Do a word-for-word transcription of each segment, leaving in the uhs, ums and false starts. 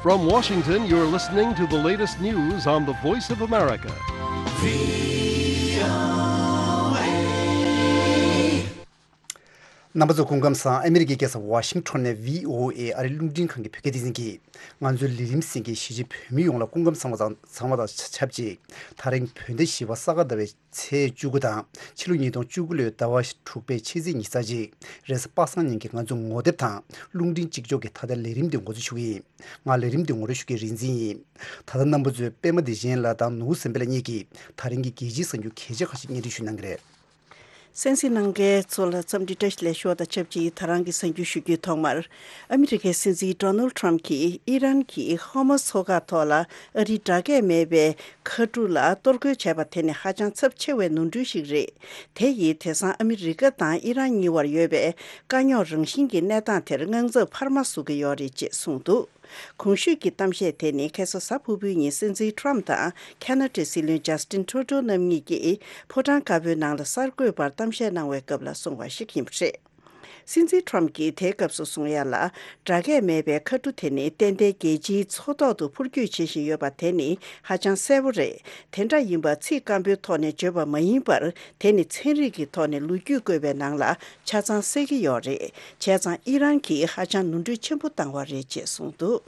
From Washington, you're listening to the latest news on the Voice of America. རྣམ་པ་ཚོ་སྐུ་ཁམས་བཟང་། ཨ་མི་རི་ཀའི་རྒྱལ་ས་ཝ་ཤིང་ཊོན་ནས་བྷི་ཨོ་ཨེ་ཨ་རིའི་རླུང་འཕྲིན་ཁང་གི་བོད་སྐད་སྡེ་ཚན་གྱིས་ང་ཚོའི་ལས་རིམ་གསན་མཁན་གཞིས་བྱེས་བོད་མི་ཡོངས་ལ་སྐུ་ཁམས་བཟང་བ་དང་བཟང་བ་དང་ཆབས་ཅིག་ད་རིང་བོད་ཟླ་བཞི་པ་ས་ག་ཟླ་བའི་ཚེས་བཅུ་དགུ་དང་ཕྱི་ལོ་ཉིས་སྟོང་བཅུ་དགུ་ལོའི་ཟླ་བ་དྲུག་པའི་ཕྱི་ཚེས་ཉི་ཤུ་རྩ་གཅིག་རེས་གཟའ་པ་སངས་ཉིན་གྱི་ང་ཚོ་ངོ་དེབ་དང་རླུང་འཕྲིན་གཅིག་ལྕོགས་ཀྱི་ཐ་དད་ལས་རིམ་འདི་འགོ་འཛུགས་ཞུ་གི་ཡིན། ང་ལས་རིམ་འདི་ངོ་སྤྲོད་ཞུ་མཁན་རིག་འཛིན་ཡིན། ད་ལྟ་རྣམ་པ་ཚོས་པད་མ་བདེ་ཆེན་ལགས་དང་ནོར་བུ་སེམས་དཔའ་ལགས་གཉིས་ཀྱིས་ད་རིང་གི་རྒྱལ་སྤྱིའི་གསར་འགྱུར་གལ་ཆེ་ཁག་ཅིག་སྙན་སྒྲོན་ཞུ་གནང་གི་རེད། གསན་གཟིགས་གནང་མཁན་ཚོ་ལ་འཚམས་འདྲི་བཀྲ་ཤིས་བདེ་ལེགས་ཞུ་བ་དང་ཆབས་ཅིག་ད་རང་གི་གསར་འགྱུར་ཞུ་རྒྱུའི་ཐོག་མར། ཨ་མི་རི་ཀའི་སྲིད་འཛིན་ཌོ་ནལ་ཊམ་གྱིས་ཨི་རན་གྱིས་ཧོར་མུ་ཛ་མཚོ་འགག་ཐོག་ལ་ཨ་རིའི་དྲ་རྒྱས་མེད་པའི་མཁའ་གྲུ་ལ་གཏོར་རྒོལ་བྱས་པ་དེ་ནི་ཧ་ཅང་ཚབས་ཆེ་བའི་ནོར་འཁྲུལ་ཞིག་རེད། དེ་ཡིས་དེང་སང་ཨ་མི་རི་ཀ་དང་ཨི་རན་གཉིས་བར་ཡོད་པའི་དཀའ་རྙོག་རང་བཞིན་གྱི་གནས་སྟངས་དེར་དངངས་འཚབ་འཕར་མ་བཟོ་གི་ཡོད་རེད་ཅེས་གསུངས་འདུག་གོང་ཞུས་ཀྱི་གཏམ་བཤད་དེ་ནི་ཁ་སང་གཟའ་ཕུར་བུའི་ཉིན་སྲིད་འཛིན་ཊམ་དང་ཁ་ན་ཌའི་སྲིད་བློན་ཇཱ་སི་ཏིན་ཊུ་རུ་ཌོ་རྣམ་གཉིས་ཀྱིས་ཕོ་བྲང་དཀར་པོའི་ནང་ལ་གསར་འགོད་པར་གཏམ་བཤད་གནང་བའི་སྐབས་ལ་གསུངས་པ་ཞིག་ཡིན་པ་རེད། སྲིད་འཛིན་ཊམ་གྱིས་དེའི་སྐབས་སུ་གསུངས་ཡ་ལ། དྲ་རྒྱས་མེད་པའི་མཁའ་གྲུ་དེ་ནི་ཏན་ཏན་རྒྱལ་སྤྱིའི་མཚོ་ཐོག་ཏུ་འཕུར་སྐྱོད་བྱེད་བཞིན་ཡོད་པ་དེ་ནི་ཧ་ཅང་གསལ་པོ་རེད། དེ་འདྲ་ཡིན་པ་ཚིག་སྐམ་པོའི་ཐོག་ནས་བརྗོད་པ་མ་ཡིན་པར། དེ་ནི་ཚན་རིག་གི་ཐོག་ནས་ལོ་རྒྱུས་བཀོད་པའི་ནང་ལ་ཆ་ཚང་གསལ་གྱི་ཡོད་རེད། བྱས་ཙང་ཨི་རན་གྱིས་ཧ་ཅང་ནོར་འཁྲུལ་ཆེན་པོ་བཏང་བ་རེད་ཅེས་གསུངས་འདུག་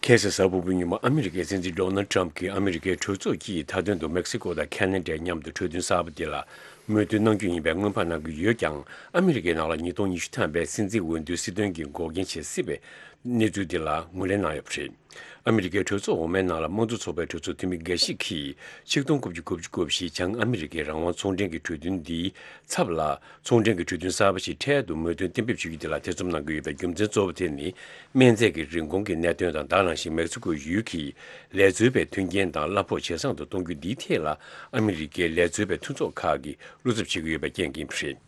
ཁ་སང་གཟའ་ཕུར་བུའི་ཉིན་མོ་ཨ་མི་རི་ཀའི་སྲིད་འཛིན་ཌོ་ནལ་ཊམ་གྱིས་ཨ་མི་རི་ཀའི་གྲོས་ཚོགས་ཀྱི་མཐའ་དོན་དུ་མེག་སི་ཀོ་དང་ཁ་ན་ཌའི་མཉམ་དུ་གྲོས་མཐུན་གསར་པ་དེ་ལ་མོས་མཐུན་གནང་རྒྱུ་ཡིན་པའི་སྔོན་དཔག་གནང་གི་ཡོད་ཀྱང་། ཨ་མི་རི་ཀའི་ནང་ལ་ཉིས་སྟོང་ཉི་ཤུ་ཐམ་པའི་སྲིད་འཛིན་འོས་བསྡུའི་སྲིད་དོན་གྱི་འགོག་རྐྱེན་བྱེད་སྲིད་པའི་གནས་ཚུལ་དེ་ལ་ངོས་ལེན་གནང་ཡོད་པ་རེད། ཨ་མི་རི་ཀའི་གྲོས་ཚོགས་འོག་མའི་ནང་ལ་དམངས་གཙོ་ཚོགས་པའི་གྲོས་ཚོགས་འཐུས་མི་འགའ་ཞིག་གིས་ཆིག་སྟོང་དགུ་བརྒྱ་དགུ་བཅུ་གོ་བཞི་བྱང་ཨ་མི་རི་ཀའི་རང་དབང་ཚོང་འབྲེལ་གྱི་གྲོས་མཐུན་འདིའི་ཚབ་ལ། ཚོང་འབྲེལ་གྱི་གྲོས་མཐུན་གསར་པ་ཞིག་འཕྲལ་དུ་མོས་མཐུན་གཏན་འབེབས་བྱེད་རྒྱུ་དེ་ལ་ཐེ་ཚོམ་གནང་གི་ཡོད་པའི་རྒྱུ་མཚན་གཙོ་བོ་དེ་ནི། སྨན་རྫས་ཀྱི་རིན་གོང་གི་གནད་དོན་དང་། དེ་ནང་བཞིན་མེག་སི་ཀོ་ཡུལ་གྱི་ལས་རྩོལ་བའི་མཐུན་རྐྱེན་དང་གླ་ཕོགས་ཇེ་བཟང་དུ་གཏོང་རྒྱུ་འདིའི་ཐད་ལ་ཨ་མི་རི་ཀའི་ལས་རྩོལ་བའི་མཐུན་ཚོགས་ཁག་གིས་བློ་འཚབ་བྱེད་ཀྱི་ཡོད་པའི་རྐྱེན་ཡིན་པ་རེད།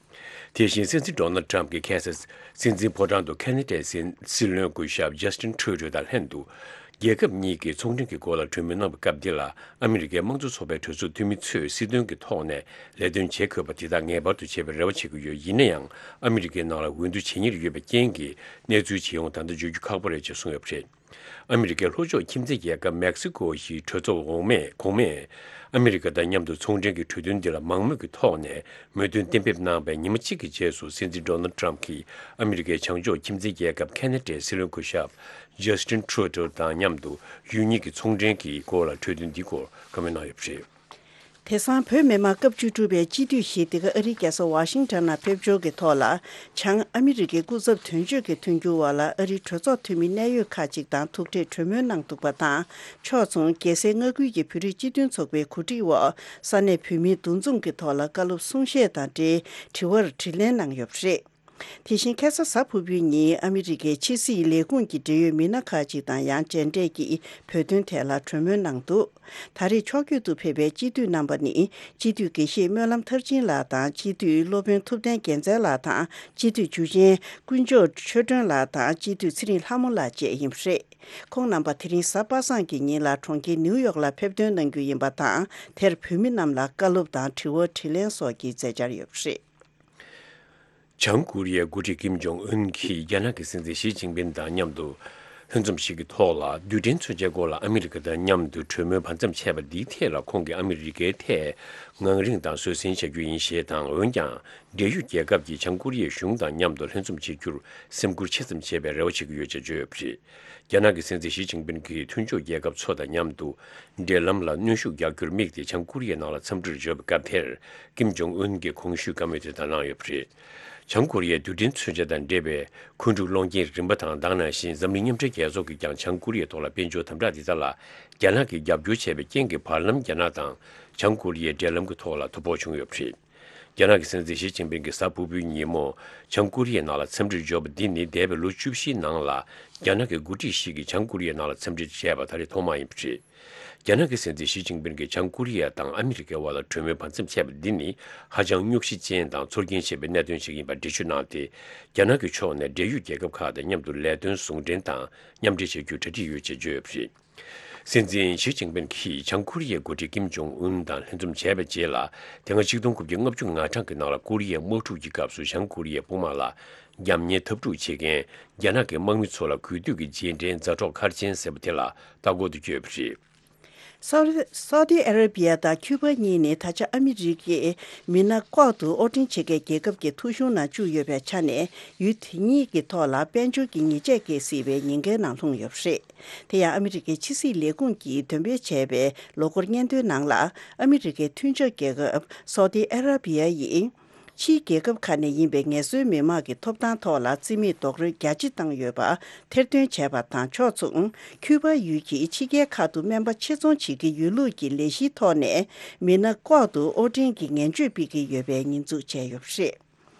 དེ་བཞིན་སྲིད་འཛིན་ཌོ་ནལ་ཊམ་གྱིས་ཁ་སང་སྲིད་འཛིན་ཕོ་བྲང་དུ་ཁ་ན་ཌའི་སྲིད་སྲིད་བློན་སྐུ་ཞབས་ཇཱ་སི་ཏིན་ཁྲུ་ཌོ་དང་ལྷན་དུ། རྒྱལ་ཁབ་གཉིས་ཀྱི་ཚོང་འབྲེལ་གྱི་སྐོར་ལ་གྲོས་མོལ་གནང་བའི་སྐབས་འདི་ལ། ཨ་མི་རི་ཀའི་དམངས་གཙོ་ཚོགས་པའི་གྲོས་ཚོགས་འཐུས་མི་ཚོས་སྲིད་དོན་གྱི་ཐོག་ནས་ལས་དོན་བྱེད་དགོས་པ་དེ་དག་ངེས་པར་དུ་བྱེད་པའི་རེ་བ་བྱེད་ཀྱི་ཡོད། ཡིན་ན་ཡང་། ཨ་མི་རི་ཀའི་ནང་ལ་འོས་བསྡུ་བྱེད་ཉེར་ཡོད་པའི་རྐྱེན་གྱིས། གནས་ཚུལ་ཇི་ཡོང་ད་ལྟ་བརྗོད་རྒྱུ་ཁག་པོ་རེད་ཅེས་གསུངས་ཡོད་པ་རེད། ཨ་མི་རི་ཀའི་ལྷོ་ཕྱོགས་ཁྱིམ་མཚེས་རྒྱལ་ཁབ་མེག་སི་ཀོ་ཡི་གྲོས་ཚོགས་འོག་མས། གོང་མས། ཨ་མི་རི་ཀ་དང་མཉམ་དུ་ཚོང་འབྲེལ་གྱི་གྲོས་མཐུན་འདི་ལ་མང་མོས་ཀྱི་ཐོག་ནས་མོས་མཐུན་གཏན་འབེབས་གནང་བའི་ཉི་མ་གཅིག་གི་རྗེས་སུ། སྲིད་འཛིན་ཌོ་ནལ་ཊམ་གྱིས་ཨ་མི་རི་ཀའི་བྱང་ཕྱོགས་ཁྱིམ་མཚེས་རྒྱལ་ཁབ་ཁ་ན་ཌའི་སྲིད་བློན་སྐུ་ཞབས་ཇཱ་སི་ཏིན་ཁྲུ་ཌོ་དང་མཉམ་དུ་ཡུལ་གཉིས་ཀྱི་ཚོང་འབྲེལ་གྱི་སྐོར་ལ་གྲོས་མཐུན་འདིའི་སྐོར་བཀའ་མོལ་གནང་ཡོད་པ་རེད། དེང་སང་བོད་མི་མང་སྐབས་བཅུ་དྲུག་པའི་སྤྱི་འཐུས་ཤིག་འདི་ག་ཨ་རིའི་རྒྱལ་ས་ཝ་ཤིང་ཊོན་ནང་ཕེབས་འབྱོར་གྱི་ཐོག་ལ། བྱང་ཨ་མི་རི་ཀའི་སྐུ་ཚབ་དོན་གཅོད་ཀྱི་མཐུན་འགྱུར་བ་ལ་ཨ་རིའི་གྲོས་ཚོགས་འཐུས་མི་གནད་ཡོད་ཁག་ཅིག་དང་ཐུག་འཕྲད་གྲོས་མོལ་གནང་འདུག་པ་དང་། ཕྱོགས་མཚུངས་རྒྱལ་སའི་མངའ་ཁུལ་གྱི་བོད་རིགས་སྤྱི་མཐུན་ཚོགས་པའི་གོ་སྒྲིག་འོག་ས་གནས་བོད་མིའི་འདུ་འཛོམས་ཀྱི་ཐོག་ལ་བཀའ་སློབ་གསུང་བཤད་དང་འབྲེལ་དྲི་བར་དྲིས་ལན་གནང་ཡོད་པ་རེད། དེ་བཞིན་ཁ་སང་གཟའ་ཕུར་བུའི་ཉིན་ཨ་མི་རི་ཀའི་ཕྱི་སྲིད་ལས་ཁུངས་ཀྱི་འབྲེལ་ཡོད་མི་སྣ་ཁག་ཅིག་དང་ཡང་མཇལ་འཕྲད་ཀྱིས་བོད་དོན་ཐད་ལ་གྲོས་མོལ་གནང་འདུག་ད་རེས་ཕྱོགས་བསྐྱོད་དུ་ཕེབས་པའི་སྤྱི་འཐུས་རྣམ་པ་ནི། སྤྱི་འཐུས་དགེ་བཤེས་སྨོན་ལམ་མཐར་ཕྱིན་ལགས་དང་། སྤྱི་འཐུས་སློབ་དཔོན་ཐུབ་བསྟན་རྒྱལ་མཚན་ལགས་དང་། སྤྱི་འཐུས་འཇུ་ཆེན་དཀོན་མཆོག་ཆོས་སྒྲོན་ལགས་དང་། སྤྱི་འཐུས་ཚེ་རིང་ལྷ་མོ་ལགས་བཅས་ཡིན་པ་རེད། ཁོང་རྣམ་པ་དེ་རིང་གཟའ་པ་སངས་ཀྱི་ཉིན་ལ་གྲོང་ཁྱེར་ནིའུ་ཡོག་ལ་ཕེབས་ཐོན་གནང་རྒྱུ་ཡིན་པ་དང་། དེར་བོད་མི་རྣམས་ལ་བཀའ་སློབ་དང་དྲི་བ་དྲིས་ལན་སོགས་ཀྱི་མཛད་འཆར་ཡོད་པ་རེད། བྱང་ཀོ་རི་ཡའི་འགོ་ཁྲིད་ཀིམ་ཇོང་ཨུན་གྱིས་རྒྱ་ནག་གི་སྲིད་འཛིན་ཞི་ཅིན་ཕིན་དང་མཉམ་དུ་ལྷན་འཛོམས་ཤིག་གི་ཐོག་ལ། རྡུལ་ཕྲན་མཚོན་ཆའི་སྐོར་ལ་ཨ་མི་རི་ཀ་དང་མཉམ་དུ་གྲོས་མོལ་བར་མཚམས་ཆད་པ་འདིའི་ཐད་ལ། ཁོང་གིས་ཨ་མི་རི་ཀའི་ཐད་ངང་རིང་དང་བཟོད་བསྲན་བྱ་རྒྱུ་ཡིན་ཞེས་དང་། འོན་ཀྱང་། འབྲེལ་ཡོད་རྒྱལ་ཁབ་ཀྱིས་བྱང་ཀོ་རི་ཡའི་གཞུང་དང་མཉམ་དུ་ལྷན་འཛོམས་བྱེད་རྒྱུར་སེམས་ཁུར་ཆེ་ཙམ་བྱེད་པའི་རེ་བ་བྱེད་ཀྱི་ཡོད་ཅེས་བརྗོད་ཡོད་པ་རེད། རྒྱ་ནག་གི་སྲིད་འཛིན་ཞི་ཅིན་ཕིན་གྱིས་མཐུན་ཕྱོགས་རྒྱལ་ཁབ་ཚོ་དང་མཉམ་དུ་འབྲེལ་ལམ་ལ་གནོན་ཤུགས་རྒྱག་རྒྱུར་དམིགས་ཏེ་བྱང་ཀོ་རི་ཡའི་ནང་ལ་འཚམས་འདྲིར་འབྱོར་བའི་སྐབས་དེར། ཀིམ་ཇོང་ཨུན་གྱིས་གོང་ཞུས་བཀའ་མོལ་དེ་དག་གནང་ཡོད་པ་རེད། བྱང་ཀོ་རི་ཡའི་རྡུལ་ཕྲན་མཚོན་ཆ་དང་འབྲེལ་བའི་འཁོན་འཁྲུག་སློང་རྐྱེན་རིམ་པ་དང་། དེ་ནང་བཞིན་འཛམ་གླིང་མཉམ་འབྲེལ་རྒྱལ་ཚོགས་ཀྱིས་ཀྱང་བྱང་ཀོ་རི་ཡའི་ཐོག་ལ་དཔལ་འབྱོར་དམ་དྲག་དེ་དག་ལ་རྒྱ་ནག་གིས་རྒྱབ་སྐྱོར་བྱས་པའི་རྐྱེན་གྱིས། བར་ལམ་རྒྱ་ནག་དང་བྱང་ཀོ་རི་ཡའི་འབྲེལ་ལམ་གྱི་ཐོག་ལ་དོ་ཕོག་བྱུང་ཡོད་པ་རེད། རྒྱ་ནག་གི་སྲིད་འཛིན་ཞི་ཅིན་ཕིང་གིས་གཟའ་ཕུར་བུའི་ཉིན་མོ་བྱང་ཀོ་རི་ཡའི་ནང་ལ་འཚམས་འདྲིར་འབྱོར་བ་འདི་ནི་འདས་པའི་ལོ་བཅུ་བཞིའི་ནང་ལ་རྒྱ་ནག་གི་འགོ་ཁྲིད་ཞིག་གིས་བྱང་ཀོ་རི་ཡའི་ནང་ལ་འཚམས་འདྲིར་བྱས་པ་ད་རེས་ཐོག་མ་ཡིན་པ་རེད། རྒྱ་ནག་གི་སྲིད་འཛིན་ཞི་ཅིན་ཕིང་གིས་བྱང་ཀོ་རི་ཡ་དང་ཨ་མི་རི་ཀའི་དབར་ལ་གྲོས་མོལ་བར་མཚམས་ཆད་པ་འདི་ནི་ཧ་ཅང་རྙོག་གཞི་ཅན་དང་ཚོར་སྐྱེན་ཆེ་བའི་གནད་དོན་ཞིག་ཡིན་པར་འགྲེལ་བརྗོད་གནང་སྟེ། རྒྱ་ནག་གི་ཕྱོགས་ནས་འབྲེལ་ཡོད་རྒྱལ་ཁབ་ཁག་དང་མཉམ་དུ་ལས་དོན་ཟུང་འབྲེལ་དང་མཉམ་འབྲེལ་བྱ་རྒྱུར་གྲ་སྒྲིག་ཡོད་ཅེས་བརྗོད་ཡོད་པ་རེད། སྲིད་འཛིན་ཞི་ཅིན་ཕིང་གིས་བྱང་ཀོ་རི་ཡའི་འགོ་ཁྲིད་ཀིམ་ཇོང་ཨུན་དང་ལྷན་འཛོམས་བྱས་པའི་རྗེས་ལ། དེ་སྔ་ཆིག་སྟོང་དགུ་བརྒྱ་ལྔ་བཅུ་ང་གྲངས་ཀྱི་ནང་ལ་ཀོ་རི་ཡའི་དམག་འཁྲུག་གི་སྐབས་སུ་བྱང་ཀོ་རི་ཡའི་དཔུང་དམག་ལ་རྒྱབ་གཉེར་འཐབ་འཁྲུག་བྱེད་མཁན་རྒྱ་ནག་གི་དམག་མི་ཚོ་ལ་གུས་འདུད་ཀྱི་རྗེས་དྲན་མཛའ་གྲོགས་མཁར་ཆེན་ཟེར་བ་དེ་ལ་ལྟ་སྐོར་དུ་བསྐྱོད་པ་རེད། སའུ་སའུ་ཏི་ཨ་ར་བི་ཡ་དང་ཁྱུ་པ་གཉིས་ནི་ད་ཆ་ཨ་མི་རི་ཀའི་མི་སྣ་ལྐོག་ཏུ་དབོར་འདྲེན་བྱེད་མཁན་རྒྱལ་ཁབ་ཀྱི་ཐོ་གཞུང་ནང་བཅུག་ཡོད་པའི་ཆ་ནས། ཡུལ་དེ་གཉིས་ཀྱི་ཐོག་ལ་དཔལ་འབྱོར་གྱི་ཉེས་ཆད་འགེལ་སྲིད་པའི་ཉེན་ཁའི་ནང་ལྷུང་ཡོད་པ་རེད། དེ་ཡང་ཨ་མི་རི་ཀའི་ཕྱི་སྲིད་ལས་ཁུངས་ཀྱིས་འདོན་སྤེལ་བྱས་པའི་ལོ་འཁོར་སྙན་ཐོའི་ནང་ལ། ཨ་མི་རི་ཀའི་མཐུན་ཕྱོགས་རྒྱལ་ཁབ་སའུ་ཏི་ཨ་ར་བི་ཡ་ཡིས། ཕྱིའི་རྒྱལ་ཁབ་ཁག་ནས་ཡིན་པའི་ངལ་རྩོལ་མི་མང་གི་ཐོབ་ཐང་ཐོག་ལ་རྩིས་མེད་རྡོག་རོལ་རྒྱ་ཆེ་བཏང་ཡོད་པ་ཐེར་འདོན་བྱས་པ་དང་ཕྱོགས་མཚུངས། ཁྱུ་པ་ཡུལ་གྱིས་ཕྱི་རྒྱལ་ཁག་ཏུ་སྨན་པ་ཕྱིར་ཚོང་བྱེད་ཀྱི་ཡོད་ལུགས་ཀྱི་ལས་གཞིའི་ཐོག་ནས་མི་སྣ་ལྐོག་ཏུ་དབོར་འདྲེན་གྱི་ངན་བྱུས་སྤེལ་གྱི་ཡོད་པའི་ཉེས་འཛུགས་བྱས་ཡོད་པ་རེད།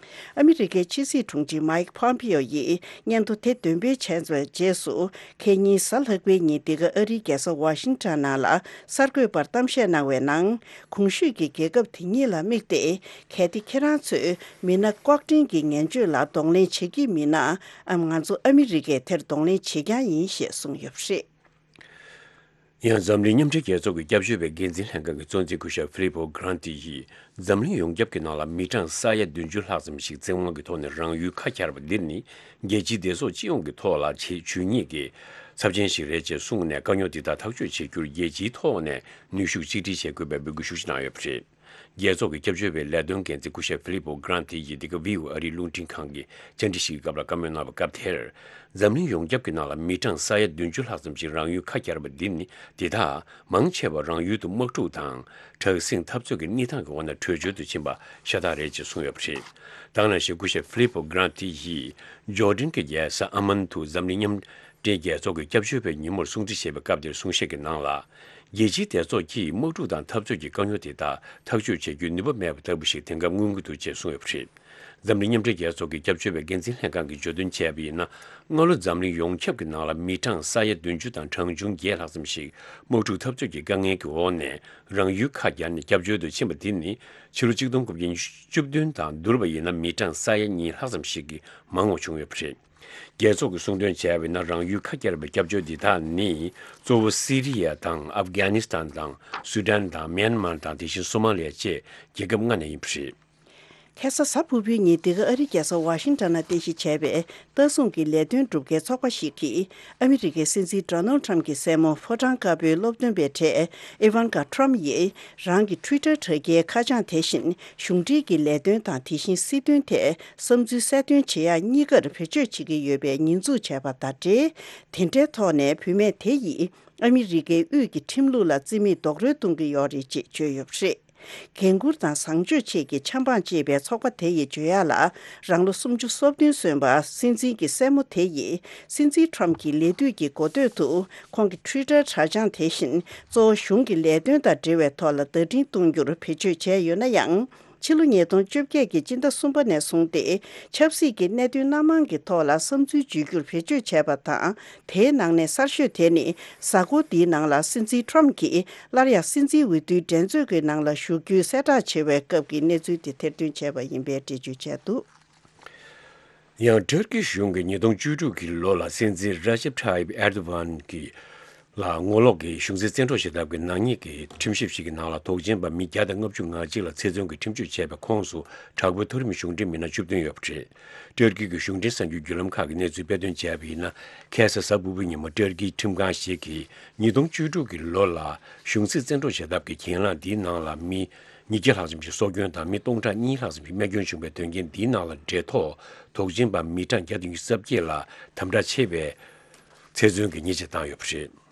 ཨ་མི་རི་ཀའི་ཕྱི་སྲིད་དྲུང་ཆེ་མའིག་ཕོམ་པིའོ་ཡིས་སྙན་ཐོ་དེ་འདོན་སྤེལ་བྱས་པའི་རྗེས་སུ། ཁེ་ཉིན་གཟའ་ལྷག་པའི་ཉིན་འདི་ག་ཨ་རིའི་རྒྱལ་ས་ཝ་ཤིང་ཊོན་ནང་ལ་གསར་འགོད་པར་གཏམ་བཤད་གནང་བའི་ནང་། གོང་ཞུས་ཀྱི་རྒྱལ་ཁབ་དེ་གཉིས་ལ་དམིགས་ཏེ། གལ་ཏེ་ཁྱེད་རང་ཚོས་མི་སྣ་ལྐོག་འདྲེན་གྱི་ངན་སྤྱོད་ལ་གདོང་ལེན་བྱེད་ཀྱི་མིན་ན། ཨམ། ང་ཚོ་ཨ་མི་རི་ཀས་དེར་གདོང་ལེན་བྱེད་རྐྱང་ཡིན་ཞེས་གསུངས་ཡོད་པ་རེད། ཡང་འཛམ་གླིང་མཉམ་འབྲེལ་རྒྱལ་ཚོགས་ཀྱི་སྐྱབས་བཅོལ་བའི་འགན་འཛིན་ལྷན་ཁང་གི་གཙོ་འཛིན་སྐུ་ཞབས་ཧྥི་ལི་པོ་གྷ་རན་ཏི་ཡིས། འཛམ་གླིང་ཡོངས་ཁྱབ་ཀྱི་ནང་ལ་མི་གྲངས་ས་ཡ་བདུན་ཅུ་ལྷག་ཙམ་ཞིག་བཙན་དབང་གི་ཐོག་ནས་རང་ཡུལ་ཁ་གྱར་བ་འདི་ནི། རྒྱལ་སྤྱིའི་བདེ་སྲུང་སྤྱི་ཡོངས་ཀྱི་ཐོག་ལ་ཆེས་ཇུས་ཉེས་ཀྱི་ཚབས་ཆེན་ཞིག་རེད་ཅེས་གསུངས་ནས། དཀའ་རྙོག་འདི་དག་ཐག་གཅོད་བྱེད་རྒྱུར་རྒྱལ་སྤྱིའི་ཐོག་ནས་ནུས་ཤུགས་གཅིག་སྒྲིལ་བྱེད་དགོས་པའི་འབོད་སྐུལ་ཤུགས་ཆེ་གནང་ཡོད་པ་རེད། རྒྱལ་ཚོགས་ཀྱི་སྐྱབས་བཅོལ་བའི་ལས་དོན་འགན་འཛིན་སྐུ་ཞབས་ཧྥི་ལི་པོ་གྷ་རན་ཏི་ཡིས་འདི་ག་ཝི་ཨོ་ཨ་རིའི་རླུང་འཕྲིན་ཁང་གི་བཅར་འདྲི་ཞིག་གི་སྐབས་ལ་བཀའ་མོལ་གནང་བའི་སྐབས་དེར། འཛམ་གླིང་ཡོངས་ཁྱབ་ཀྱི་ནང་ལ་མི་གྲངས་ས་ཡ་བདུན་ཅུ་ལྷག་ཙམ་ཞིག་རང་ཡུལ་ཁ་གྱར་བ་འདི་ནི། འདི་དག་མང་ཆེ་བ་རང་ཡུལ་དུ་དམག་འཁྲུག་དང་དྲག་ཟིང་འཐབ་རྩོད་ཀྱི་གནས་སྟངས་ཀྱི་འོག་ནས་བྲོས་བྱོལ་དུ་ཕྱིན་པ་ཤ་སྟག་རེད་ཅེས་གསུངས་ཡོད་པ་རེད། དེ་ནང་བཞིན་སྐུ་ཞབས་ཧྥི་ལི་པོ་གྷ་རན་ཏི་ཡིས་ཇོར་ཌན་གྱི་རྒྱལ་ས་ཨ་མན་དུ་འཛམ་གླིང་མཉམ་འབྲེལ་རྒྱལ་ཚོགས་ཀྱི་སྐྱབས་བཅོལ་བའི་ཉིན་མོར་སྲུང་བརྩི་བྱས་པའི་སྐབས་དེར་གསུང་བཤད་ཀྱི་ནང་ལ། རྒྱལ་སྤྱིའི་སྡེ་ཚོགས་ཀྱིས་དམག་འཁྲུག་དང་འཐབ་རྩོད་ཀྱི་དཀའ་རྙོག་དེ་དག་ཐག་གཅོད་བྱེད་རྒྱུའི་ནུས་པ་མེད་པ་ལྟ་བུ་ཞིག་དེང་སྐབས་མངོན་གྱི་འདུག་ཅེས་གསུངས་ཡོད་པ་རེད། འཛམ་གླིང་མཉམ་འབྲེལ་རྒྱལ་ཚོགས་ཀྱི་སྐྱབས་བཅོལ་བའི་འགན་འཛིན་ལྷན་ཁང་གིས་བརྗོད་དོན་བྱས་པ་ཡིན་ན། སྔ་ལོ་འཛམ་གླིང་ཡོངས་ཁྱབ་ཀྱི་ནང་ལ་མི་གྲངས་ས་ཡ་བདུན་ཅུ་དང་གྲངས་ཆུང་བརྒྱད་ལྷག་ཙམ་ཞིག་དམག་འཁྲུག་འཐབ་རྩོད་ཀྱི་དཀའ་ངལ་གྱི་འོག་ནས་རང་ཡུལ་ཁ་གྱར་ནས་སྐྱབས་བཅོལ་དུ་ཕྱིན་པ་འདི་ནི། ཕྱི་ལོ་གཅིག་སྟོང་དགུ་བརྒྱ་ཉི་ཤུ་བདུན་དང་བསྡུར་བ་ཡིན་ན། མི་གྲངས་ས་ཡ་གཉིས་ལྷག་ཙམ་ཞིག་གིས་མང་བ་བྱུང་ཡོད་པ་རེད། རྒྱལ་ཚོགས་ཀྱིས་གསུང་དོན་བྱས་པ་ཡིན་ན། རང་ཡུལ་ཁ་གྱར་བའི་སྐྱབས་བཅོལ་འདི་དག་ནི། གཙོ་བོ་སི་རི་ཡ་དང་ཨབ་གྷ་ནི་སི་ཐན་དང་སུ་དཱན་དང་མེན་མར་དང་། དེ་བཞིན་སོ་མ་ལི་ཡ་བཅས་རྒྱལ་ཁབ་ལྔ་ནས་ཡིན་པ་རེད། ཁ་སང་གཟའ་ཕུར་བུའི་ཉིན་འདི་ག་ཨ་རིའི་རྒྱལ་ས་ཝ་ཤིང་ཊོན་ནང་རྟེན་གཞི་བྱས་པའི་ལྟ་སྲུང་གི་ལས་དོན་སྒྲུབ་མཁན་ཚོགས་པ་ཞིག་གིས། ཨ་མི་རི་ཀའི་སྲིད་འཛིན་ཌོ་ནལ་ཊམ་གྱི་སྲས་མོ་ཕོ་བྲང་དཀར་པོའི་སློབ་སྟོན་པའི་གྲས་ཨི་ཝན་ཀ་ཊམ་ཡིས། རང་གི་ཊུའི་ཊར་དྲ་རྒྱའི་ཁ་བྱང་དེ་བཞིན་གཞུང་འབྲེལ་གྱི་ལས་དོན་དང་། དེ་བཞིན་སྲིད་དོན་ཐད་བསམ་ཚུལ་གསལ་སྟོན་བྱེད་ཡག་གཉིས་ཀར་བེད་སྤྱོད་བྱེད་ཀྱི་ཡོད་པའི་ཉེས་འཛུགས་བྱས་པ་དང་འབྲེལ། དེ་འདྲའི་ཐོག་ནས་བུད་མེད་དེ་ཡིས་ཨ་མི་རི་ཀའི་དབུས་ཀྱི་ཁྲིམས་ལུགས་ལ་རྩིས་མེད་རྡོག་རོལ་གཏོང་གི་ཡོད་རེད་ཅེས་བརྗོད་ཡོད་པ་རེད། འགན་འཁུར་དང་བཟང་སྤྱོད་ཆེད་ཀྱི་ཆབ་འབངས་ཅེས་པའི་ཚོགས་པ་དེ་ཡིས་བརྗོད་ཡག་ལ། རང་ལོ་སུམ་ཅུ་སོ་བདུན་སོན་པ་སྲིད་འཛིན་གྱི་སྲས་མོ་དེ་ཡིས། སྲིད་འཛིན་ཊམ་གྱི་ལས་དུས་ཀྱི་འགོ་སྟོད་དུ། ཁོང་གི་ཊུའི་ཊར་དྲ་བྱང་དེ་བཞིན། གཙོ་བོ་གཞུང་གི་ལས་དོན་དང་འབྲེལ་བའི་ཐོག་ལ་བརྡ་འཕྲིན་གཏོང་རྒྱུར་བེད་སྤྱོད་བྱས་ཡོད་ན་ཡང་། ཕྱི་ལོ་ཉིས་སྟོང་བཅོ་བརྒྱད་ཀྱི་སྤྱི་ཟླ་གསུམ་པ་ནས་བཟུང་སྟེ། ཆབ་སྲིད་ཀྱི་གནད་དོན་སྣ་མང་གི་ཐོག་ལ་བསམ་ཚུལ་བརྗོད་རྒྱུར་བེད་སྤྱོད་བྱས་པ་དང་། དེའི་ནང་ནས་གསར་ཤོས་དེ་ནི། གཟའ་འཁོར་འདིའི་ནང་ལ་སྲིད་འཛིན་ཊམ་གྱིས་སླར་ཡང་སྲིད་འཛིན་འོས་བསྡུའི་འགྲན་རྩོད་ཀྱི་ནང་ལ་ཞུགས་རྒྱུའི་གསལ་བསྒྲགས་བྱེད་པའི་སྐབས་ཀྱི་གནས་ཚུལ་དེ་ཐེར་འདོན་བྱས་པ་ཡིན་པའི་འགྲེལ་བརྗོད་བྱས་འདུག། ཡང་ཏུར་ཀི་གཞུང་གིས་ཉིས་སྟོང་བཅུ་དྲུག་གི་ལོ་ལ་སྲིད་འཛིན་ར་ཇེབ་ཐ་ཡིབ་ཨེར་དོ་ཝན་གྱི་ལ་ངོ་ལོག་གི་གཞུང་སྲིད་བཙན་འཕྲོག་བྱེད་ཐབས་ཀྱི་ནག་ཉེས་ཀྱི་ཁྲིམས་ཞིབ་ཞིག་གི་ནང་ལ་དོགས་ཅན་པ་མི་བརྒྱ་དང་ལྔ་བཅུ་ང་གཅིག་ལ་ཚེ་བཙོན་གྱི་ཁྲིམས་གཅོད་བྱས་པའི་ཁོངས་སུ་དྲག་པོའི་མཐོ་རིམ་གཞུང་འབྲེལ་མི་སྣ་བཅུ་བདུན་ཡོད་པ་རེད། ཏུར་ཀི་གི་གཞུང་འབྲེལ་གསར་འགྱུར་བརྒྱུད་ལམ་ཁག་གིས་གནས་ཚུལ་སྤེལ་དོན་བྱས་པ་ཡིན་ན། ཁ་སང་གཟའ་ཕུར་བུའི་ཉིན་མོ་ཏུར་ཀིའི་ཁྲིམས་ཁང་ཞིག་གིས་ཉིས་སྟོང་བཅུ་དྲུག་གི་ལོ་ལ་གཞུང་སྲིད་བཙན་འཕྲོག་བྱེད་ཐབས་ཀྱི་གྱེན་ལངས་འདིའི་ནང་ལ་མི་ཉིས་བརྒྱ་ལྷག་ཙམ་ཞིག་སྲོག་སྐྱོན་དང་། མི་སྟོང་ཕྲག་གཉིས་ལྷག་ཙམ་ཞིག་རྨས་སྐྱོན་བྱུང་བའི་དོན་རྐྱེན་འདིའི་ནང་ལ་འབྲེལ་ཐོགས་དོགས་ཅན་པ་མི་གྲངས་བརྒྱ་དང་ཉི་ཤུ་རྩ་བརྒྱད་ལ་དམ་དྲག་ཆེ་བའི་ཚེ་བཙོན་གྱི་ཉེས་ཆད་བཏང་ཡོད་པ་རེད།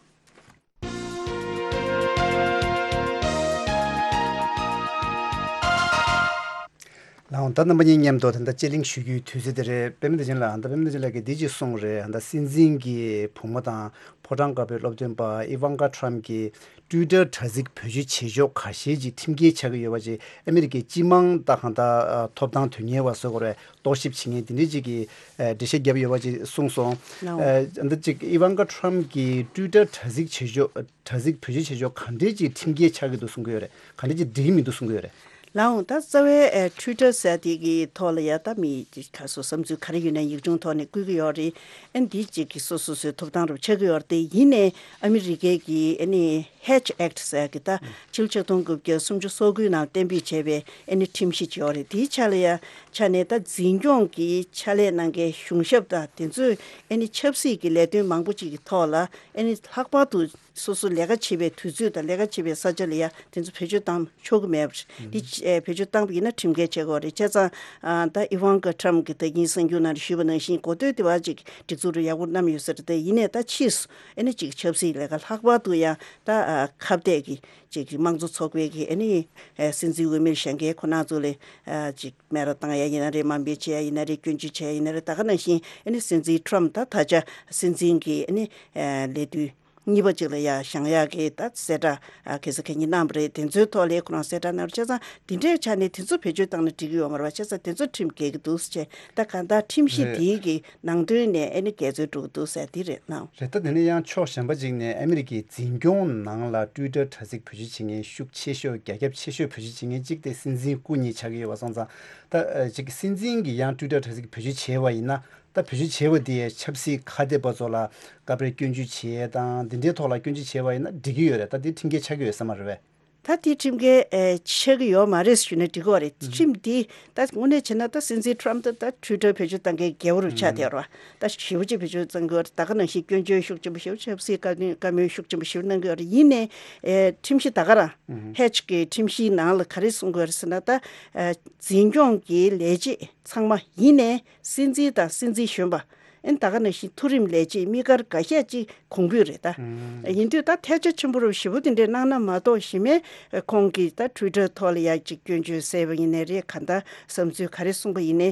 ལགས་འོང་། ད་རྣམ་པ་གཉིས་མཉམ་དུ་ད་ལྟ་དཔྱད་གླེང་ཞུ་རྒྱུའི་དུས་ཚོད་དེ་རེད། པད་མ་བདེ་ཆེན་ལགས། ད་པད་མ་བདེ་ཆེན་ལགས་ཀྱིས་འདི་ཅིག་གསུངས་རེད། ད་སྲིད་འཛིན་གྱི་བུ་མོ་དང་ཕོ་བྲང་དཀར་པོའི་སློབ་སྟོན་པ་ཨི་ཝན་ཀ་ཊམ་གྱི་ཊུའི་ཊར་དྲ་ཚིགས་བེད་སྤྱོད་བྱེད་ཕྱོགས་ཁ་ཤས་ཅིག་ཁྲིམས་འགལ་ཆགས་ཀྱི་ཡོད་པ་ཅིག་ཨ་མི་རི་ཀའི་སྤྱི་དམངས་ད་གང་ལྟར་ཐོབ་ཐང་དོན་གཉེར་བ་བཟོ་དགོས་རེད། རྟོག་ཞིབ་བྱེད་མཁན་དེ་འདྲའི་ཅིག་གིས་ཨ་འགྲེལ་བཤད་བརྒྱབ་ཡོད་པ་ཅིག་གསུངས་སོང་། ལགས་འོང་། ཨ་འདི་ཅིག་ཨི་ཝན་ཀ་ཊམ་གྱི་ཊུའི་ཊར་དྲ་ཚིགས་བྱེད་ཕྱོགས། དྲ་ཚིགས་བེད་སྤྱོད་བྱེད་ཕྱོགས་ག་འདྲའི་ཅིག་ཁྲིམས་འགལ་ཆགས་ཀྱི་འདུག་གསུང་གི་ཡོད་རེད། ག་འདྲའི་ཅིག་འགྲིག་གི་མི་འདུག་གསུང་གི་ཡོད་རེད། ལའང་ད་རྩ་བའི་ཨེ་Twitter་ཟེར་དེ་གི་ཐོག་ལ་ཡ་ད་མི་ག་སོ་བསམ་ཚུལ་ག་རེ་ཡོད་ན་ཡིག་ཆུང་ཐོག་ནས་བཀོད་ཀྱི་ཡོད་རེད། ཨན་འདི་གཅིག་གི་སོ་སོ་སོའི་ཐོབ་ཐང་རུ་ཆགས་ཀྱི་ཡོད་རེད། དེ་ཡིན་ནའི་ཨ་མི་རི་ཀའི་གི་ཨ་ནི་Hatch Act་ཟེར་གི་ད་ཕྱི་ལོ་ཆིག་སྟོང་དགུ་བརྒྱ་སུམ་ཅུ་སོ་དགུའི་ནང་གཏན་འབེབས་བྱས་པའི་ཨ་ནི་ཁྲིམས་གཞི་ཅིག་ཡོད་རེད། དེའི་ཆ་ལ་ཡ་ཆ་ནས་ད་འཛིན་སྐྱོང་གི་ཕྱག་ལས་གནང་མཁན་གཞུང་ཞབས་དང་དེ་ཚོས་ཨ་ནི་ཆབ་སྲིད་ཀྱི་ལས་དོན་མང་པོ་ཅིག་གི་ཐོག་ལ་ཨ་ནི་ལྷག་པར་དུ་སོ་སོ་ལས་ཀ་བྱེད་པའི་དུས་ཚོད་དང་ལས་ཀ་བྱེད་པའི་ས་ཆ་ལ་ཡ་དེ་ཚོ་བེད་སྤྱོད་བཏང་ཆོག་གི་མེད་པ་རེད། འདི་ཨེ་བེད་སྤྱོད་བཏང་པ་ཡིན་ན་ཁྲིམས་འགལ་བྱེད་དགོས་རེད། བྱས་ཙང་ཨ་ད་Ivanka Trump་གི་ད་ཡིན་གསར་འགྱུར་ནང་ཞུས་པ་ནང་བཞིན་གོ་ཐོས་དེ་བ་ཅིག་སྒྲིག་འཛུགས་རུ་ཡག་པོ་བསྣམས་ཡོད་ས་རེད། དེ་ཡིན་ནའི་ད་ཕྱིས་སུ་ཨེ་ནི་ཅིག་ཆབ་སྲིད་ལས་ཀ་ལྷག་པར་དུ་ཡང་ད་ཨ་ཁ་གཏད་ཀྱི་ཅིག་གི་དམངས་གཙོ་ཚོགས་པའི་གི་ཨེ་ནི་ཨེ་སྲིད་འཛིན་འོས་མིར་བཞེངས་མཁན་ཁོ་ན་ཚོ་ལ་ཨ་ཅིག་མེ་ར་བཏང་ཡ་ཡིན་ན་རེད། དམའ་འབེབས་བྱེད་ཡ་ཡིན་ན་རེད། སྐྱོན་བརྗོད་བྱེད་ཡ་ཡིན་ན་རེད། ད་ག་ནང་བཞིན་ཨེ་ནི་སྲིད་འཛིན་Trump་ད་ད་ཆ་སྲིད་འཛིན་གི་ཨེ་ནི་ཨེ་ལས་དུས་གཉིས་པ་ཅིག་ལ་ཡ་བཞེངས་ཡག་གི་ད་གསལ་བསྒྲགས་ཨ་གལ་སྲིད་གལ་གཉིས་གནང་བ་རེད། དེ་ཚོའི་ཐོག་ལ་ཁོ་རང་གསལ་བསྒྲགས་གནང་བ་བྱས་ཙང་དེ་འདྲའི་ཆ་ནས་དེ་ཚོ་བེད་སྤྱོད་བཏང་ན་འགྲིག་གི་ཡོད་མ་རེད་པ། བྱས་ཙང་དེ་ཚོ་ཁྲིམས་འགལ་གི་འདུག་ཟེར་བྱས་ད་གང་ལྟར་ཁྲིམས་གཞི་རེད། དེའི་གི་ནང་དོན་ནས་ཨེ་ནི་འགལ་འཛོལ་འགྲོ་གི་འདུག་ཟེར་དེ་རེད་གནང་། རེད། ད་དེ་ནས་ཡང་ཕྱོགས་གཞན་པ་ཅིག་ནས་ཨ་མི་རི་ཀའི་འཛིན་སྐྱོང་ནང་ལ་Twitter་དྲ་ཚིགས་བེད་སྤྱོད་བྱེད་མཁན་ཤུགས་ཆེ་ཤོས་རྒྱ་ཁྱབ་ཆེ་ཤོས་བེད་སྤྱོད་བྱེད་མཁན་གཅིག་དེ་སྲིད་འཛིན་སྐུ་ཉིད་ཆགས་ཀྱི་ཡོད་པ་སོང་ཙང་ད་ཅིག་སྲིད་འཛིན་གྱིས་ཡང་Twitter་དྲ་ཚིགས་བེད་སྤྱོད་བྱས་པ་ཡིན་ན། ད་བེད་སྤྱོད་བྱས་པ་དེས་ཆབ་སྲིད་ཁ་གཏད་པ་ཚོ་ལ་སྐབས་རེ་སྐྱོན་བརྗོད་བྱེད་ཡས་དང་འདི་འདྲའི་ཐོག་ལ་སྐྱོན་བརྗོད་བྱས་པ་ཡིན་ན་འགྲིག་གི་ཡོད་རེད། ད་དེ་ཁྲིམས་འགལ་ཆགས་ཀྱི་ཡོད་ས་མ་རེད་པས། ད་དེ་ཁྲིམས་འགལ་ཨེ་ཆགས་ཀྱི་ཡོད་མ་རེད་ཞུས་ན་འགྲིག་གི་རེད། ཁྲིམས་འདི་ད་དངོས་གནས་བྱས་ན་ད་སྲིད་འཛིན་Trump་ད་ད་Twitter་བེད་སྤྱོད་བཏང་མཁན་རྒྱལ་པོ་རུ་ཆགས་བསྡད་རེད་པ། ད་ཞེ་པོ་ཅིག་བེད་སྤྱོད་བཏང་གི་ཡོད་རེད། ད་ག་ནང་བཞིན་སྐྱོན་བརྗོད་ཤུགས་ཆེན་པོ་ཞེ་པོ་ཆབ་སྲིད་བཀའ་བཀའ་མོལ་ཤུགས་ཆེན་པོ་ཞེ་པོ་གནང་གི་ཡོད་རེད། ཡིན་ནའི་ཨེ་ཁྲིམས་གཞི་ད་ག་རང་Hatch་གི་ཁྲིམས་གཞིའི་ནང་ལ་ག་རེ་གསུང་གི་ཡོད་རེད་ཟེར་ན་ད་ཨེ་འཛིན་སྐྱོང་གི་ལས་བྱེད་ཚང་མ་ཡིན་ནའི་སྲིད་འཛིན་དང་སྲིད་འཛིན་གཞོན་པ། ཨན་ད་ག་ནང་བཞིན་མཐོ་རིམ་ལས་བྱེད་དམིགས་བཀར་འགའ་ཤས་ཅིག་གོང་འབུད་རེད་ད། ཡིན་དུས་ད་ཐལ་ཆ་ཆེན་པོ་རུ་ཞེ་པོ་དེ་འདྲས་གནང་ན་མ་གཏོགས་གཞི་མའི་ཁོང་གིས་ད་Twitter་ཐོག་ལ་ཡ་ཅིག་སྐྱོན་བརྗོད་བསལ་བ་ཡིན་ནའི་རེད། ག་འདྲ་བསམ་ཚུལ་ག་རེ་གསུངས་པ་ཡིན་ནའི་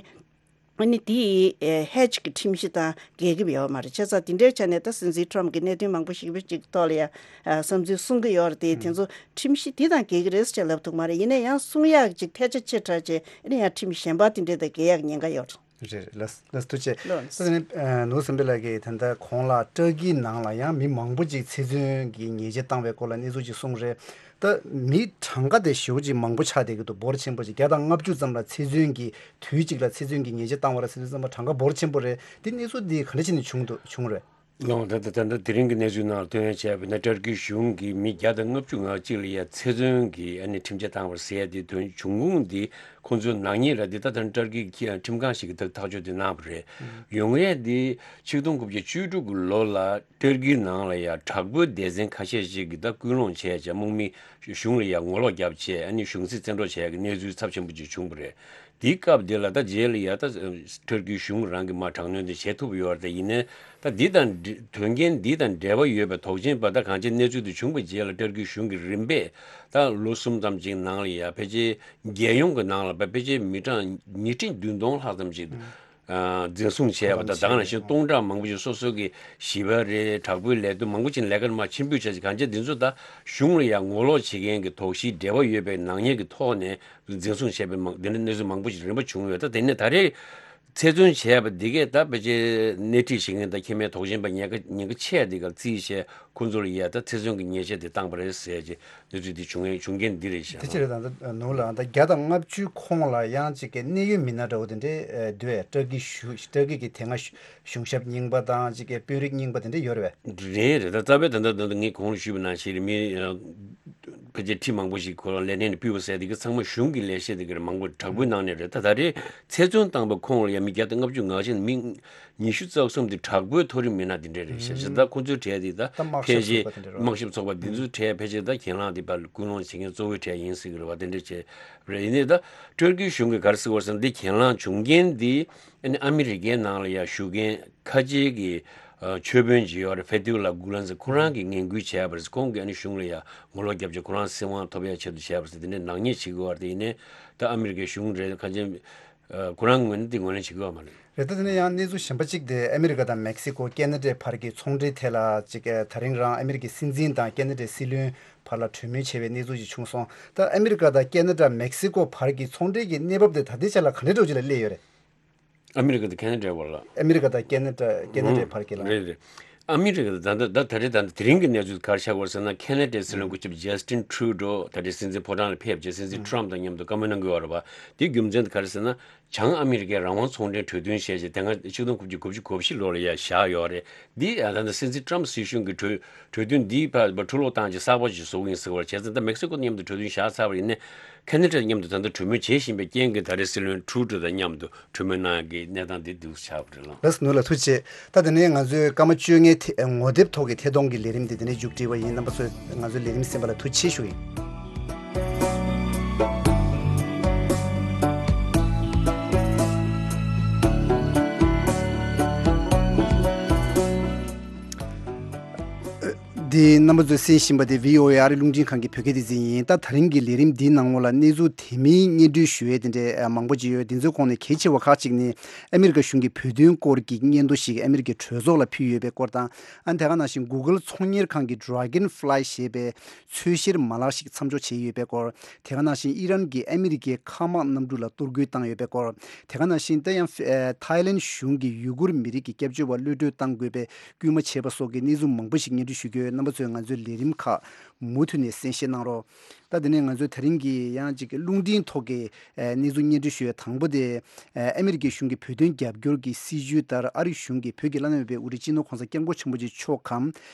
ཨ་ནི་དེ་Hatch་གི་ཁྲིམས་གཞི་དང་འགལ་གྱི་ཡོད་མ་རེད། བྱས་ཙང་དེ་འདྲའི་ཆ་ནས་ད་སྲིད་འཛིན་Trump་གི་གནད་དོན་མང་པོ་ཞིག་པོ་ཅིག་ཐོག་ལ་ཡ་བསམ་ཚུལ་གསུང་གི་ཡོད་རེད་དེ། དེ་ཚོ་ཁྲིམས་གཞི་དེ་དང་འགལ་གྱི་རེད་ཟེར་ལབ་ཐུབ་མ་རེད། ཡིན་ན་ཡང་གསུང་ཡག་ཅིག་ཐལ་ཆ་ཆེ་དྲགས་ཅིག་ཨ་ནི་ཡང་ཁྲིམས་གཞན་པ་དེ་འདྲས་དང་འགལ་ཡག་ཉེན་ཁ་ཡོད་རེད། རེད་རེད། ལགས་ལགས་ཐུགས་རྗེ་ཆེ། ལགས་ནས། ད་ནི་ནུ་སེམས་པའི་ལགས་ཀྱིས་ད་ལྟ་གོང་ལ་ཏུར་ཀིའི་ནང་ལ་ཡང་མི་མང་པོ་ཅིག་ཚེ་བཙོན་གྱི་ཉེས་ཆད་བཏང་བའི་སྐོར་ལ་གནས་ཚུལ་ཅིག་གསུངས་རེད། ད་མི་གྲངས་ཀ་དེ་ཞེ་པོ་ཅིག་མང་པོ་ཆགས་བསྡད་ཀྱི་འདུག་འབོར་ཆེན་པོ་ཅིག་བརྒྱ་དང་ལྔ་བཅུ་ཙམ་ལ་ཚེ་བཙོན་གྱི་དུས་གཅིག་ལ་ཚེ་བཙོན་གྱི་ཉེས་ཆད་བཏང་བ་རེད་ཟེར་དུས་ཙམ་པ་གྲངས་ཀ་འབོར་ཆེན་པོ་རེད། དེ་གནས་ཚུལ་འདི་ག་འདྲ་བྱས་ནས་བྱུང་འདུག་བྱུང་རེད། ལོང་ད་ལྟ་ད་ལྟ་དེ་རིང་གི་གནས་ཚུལ་ནང་ལ་ཐོན་ཡ་བྱས་པ་ན་ཏུར་ཀི་གཞུང་གིས་མི་བརྒྱ་དང་ལྔ་བཅུ་ང་གཅིག་ལ་ཡ་ཚེ་བཙོན་གྱི་ཨ་ནི་ཁྲིམས་ཆད་བཏང་བར་ཟེར་ཡ་དེ་དོན་བྱུང་ཁུངས་འདི་ཁོང་ཚོའི་ནག་ཉེས་ར་འདི་ད་ལྟ་ཏུར་ཀི་གི་ཁྲིམས་ཁང་ཞིག་གིས་ད་ཐག་གཅོད་དེ་གནང་བ་རེད། ཡོང་ཡས་འདི་ཆིག་སྟོང་དགུ་བརྒྱ་བཅུ་དྲུག་གི་ལོ་ལ་ཏུར་ཀིའི་ནང་ལ་ཡ་དྲག་པོའི་སྡེ་ཚན་ཁ་ཤས་ཤིག་གིས་ད་སྐུལ་སློང་བྱས་བྱས་དམག་མི་གཞུང་ལ་ཡ་ངོ་ལོག་བརྒྱབ་བྱས་ཨ་ནི་གཞུང་སྲིད་བཙན་འཕྲོག་བྱས་ཀྱི་གནས་ཚུལ་ཚབས་ཆེན་པོ་ཅིག་བྱུང་བ་རེད། དེའི་སྐབས་དེ་ལ་ད་རྗེས་ལ་ཡ་ད་ཏུར་ཀིའི་གཞུང་རང་གིས་མར་དྲག་གནོན་དེ་བྱེད་ཐུབ་ཡོད་རེད། ད་ཡིན་ནའི་ད་འདི་དང་འབྲེ་དོན་རྐྱེན་འདི་དང་འབྲེལ་བ་ཡོད་པའི་དོགས་ཅན་པ་ད་གང་ཅི་གནས་ཚུལ་དེ་བྱུང་བའི་རྗེས་ལ་ཏུར་ཀིའི་གཞུང་གིས་རིམ་པས་ད་ལོ་གསུམ་ཙམ་ཅིག་ནང་ལ་ཡ་ཕལ་ཆེར་རྒྱལ་ཡོངས་ཀྱི་ནང་ལ་ཕལ་ཆེར་མི་གྲངས་ཉིས་ཁྲི་བདུན་སྟོང་ལྷག་ཙམ་ཅིག་འཛིན་བཟུང་བྱས་པ་དང་། ད་ག་ནང་བཞིན་སྟོང་ཕྲག་མང་པོ་ཞིག་སོ་སོ་གི་བྱིས་པ་རེད། དྲག་པོའི་ལས་དོན་མང་པོ་ཅིག་ལས་ཀར་མར་ཕྱིར་འབུད་བྱས་ཅིག་གང་ཅི་འདི་ཚོ་ད་གཞུང་ལ་ཡང་ངོ་ལོག་བྱེད་མཁན་གྱི་དོགས་གཞིའི་འབྲེལ་བ་ཡོད་པའི་ནག་ཉེས་ཀྱི་ཐོག་ནས་འཛིན་བཟུང་བྱས་པའི་མང་འདི་འདྲ་གནས་ཚུལ་མང་པོ་ཞིག་རིམ་པ་བྱུང་ཡོད། ད་དེ་ནས་ད་རེས་ཚེ་བཙོན་བྱས་པ་འདི་གས་ད་ཕལ་ཆེར་སྣེ་ཁྲིད་བྱེད་མཁན་དང་ཁེ་མེད་དོགས་ཟོན་པ་ཉེན་ཁ་ཉེན་ཁ་ཆེ་འདི་ག་རྩིས་བྱས་ཁོང་ཚོ་ལ་ཡ་ད་ཚེ་བཙོན་གྱི་ཉེས་ཆད་དེ་བཏང་པ་རེད་ཟེར་གྱི་གནས་ཚུལ་འདི་བྱུང་ཡས་བྱུང་རྐྱེན་འདི་རེད་ཤག་དེ་ཕྱིར་ད་ལྟ་ནུ་ལ་ད་བརྒྱ་དང་ལྔ་བཅུ་ཁོངས་ལ་ཡང་ཅིག་གི་གནད་ཡོད་མི་སྣ་འདྲ་བོ་དེ་འདྲས་འདུག་ཨེ། ཏུར་ཀི་གཞུང་ཏུར་ཀི་གི་དེ་སྔ་གཞུང་ཞབས་རྙིང་པ་དང་ཅིག་གི་དཔོན་རིགས་རྙིང་པ་དེ་འདྲས་ཡོད་རེད་པས། རེད་རེད། ད་རྩ་བའི་ད་ལྟ་ད་ལྟ་ངས་གོང་ལ་ཞུས་པ་ནང་བཞིན་རེད། མི་ཕལ་ཆེར་ཁྲི་མང་པོ་ཞིག་ཁོ་རང་ལས་གནས་ནས་ཕུད་པ་ཟེར་དེ་གི་ཚང་མ་གཞུང་གི་ལས་བྱེད་དེ་གི་རེད། མང་པོ་དྲག་པོའི་ནང་ནས་རེད། ད་ད་རེས་ཚེ་བཙོན་བཏང་པའི་ཁོངས་ལ་ཡང་མི་བརྒྱ་དང་ལྔ་བཅུ་ང་གཅིག་མི་ཉི་ཤུ་རྩ་གསུམ་དེ་དྲག་པོའི་མཐོ་རིམ་མི་སྣ་དེ་འདྲས་རེད་ཤག་ཤག་ད་ཁོ་ཚོའི་གྲས་དེ་ད་ཕལ་ཆེར་དམག་ཞབས་ཚོགས་པ་དེ་འདྲས་རེད། དམག་ཞབས་ཚོགས་པ་འདི་ཚོའི་གྲས་ཕལ་ཆེར་ད་གྱེན་ལངས་དེ་ཕར་སྐུལ་སློང་བྱེད་མཁན་གཙོ་བོའི་གྲས་ཡིན་སྲིད་ཀྱི་རེད་བ། དེ་འདྲས་བྱས་རེད། ཡིན་ནའི་ད་ཏུར་ཀིའི་གཞུང་གིས་ག་རེ་ཟེར་བ་ཟེར་ན་འདི་གྱེན་ལངས་བྱུང་རྐྱེན་འདི་ཨ་ནི་ཨ་མི་རི་ཀའི་ནང་ལ་ཡ་བཞུགས་མཁན་ཁ་ཆེའི་གི་ཆོས་དཔོན་ཅིག་ཡོད་རེད། ཕེ་ཐི་ཝ་ལ་གུ་ལན་ཟེར། ཁོ་རང་གིས་ངན་སྐུལ་བྱས་པ་རེད། ཁོང་གིས་ཨ་ནི་གཞུང་ལ་ཡ་ངོ་ལོག་བརྒྱབ་བྱས་ཁོ་རང་སྲིད་དབང་ཐོབ་ཡ་ཆེད་དུ་བྱས་པ་རེད། དེ་ནས་ནག་ཉེས་བྱེད་དགོས་པ་རེད། ཡིན་ནའི་ད་ཨ་མི་རི་ཀའི་གཞུང་རེད། ཁ་ཆེ་ཁོ་རང་ངོས་ནས་དེ་ངོས་ལེན་བྱེད་དགོས་པ་མ་རེད། རེད། ད་དེ་ནས་ཡང་གནས་ཚུལ་གཞན་པ་གཅིག་དེ་ཨ་མི་རི་ཀ་དང་མེག་སི་ཀོ་ཁེ་ན་ཌའི་བར་གྱི་ཚོང་འབྲེལ་ཐད་ལ་གཅིག་ད་རིང་རང་ཨ་མི་རི་ཀའི་སྲིད་འཛིན་དང་ཁེ་ན་ཌའི་སྲིད་བློན་བར་ལ་གྲོས་མོལ་བྱས་པའི་གནས་ཚུལ་ཅིག་བྱུང་སོང་། ད་ཨ་མི་རི་ཀ་དང་ཁེ་ན་ཌ་མེག་སི་ཀོ་བར་གྱི་ཚོང་འབྲེལ་གྱི་གནས་བབ་དེ་ད་ལྟའི་ཆ་ལ་ག་འདྲའི་འདྲ་བོ་ཅིག་ལ་སླེབས་ཡོད་རེད། ཨ་མི་རི་ཀ་དང་ཁེ་ན་ཌའི་བར་ལ། ཨ་མི་རི་ཀ་དང་ཁེ་ན་ཌ་ཁེ་ན་ཌའི་ཨང་བར་གྱི་ལ། རེད་རེད། ཨ་མི་རི་ཀ་ད་ལྟ་ད་ད་རེས་ད་ལྟ་དེ་རིང་གི་གནས་ཚུལ་ག་རེ་ཆགས་ཡོད་ཟེར་ན། ཁེ་ན་ཌའི་སྲིད་བློན་སྐུ་ཞབས་ཇ་སི་ཊིན་ཁྲུ་ཌོ་ད་རེས་སྲིད་འཛིན་ཕོ་བྲང་ལ་ཕེབས་རྗེས་སྲིད་འཛིན་ཁྲོམ་དང་མཉམ་དུ་བཀའ་མོལ་གནང་གི་ཡོད་རེད་པ། དེའི་རྒྱུ་མཚན་དེ་ག་རེ་ཟེར་ན། བྱང་ཨ་མི་རི་ཀའི་རང་དབང་ཚོང་འབྲེལ་གྲོས་མཐུན་བྱས་རྗེས་དེ་སྔ་ཆིག་སྟོང་དགུ་བརྒྱ་དགུ་བཅུ་གོ་བཞི་ལོ་ལ་ཡ་བཞག་ཡོད་རེད། འདི་ད་ལྟ་སྲིད་འཛིན་ཁྲོམ་སྲིད་གཞུང་གི་གྲོས་གྲོས་མཐུན་འདིའི་བར་འཕྲོ་བརླག་བཏང་རྗེས་གསར་པ་ཞིག་བཟོ་གི་ཡིན་ཟེར་བ་རེད། བྱས་ཙང་ད་མེག་སི་ཀོ་མཉམ་དུ་གྲོས་མཐུན་བཞག་ཚར་བ་ཡིན་ནའི། ཁེ་ན་ཌ་མཉམ་དུ་ད་ལྟ་གྲོས་མོལ་བྱེད་བཞིན་པའི་རྐྱེན་གྱིས་ད་རེས་སྲིད་བློན་ཁྲུ་ཌོ་དང་མཉམ་དུ་གྲོས་མོལ་གནང་ཡག་གི་གནས་སྟངས་འདི་འདུག་ཆགས་པ་རེད་ལགས། ལགས་སོ། ནོར་ལ་ཐུགས་རྗེ་ཆེ། ད་དེ་ནས་ང་ཚོས་སྐར་མ་བཅོ་ལྔའི་ཐད་ངོ་དེབ་ཐོག་གི་ཐད་གཏོང་གི་ལས་རིམ་འདི་དེ་ནས་མཇུག་སྒྲིལ་བ་ཡིན། རྣམ་པ་ཚོས་ང་ཚོའི་ལས་རིམ་གསན་པ་ལ་ཐུགས་རྗེ་ཆེ་ཞུ་ཡིན། འདི་རྣམ་པ་ཚོས་གསན་བཞིན་པ་དེ་བྷི་ཨོ་ཨེ་ཨ་རི་རླུང་འཕྲིན་ཁང་གི་བོད་སྐད་སྡེ་ཚན་ཡིན། ད་ད་རིང་གི་ལས་རིམ་འདིའི་ནང་ལོགས་ལ་གནས་ཚུལ་དེ་མིན་སྙན་སྒྲོན་ཞུ་ཡས་དེ་འདྲའི་མང་པོ་ཅིག་ཡོད། དེ་ཚོའི་ཁོངས་ནས་གལ་ཆེ་བ་ཁག་ཅིག་ནི་ཨ་མི་རི་ཀ་གཞུང་གི་བོད་དོན་སྐོར་གྱི་སྙན་ཐོ་ཞིག་ཨ་མི་རི་ཀའི་གྲོས་ཚོགས་ལ་ཕུལ་ཡོད་པའི་སྐོར་དང་། ཨ་ནི་དེ་ག་ནང་བཞིན་Google་ཚོང་གཉེར་ཁང་གི་Dragonfly་ཞེས་པའི་འཚོལ་བཤེར་མ་ལག་ཞིག་མཚམས་འཇོག་བྱས་ཡོད་པའི་སྐོར། དེ་ག་ནང་བཞིན་ཨི་རན་གྱིས་ཨ་མི་རི་ཀའི་མཁའ་དམག་གནམ་གྲུ་ལ་གཏོར་རྒོལ་བཏང་ཡོད་པའི་སྐོར། དེ་ག་ནང་བཞིན་ད་ཡང་ཨེ་ཐའི་ལན་གཞུང་གིས་ཡུ་གུར་མི་རིགས་ཀྱི་སྐྱབས་བཅོལ་བ་གློད་གྲོལ་གཏང་དགོས་པའི་སྐུལ་མ་བྱས་པ་སོགས་ཀྱི་གནས་ཚུལ་མང་པོ་ཞིག་སྙན་སྒྲོན་ཞུ་གི་ཡོད། རྣམ་པ་ཚོས་ང་ཚོའི་ལས་རིམ་ཁག་མུ་མཐུད་ནས་གསན་བཞེས་གནང་རོགས། ད་དེ་ནས་ང་ཚོའི་ད་རིང་གི་ཡང་ཅིག་རླུང་འཕྲིན་ཐོག་གི་ཨེ་གནས་ཚུལ་སྙན་སྒྲོན་ཞུ་ཡ་དང་པོ་དེ། ཨེ་ཨ་མི་རི་ཀའི་གཞུང་གི་བོད་དོན་རྒྱབ་སྐྱོར་གྱི་སྲིད་བྱུས་ལྟར་ཨ་རིའི་གཞུང་གིས་བོད་ཀྱི་བླ་ན་མེད་པའི་དབུ་ཁྲིད་སྤྱི་ནོར་༸གོང་ས་༸སྐྱབས་མགོན་ཆེན་པོ་མཆོག་གམ།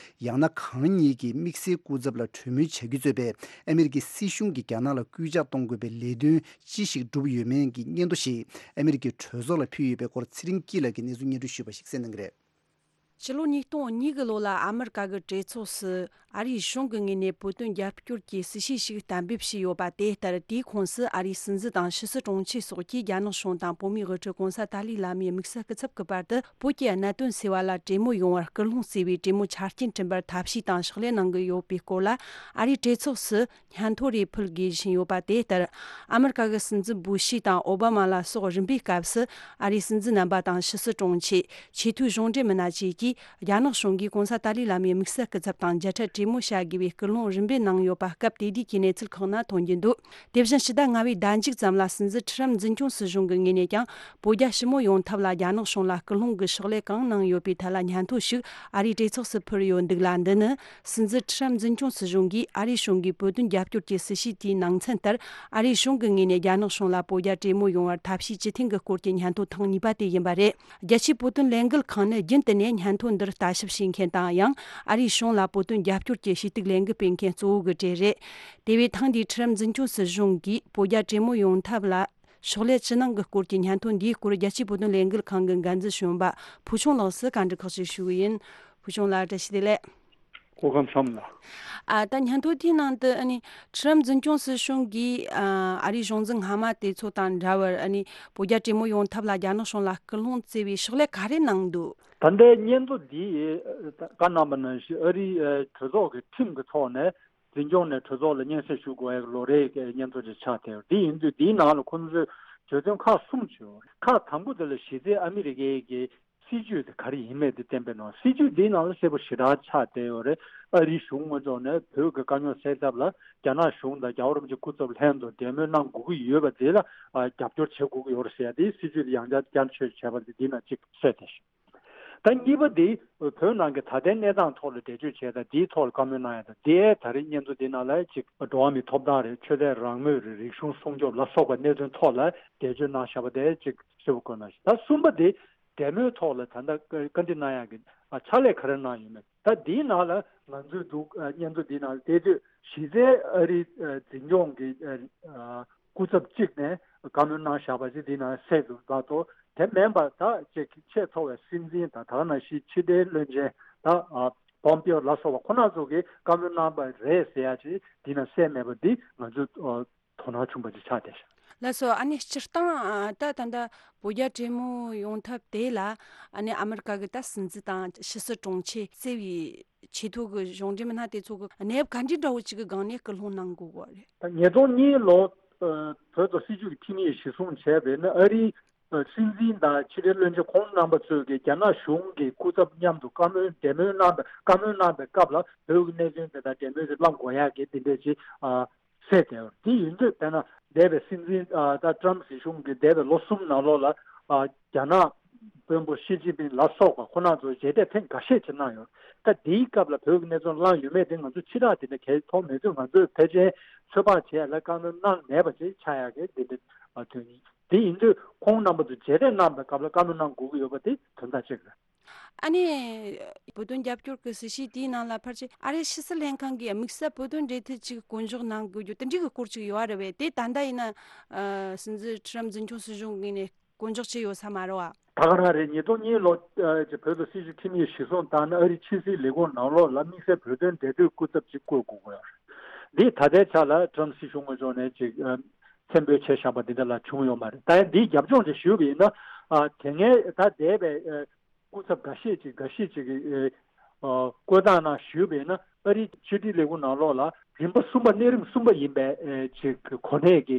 ཡང་ན་གང་ཉིད་ཀྱི་དམིགས་བསལ་སྐུ་ཚབ་ལ་གྲོས་མོལ་བྱ་རྒྱུ་གཙོས་པའི་ཨ་མི་རི་ཀའི་སྲིད་གཞུང་གིས་རྒྱ་ནག་ལ་སྐུལ་ལྕག་གཏོང་དགོས་པའི་ལས་དོན་ཅི་ཞིག་བསྒྲུབས་ཡོད་མེད་ཀྱི་སྙན་ཐོ་ཞིག་ཨ་མི་རི་ཀའི་གྲོས་ཚོགས་ལ་ཕུལ་ཡོད་པའི་སྐོར་ཚེ་རིང་སྐྱིད་ལགས་ཀྱིས་གནས་ཚུལ་སྙན་སྒྲོན་ཞུས་པ་ཞིག་གསན་གནང་གི་རེད། ཕྱི་ལོ་ཉིས་སྟོང་གཉིས་གི་ལོ་ལ་ཨ་མི་རི་ཀ་གི་གྲོས་ཚོགས་སུ་ཨ་རིའི་གཞུང་གི་ངོས་ནས་བོད་དོན་རྒྱབ་སྐྱོར་གྱི་སྲིད་བྱུས་ཤིག་གཏན་འབེབས་བྱས་ཡོད་པ། དེ་ལྟར་དེའི་ཁོངས་སུ་ཨ་རིའི་སྲིད་འཛིན་དང་ཕྱི་སྲིད་དྲུང་ཆེ་སོགས་ཀྱིས་རྒྱ་ནག་གཞུང་དང་བོད་མིའི་དབུ་ཁྲིད་༸གོང་ས་ཏཱ་ལའི་བླ་མའི་དམིགས་བསལ་སྐུ་ཚབ་ཀྱི་བར་དུ་བོད་ཀྱི་གནད་དོན་སེལ་བ་ལ་གྲོས་མོལ་ཡོང་བར་སྐུལ་སློང་བྱས་པའི་གྲོས་མོལ་ཆ་རྐྱེན་བསྐྲུན་པར་ཐབས་ཤེས་དང་ཕྱག་ལས་གནང་གི་ཡོད་པའི་སྐོར་ལ་ཨ་རིའི་གྲོས་ཚོགས་སུ་སྙན་ཐོ་རེ་ཕུལ་དགོས་བཞིན་ཡོད་པ། དེ་ལྟར་ཨ་མི་རི་ཀ་གི་སྲིད་འཛིན་བུ་ཤི་དང་ཨོ་བྷ་མ་ལ་སོགས་རིམ་པས་སྐབས་སུ་ཨ་རིའི་སྲིད་འཛིན་རྣམ་པ་དང་ཕྱི་སྲིད་དྲུང་ཆེ། ཆེས་མཐོའི་གཞུང་འབྲེལ་མི་སྣ་བཅས་ཀྱིས་རྒྱ་ནག་གཞུང་གིས་༸གོང་ས་ཏཱ་ལའི་བླ་མའི་དམིགས་བསལ་སྐུ་ཚབ་དང་མཇལ་འཕྲད་གྲོས་མོལ་བྱ་དགོས་པའི་སྐུལ་སློང་རིམ་པས་གནང་ཡོད་པ། སྐབས་དེ་དུས་ཀྱི་གནས་ཚུལ་ཁག་ནང་ཐོན་གྱི་འདུག་དེ་བཞིན་ཕྱི་ཟླ་ལྔ་པའི་ཟླ་མཇུག་ཙམ་ལ་སྲིད་འཛིན་ཁྲི་རམ་འཛིན་སྐྱོང་སྲིད་གཞུང་གི་ངོས་ནས་ཀྱང་བོད་རྒྱ་ཞི་མོལ་ཡོང་ཐབས་ལ་རྒྱ་ནག་གཞུང་ལ་སྐུལ་སློང་གི་ཕྱག་ལས་གང་གནང་ཡོད་པའི་ཐད་ལ་སྙན་ཐོ་ཞིག་ཨ་རིའི་གྲོས་ཚོགས་སུ་ཕུལ་ཡོད་འདུག་ལ། འདི་ནི་སྲིད་འཛིན་ཁྲི་རམ་འཛིན་སྐྱོང་སྲིད་གཞུང་གིས་ཨ་རིའི་གཞུང་གིས་བོད་དོན་རྒྱབ་སྐྱོར་གྱི་སྲིད་བྱུས་དེའི་ནང་ཚན་ལྟར་ཨ་རིའི་གཞུང་གི་ངོས་ནས་རྒྱ་ནག་གཞུང་ལ་བོད་རྒྱ་གྲོས་མོལ་ཡོང་བར་ཐབས་ཤེས་ཇི་ཐེངས་ཀྱི་སྐོར་གྱི་སྙན་ཐོ་ཐེངས་གཉིས་པ་དེ་ཡིན་པ་རེད། རྒྱལ་སྤྱིའི་བོད་དོན་ལས་འགུལ་ཁང་ནི་རྒྱུན་དུ་ནས་སྙན་ཐོ་འདིར་ལྟ་ཞིབ་བྱེད་མཁན་དང་ཡང་ཨ་རིའི་གཞུང་ལ་བོད་དོན་རྒྱབ་སྐྱོར་གྱི་ཞུ་གཏུག་ལས་འགུལ་སྤེལ་མཁན་གཙོ་བོ་གི་གྲས་རེད། དེ་བས་ཐེངས་འདིའི་ཁྲི་རམ་འཛིན་སྐྱོང་སྲིད་གཞུང་གིས་བོད་རྒྱ་གྲོས་མོལ་ཡོང་ཐབས་ལ་ཕྱག་ལས་ཅི་གནང་གི་སྐོར་གྱི་སྙན་ཐོ་འདིའི་སྐོར་རྒྱལ་སྤྱིའི་བོད་དོན་ལས་འགུལ་ཁང་གི་འགན་འཛིན་གཞོན་པ་ཕུལ་བྱུང་ལགས་སུ་བཀའ་འདྲི་ཁག་ཅིག་ཞུ་གི་ཡིན། ཕུལ་བྱུང་ལགས་བཀྲ་ཤིས་བདེ་ལེགས། སྐུ་ཁམས་བཟང་ལགས། ཨ་ད་སྙན་ཐོ་དེའི་ནང་དུ་ཨ་ནི་ཁྲི་རམ་འཛིན་སྐྱོང་སྲིད་གཞུང་གིས་ཨ་ཨ་རིའི་གཞུང་འཛིན་སྔ་མ་དེ་ཚོ་དང་འདྲ་བར་ཨ་ནི་བོད་རྒྱ་གྲོས་མོལ་ཡོང་ཐབས་ལ་རྒྱ་ནག་གཞུང་ལ་སྐུལ་སློང་བྱས་པའི་ཕྱག་ལས་ག་རེ་གནང་འདུག་ད་ལྟའི་སྙན་ཐོ་འདི་བཀའ་གནང་བ་ནང་བཞིན་ཨ་རིའི་གྲོས་ཚོགས་ཀྱི་ཁྲིམས་ཀྱི་ཐོག་ནས་འཛིན་སྐྱོང་ནས་གྲོས་ཚོགས་ལ་སྙན་སེང་ཞུ་དགོས་པའི་ལོ་རེའི་སྙན་ཐོ་ཅིག་ཆགས་བསྡད་ཡོད། འདི་ཡིན་དུས་འདིའི་ནང་ལ་ཁོང་ཚོས་བརྗོད་དོན་ཁག་གསུམ་ཅིག་ཡོད། ཁག་དང་པོ་དེ་ལ་གཞི་རྩའི་ཨ་མི་རི་ཀའི་གི་སྲིད་ཇུས་དེ་ག་རེ་ཡིན་མེད་དེ་བསྟན་པའི་ནང་། སྲིད་ཇུས་འདིའི་ནང་ལ་གསལ་པོ་ཞེ་དྲག་ཆགས་བསྡད་ཡོད་རེད། ཨ་རིའི་གཞུང་ངོས་ཕྱོགས་ནས་བོད་ཀྱི་དཀའ་རྙོག་སེལ་ཐབས་ལ་རྒྱ་ནག་གཞུང་དང་རྒྱལ་བ་རིན་པོ་ཆེ་སྐུ་ཚབ་ལྷན་དུ་འབྲེལ་མོལ་གནང་དགོས་ཀྱི་ཡོད་པ་དེ་ལ་རྒྱབ་སྐྱོར་བྱེད་དགོས་ཀྱི་ཡོད་རེད་ཟེར་ཡ་དེའི་སྲིད་ཇུས་དེ་ཡང་བསྐྱར་བསྐྱར་བཅོས་བྱས་པ་དེ་འདི་ནང་གཅིག་གསལ་བསྡད་ཤག་ད་གཉིས་པ་དེ་བོད་ནང་གི་ད་ལྟའི་གནས་སྟངས་ཐོག་ལ་འགྲེལ་བརྗོད་བྱས་དང་དེའི་ཐོག་ལ་བཀའ་མོལ་གནང་ཡ་དང་། དེའི་ད་རེས་སྙན་ཐོ་དེ་ནང་ལ་ཅིག་འགྲོ་བ་མིའི་ཐོབ་ཐང་རེད། ཆོས་དད་རང་མོས་རེད། རིག་གཞུང་སྲུང་སྐྱོབ་ལ་སོགས་པ་གནད་དོན་ཐོག་ལ་འགྲེལ་བརྗོད་གནང་བཞག་པ་དེ་ཅིག་ཞིབ་པོ་བཀོད་གནང་ཞིག་ད་གསུམ་པ་དེ་འབྲེལ་མོལ་ཐོག་ལ་ད་ལྟ་བཀའ་འདྲི་གནང་ཡག་གི་ཕྱག་ལས་ག་རེ་གནང་ཡོད་མེད། ད་འདིའི་ནང་ལ་ང་ཚོས་འདུག་སྙན་ཐོ་འདིའི་ནང་ལ་བལྟས་དུས་གཞི་རྩའི་ཨ་རིའི་འཛིན་སྐྱོང་གི་སྐུ་ཚབ་གཅིག་ནས་བཀའ་མོལ་གནང་བཞག་པ་ཅིག་འདིའི་ནང་གསལ་འདུག་མ་གཏོགས། དེ་མིན་པ་ད་ཅིག་ཆེས་མཐོ་བའི་སྲིད་འཛིན་དང་ད་ག་ནང་བཞིན་ཕྱི་དྲིལ་བློན་ཆེན་ད་པོམ་པེའོ་ལ་སོགས་པ་ཁོ་རང་ཚོ་གིས་བཀའ་མོལ་གནང་པ་རེད་ཟེར་ཡ་ཅིག་འདིའི་ནང་གསལ་མེད་པ་འདི་ང་ཚོས་དོ་སྣང་ཆུང་བ་ཅིག་ཆགས་བསྡད་ཤག་ལགས་སོ། ཨ་ནི་སྤྱིར་བཏང་ད་ད་ལྟ་བོད་རྒྱ་གྲོས་མོལ་ཡོང་ཐབས་དེ་ལ་ཨ་ནི་ཨ་མི་རི་ཀ་གི་ད་སྲིད་འཛིན་དང་ཕྱི་སྲིད་དྲུང་ཆེ་གཙོས་པའི་ཆེས་མཐོ་གི་གཞུང་འབྲེལ་མི་སྣ་དེ་ཚོ་གི་གནས་བབ་ག་འདྲ་འདྲ་བོ་ཅིག་གི་སྒང་ནས་སྐུལ་སློང་གནང་དགོས་ཀྱི་རེད། ད་ཉིས་སྟོང་གཉིས་ལོ་བོད་དང་སྲིད་བྱུས་ཀྱི་འཐུས་མི་གཞིར་བཟུང་བྱས་པས་ན་ཨ་རིའི་སྲིད་འཛིན་དང་ཕྱི་དྲིལ་བློན་ཆེན་ཁོང་རྣམ་པ་ཚོས་ཀྱི་རྒྱ་ནག་གཞུང་གི་སྐུ་ཚབ་མཉམ་དུ་བཀའ་མོལ་འབྲེལ་མོལ་གནང་བའི་བཀའ་མོལ་གནང་བའི་སྐབས་ལ་བོད་ཀྱི་གནད་དོན་དེ་དང་འབྲེལ་མོལ་དེ་བླང་དགོས་ཡག་གི་འདི་འདྲས་ཅིག་གསལ་བསྡད་ཡོད། དེ་ཡིན་དུས་དཔེར་ན་འདས་པའི་སྲིད་འཛིན་ད་ཏྲམ་སྲིད་གཞུང་གི་འདས་པའི་ལོ་གསུམ་ནང་ལོགས་ལ་རྒྱ་ནག་ དཔོན་པོ་ཞི་ཅིན་ཕིང་ལ་སོགས་པ་ཁོང་རྣམ་ཚོ་མཇལ་འཕྲད་ཐེངས་འགའ་ཤས་ཅིག་གནང་ཡོད། ད་དེའི་སྐབས་ལ་བོད་ཀྱི་གནས་ཚུལ་བླངས་ཡོད་མེད་དེ་ང་ཚོ་ཕྱི་དྲགས་དེ་འདྲ་གལ་མཐོང་མེད་དུས། ང་ཚོས་ཕལ་ཆེར་ཚོད་དཔག་བྱས་ལ་བཀའ་མོལ་གནང་མེད་པ་ཅིག་ཆགས་ཡག་གི་འདི་འདྲ་ཐོན་ཡིན། དེ་ཡིན་དུས་ཁོང་རྣམ་པ་ཚོ་མཇལ་འཕྲད་གནང་བའི་སྐབས་ལ་བཀའ་མོལ་གནང་དགོས་ཀྱི་ཡོད་པ་དེ་དོན་དག་གཅིག་རེད། ཨ་ནི། བོད་དོན་རྒྱབ་སྐྱོར་གྱི་སྲིད་བྱུས་དེའི་ནང་ལ་ཕལ་ཆེར་ཨ་རིའི་ཕྱི་སྲིད་ལྷན་ཁང་གིས་དམིགས་བསལ་བོད་དོན་འབྲེལ་མཐུད་ཅིག་བསྐོ་འཇོག་གནང་དགོས་རྒྱུ་དེ་འདྲའི་གི་སྐོར་ཅིག་ཡོད་རེད་བས། དེ་ད་ལྟ་ཡིན་ན་སྲིད་འཛིན་ཁྲི་རམ་འཛིན་སྐྱོང་སྲིད་གཞུང་ངོས་ནས་བསྐོ་འཇོག་བྱས་ཡོད་ས་མ་རེད་བ། ད་ག་རང་རེད། ཉིས་སྟོང་གཉིས་ལོ་ཀྱི་བོད་དང་སྲིད་བྱུས་ཁྲིམས་ཡིག་གཞིར་བཟུང་བཏང་ན་ཨ་རིའི་ཕྱི་སྲིད་ལས་ཁུངས་ནང་ལོགས་ལ་དམིགས་བསལ་བོད་དོན་འབྲེལ་མཐུད་སྐུ་ཚབ་ཅིག་བསྐོ་དགོས་ཀྱི་ཡོད་རེད། འདི་ད་ལྟའི་ཆ་ལ་ཀྲམ་སྲིད་གཞུང་ངོས་ཕྱོགས་ནས་ཅིག་མཚན་འབོད་བྱས་བཞག་པ་འདི་འདྲ་ལ་བྱུང་ཡོད་མ་རེད། ད་ཡང་འདིའི་རྒྱབ་ལྗོངས་ཅིག་ཞུས་པ་ཡིན་ན། དེ་སྔའི་ད་འདས་པའི་སྐུ་ཚབ་འགའ་ཤས་ཅིག་འགའ་ཤས་ཅིག་གིས་བསྐོས་སྟངས་ནང་ཞུས་པ་ཡིན་ན། ཨ་རིའི་ཕྱི་དྲིལ་ལས་ཁུངས་ནང་ལོགས་ལ་རིམ་པ་གསུམ་པ། གནས་རིམ་གསུམ་པ་ཡིན་པའི་ཅིག་གོ་གནས་ཀྱི་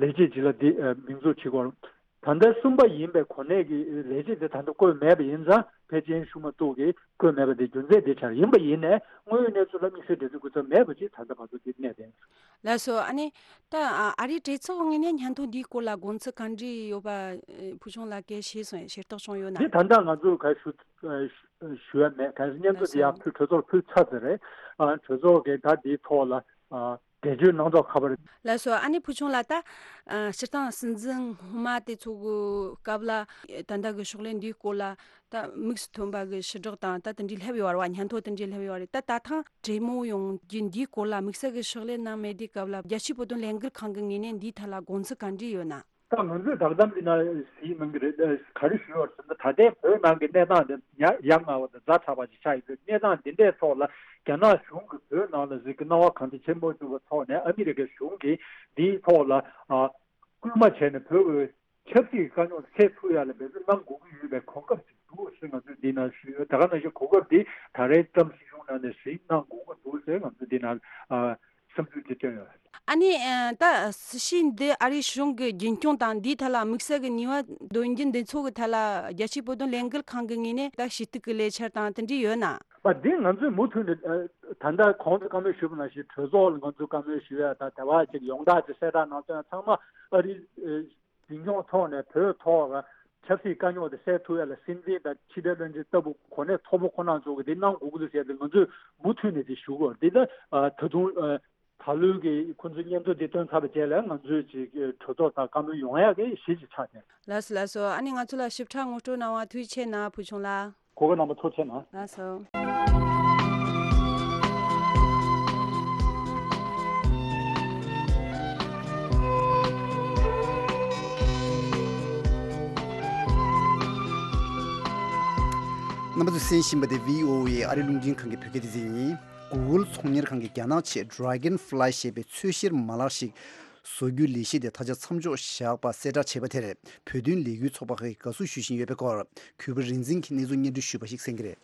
ལས་བྱེད་ཅིག་ལ་འདི་མིང་འཛུགས་བྱེད་དགོས། ད་ལྟ་གསུམ་པ་ཡིན་པའི་གོ་གནས་ཀྱི་ལས་བྱེད་དེ་ད་ལྟ་བསྐོས་མེད་པ་ཡིན་ཙང་། ཕལ་ཆེར་ཤུ་མ་ཏུག་གིས་བསྐོས་མེད་པ་དེ་རྒྱུ་མཚན་དེ་ཆགས་ཡིན་པ་ཡིན་ནའི། དངོས་ཡོད་གནས་ཚུལ་ལ་དམིགས་བསལ་འབྲེལ་མཐུད་སྐུ་ཚབ་མེད་པ་ཅིག་ད་ལྟ་བར་དུ་དེ་གནས་བསྡད། ལགས་སོ། ཨ་ནི་ད་ཨ་རིའི་གྲོས་ཚོགས་ངོས་ནས་སྙན་ཐོ་འདིའི་སྐོར་ལ་དགོངས་ཚུལ་ག་འདྲ་ཡོད་པ་ཕུལ་བྱུང་ལགས་ཀྱིས་ཤེས་སོང་། ཤེས་རྟོགས་བྱུང་ཡོད་ན། འདི་ད་ལྟ་ང་ཚོས་ག་ཞུ་ཞུ་ཡ་མེད། ག་སྙན་ཐོ་འདི་ཡང་ཕུལ། གྲོས་ཚོགས་ཕུལ་ཚར་ཟེར་རེད། གྲོས་ཚོགས་ཀྱིས་ད་འདིའི་ཐོག་ལ་འགྲེལ་བརྗོད་གནང་ཐོག་ཁ་པར། ལགས་སོ། ཨ་ནི་ཕུལ་བྱུང་ལགས། ད་སྤྱིར་བཏང་སྲིད་འཛིན་སྔོན་མ་དེ་ཚོ་གི་སྐབས་ལ་ད་ལྟ་གི་ཕྱག་ལས་འདིའི་སྐོར་ལ་ད་དམིགས་སུ་ཐོན་པ་གི་ཕྱི་བསྒྲགས་དང་ད་དེ་འདྲའི་སླེབས་ཡོད་རེད་བ། སྙན་ཐོ་དེ་འདྲའི་སླེབས་ཡོད་རེད། ད་ད་ཐེངས་གྲོས་མོལ་ཡོང་རྒྱུ་འདིའི་སྐོར་ལ་དམིགས་བསལ་གི་ཕྱག་ལས་གནང་མེད་དུས་སྐབས་ལ་རྒྱལ་སྤྱིའི་བོད་དོན་ལས་འགུལ་ཁང་གི་ངོས་ནས་འདིའི་ཐད་ལ་དགོངས་ཚུལ་ག་འདྲ་ཡོད་ན། ད་ང་ཚོས་བསྒྲགས་གཏམ་འདི་ན་གཟིགས་གནང་གི་རེད། ག་རེ་ཞུས་པ་རེད་ཟེར་ན། ད་ལྟའི་བོད་ནང་གི་གནས་སྟངས་འདི་ཡ་ཡ་ང་བ་དང་ཛ་དྲག་པ་ཞིག་ཆགས་ཡོད་དུས། གནས་སྟངས་འདི་འདྲའི་ཐོག་ལ་རྒྱ་ནག་གཞུང་གིས་བོད་ནང་ལ་གཟིགས་ཀྱི་སྣང་བ་གང་འཚམ་བྱེད་མ་ཐུབ་པའི་ཐོག་ནས། ཨ་མི་རི་ཀའི་གཞུང་གིས་འདིའི་ཐོག་ལ་ཨ་སྐུལ་མ་བྱས་ནས་བོད་ཀྱི་ཆབ་སྲིད་དཀའ་རྙོག་སེལ་ཐུབ་ཡ་ལ་འབད་བརྩོན་གནང་དགོས་ཀྱི་ཡོད་པའི་གོ་སྐབས་ཅིག་འདུག་ཟེར་ང་ཚོས་འདི་ན་ཞུས་ཡོད། ད་ག་ནང་བཞིན་གོ་སྐབས་འདི་ད་རེས་ཀྲམ་སྲིད་གཞུང་ནང་ནས་ཟིན་གནང་དགོས་ཀྱི་འདུག་ཟེར་ང་ཚོས་འདི་ན་ཨ་བསམ་ཚུལ་དེ་བཏོན་ཡོད། ཨ་ནི་ཨ་ད་སྲིད་བྱུས་འདི་ཨ་རིའི་གཞུང་གིས་རྒྱུན་སྐྱོང་དང་འདིའི་ཐད་ལ་དམིགས་བསལ་གྱི་ནུས་པ་འདོན་རྒྱུ་འདི་ཚོ་གི་ཐད་ལ་རྒྱལ་སྤྱིའི་བོད་དོན་ལས་འགུལ་ཁང་གི་ངོས་ནས་ད་ཞུ་གཏུག་གི་ལས་འཆར་དང་དེ་འདྲ་ཡོད་ན། པ་འདི་ང་ཚོས་མུ་མཐུད་ནས་ཨ་ད་ལྟ་གོང་དུ་བཀའ་མོལ་ཞུས་པ་ནང་བཞིན་གྲོས་ཚོགས་ལ་ང་ཚོས་བཀའ་མོལ་ཞུ་ཡ་དང་། དེ་བ་ཅིག་ཡོངས་གྲགས་ཅིག་གསལ་བསྒྲགས་གནང་ཚུལ་ཡང་ཚང་མ་ཨ་རིའི་ཨ་རྒྱུན་སྐྱོང་ཐོག་ནས་བོད་ཐོག་ལ་ཆབ་སྲིད་དཀའ་རྙོག་དེ་སེལ་ཐུབ་ཡ་ལ་སྲིད་འཛིན་དང་ཕྱི་དྲིལ་བློན་ཆེན་ལྟ་བུ་གོ་གནས་མཐོ་པོ་ཁོ་རང་ཚོ་གིས་འདི་གནང་དགོས་ཀྱི་འདུག་ཟེར་ཏེ། ང་ཚོས་མུ་མཐུད་ནས་དེ་ཞུ་དགོས། འདི་ད་ཨ་ད་དུང་ཨ་ད་ལོའི་གི་ཁོ་ཚོའི་སྙན་ཐོ་འདི་བཏོན་ཚར་བའི་རྗེས་ལ་ང་ཚོས་ཅིག་གྲོས་ཚོགས་དང་བཀའ་མོལ་ཡོང་ཡག་གི་གཞི་ཅིག་ཆགས་ཏེ། ལགས་སོ། ལགས་སོ། ཨ་ནི་ང་ཚོ་ལ་ཞིབ་ཕྲ་ངོ་སྤྲོད་གནང་བ་ཐུགས་རྗེ་ཆེ་གནང་། ཕུལ་བྱུང་ལགས། གོ་སྐབས་གནང་བ་ཐུགས་རྗེ་གནང་། ལགས་སོ། རྣམ་པ་ཚོས་གསན་བཞིན་པ་དེ་བྷི་ཨོ་ཨེ་ཨ་རི་རླུང་འཕྲིན་ཁང་གི་བོད་སྐད་སྡེ་ཚན་ཡིན། Google་ཚོང་གཉེར་ཁང་གིས་རྒྱ་ནག་ཆེད་Dragonfly་ཞེས་པའི་འཚོལ་བཤེར་མ་ལག་ཞིག་བཟོ་རྒྱུའི་ལས་གཞི་དེ་ད་ཆ་མཚམས་འཇོག་བཞག་པ་གསལ་བསྒྲགས་བྱས་པ་དེར་བོད་དོན་ལས་འགུལ་ཚོགས་པ་ཁག་གིས་དགའ་བསུ་ཞུ་བཞིན་ཡོད་པའི་སྐོར་གུས་པ་རིག་འཛིན་གྱིས་གནས་ཚུལ་སྙན་སྒྲོན་ཞུས་པ་ཞིག་གསན་གྱི་རེད།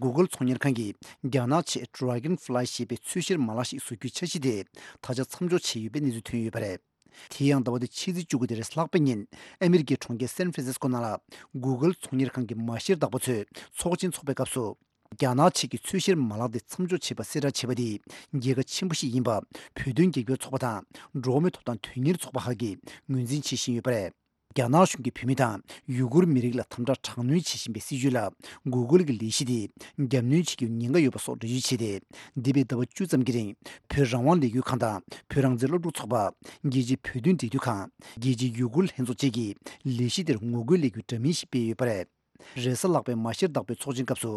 Google་ཚོང་གཉེར་ཁང་གིས་རྒྱ་ནག་ཆེད་Dragonfly་ཞེས་པའི་འཚོལ་བཤེར་མ་ལག་ཞིག་བཟོ་རྒྱུའི་འཆར་གཞི་དེ་ད་ཆ་མཚམས་འཇོག་བྱས་ཡོད་པའི་གནས་ཚུལ་ཐོན་ཡོད་པ་རེད། དེ་ཡང་ཟླ་བ་འདིའི་ཕྱི་ཚེས་བཅུ་དགུ་སྟེ་རེས་ལྷག་པའི་ཉིན་ཨ་མི་རི་ཀའི་གྲོང་ཁྱེར་སན་ཧྥ་རན་སིས་ཀོ་ནང་ལ་Google་ཚོང་གཉེར་ཁང་གི་མ་ཤེར་བདག་པོ་ཚོས་ཚོགས་ཆེན་འཚོགས་པའི་སྐབས་སུ། རྒྱ་ནག་ཕྱི་གྱི་འཚོལ་བཤེར་མ་ལག་དེ་མཚམས་འཇོག་བྱས་པ་གསལ་བསྒྲགས་བྱས་པ་དེས་རྒྱལ་ཁ་ཆེན་པོ་ཞིག་ཡིན་པ་བོད་དོན་རྒྱབ་སྐྱོར་ཚོགས་པ་དང་འགྲོ་བ་མིའི་ཐོབ་ཐང་དོན་གཉེར་ཚོགས་པ་ཁག་གིས་ངོས་འཛིན་བྱེད་བཞིན་ཡོད་པ་རེད། རྒྱ་ནག་གཞུང་གིས་བོད་མི་དང་ཡུ་གུར་མི་རིགས་ལ་དམ་དྲག་དྲག་གནོན་བྱེད་བཞིན་པའི་སྲིད་བྱུས་ལ་Google་གྱི་ལས་གཞི་དེས་རྒྱབ་གནོན་བྱེད་རྒྱུར་ཉེན་ཁ་ཡོད་པ་སོགས་འགྲེལ་བརྗོད་བྱས་ཏེ། འདས་པའི་ཟླ་བ་བཅུ་ཙམ་གྱི་རིང་བོད་རང་དབང་ལས་འགུལ་ཁང་དང་བོད་རང་བཙན་སློབ་ཕྲུག་ཚོགས་པ། རྒྱལ་སྤྱིའི་བོད་དོན་འབྲེལ་མཐུད་ཁང་། རྒྱལ་སྤྱིའི་ཡུ་གུར་ལྷན་ཚོགས་བཅས་ཀྱིས་ལས་གཞི་དེར་ངོ་རྒོལ་ལས་འགུལ་འདྲ་མིན་ཞིག་སྤེལ་ཡོད་པ་རེད། རེས་གཟའ་ལྷག་པའི་མ་ཤེར་བདག་པོའི་ཚོགས་ཆེན་སྐབས་སུ་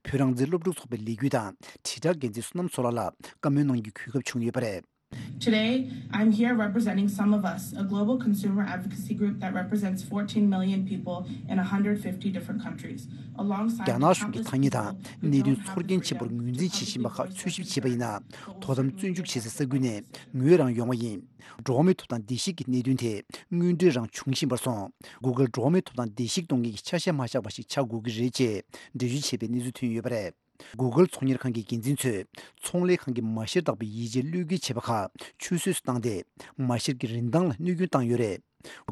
བོད་རང་བཙན་སློབ་ཕྲུག་ཚོགས་པའི་ལས་འགུལ་དང་དྲིལ་བསྒྲགས་འགན་འཛིན་བསོད་ནམས་བཟོ་ལགས་ལ་བཀའ་མོལ་གནང་རྒྱུའི་གོ་སྐབས་བྱུང་ཡོད་པ་རེད། Today, I'm here representing Some of Us, a global consumer advocacy group that represents fourteen million people in a hundred fifty different countries. Alongside རྒྱ་ནག་གཞུང་གིས་ཐ་སྙད་དང་གནད་དོན་ཚོར་སྐྱེན་ཆེན་པོར་ངོས་འཛིན་བྱེད་བཞིན་པ་ཁག་འཚོལ་ཞིབ་བྱས་པ་ཡིན་ན། དོ་དམ་བཙོན་འཇུག་བྱེད་སའི་ས་ཁུལ་ནས་ངོས་རང་ཡོང་བ་ཡིན། འགྲོ་བ་མིའི་ཐོབ་ཐང་བརྡལ་བཤིག་གི་གནད་དོན་དེ་དངོས་འབྲེལ་རང་བྱུང་བཞིན་པར་སོང་། Google་འགྲོ་བ་མིའི་ཐོབ་ཐང་བརྡལ་བཤིག་གཏོང་མཁན་གྱི་ཆ་ཤས་མ་ཆགས་པ་ཞིག་ཆགས་དགོས་ཀྱི་རེད་ཅེས་འགྲེལ་བརྗོད་བྱས་པའི་གནས་ཚུལ་ཐོན་ཡོད་པ་རེད། Google་ཚོང་གཉེར་ཁང་གི་འགན་འཛིན་ཚོས་ཚོང་ལས་ཁང་གི་མ་ཤེར་བདག་པོའི་ཡིད་ཆེས་བློས་འགེལ་བྱས་པ་ཁག་ཆུད་ཟོས་སུ་བཏང་སྟེ། མ་ཤེར་གྱི་རིན་ཐང་ལ་གནོད་སྐྱོན་བཏང་ཡོད་རེད།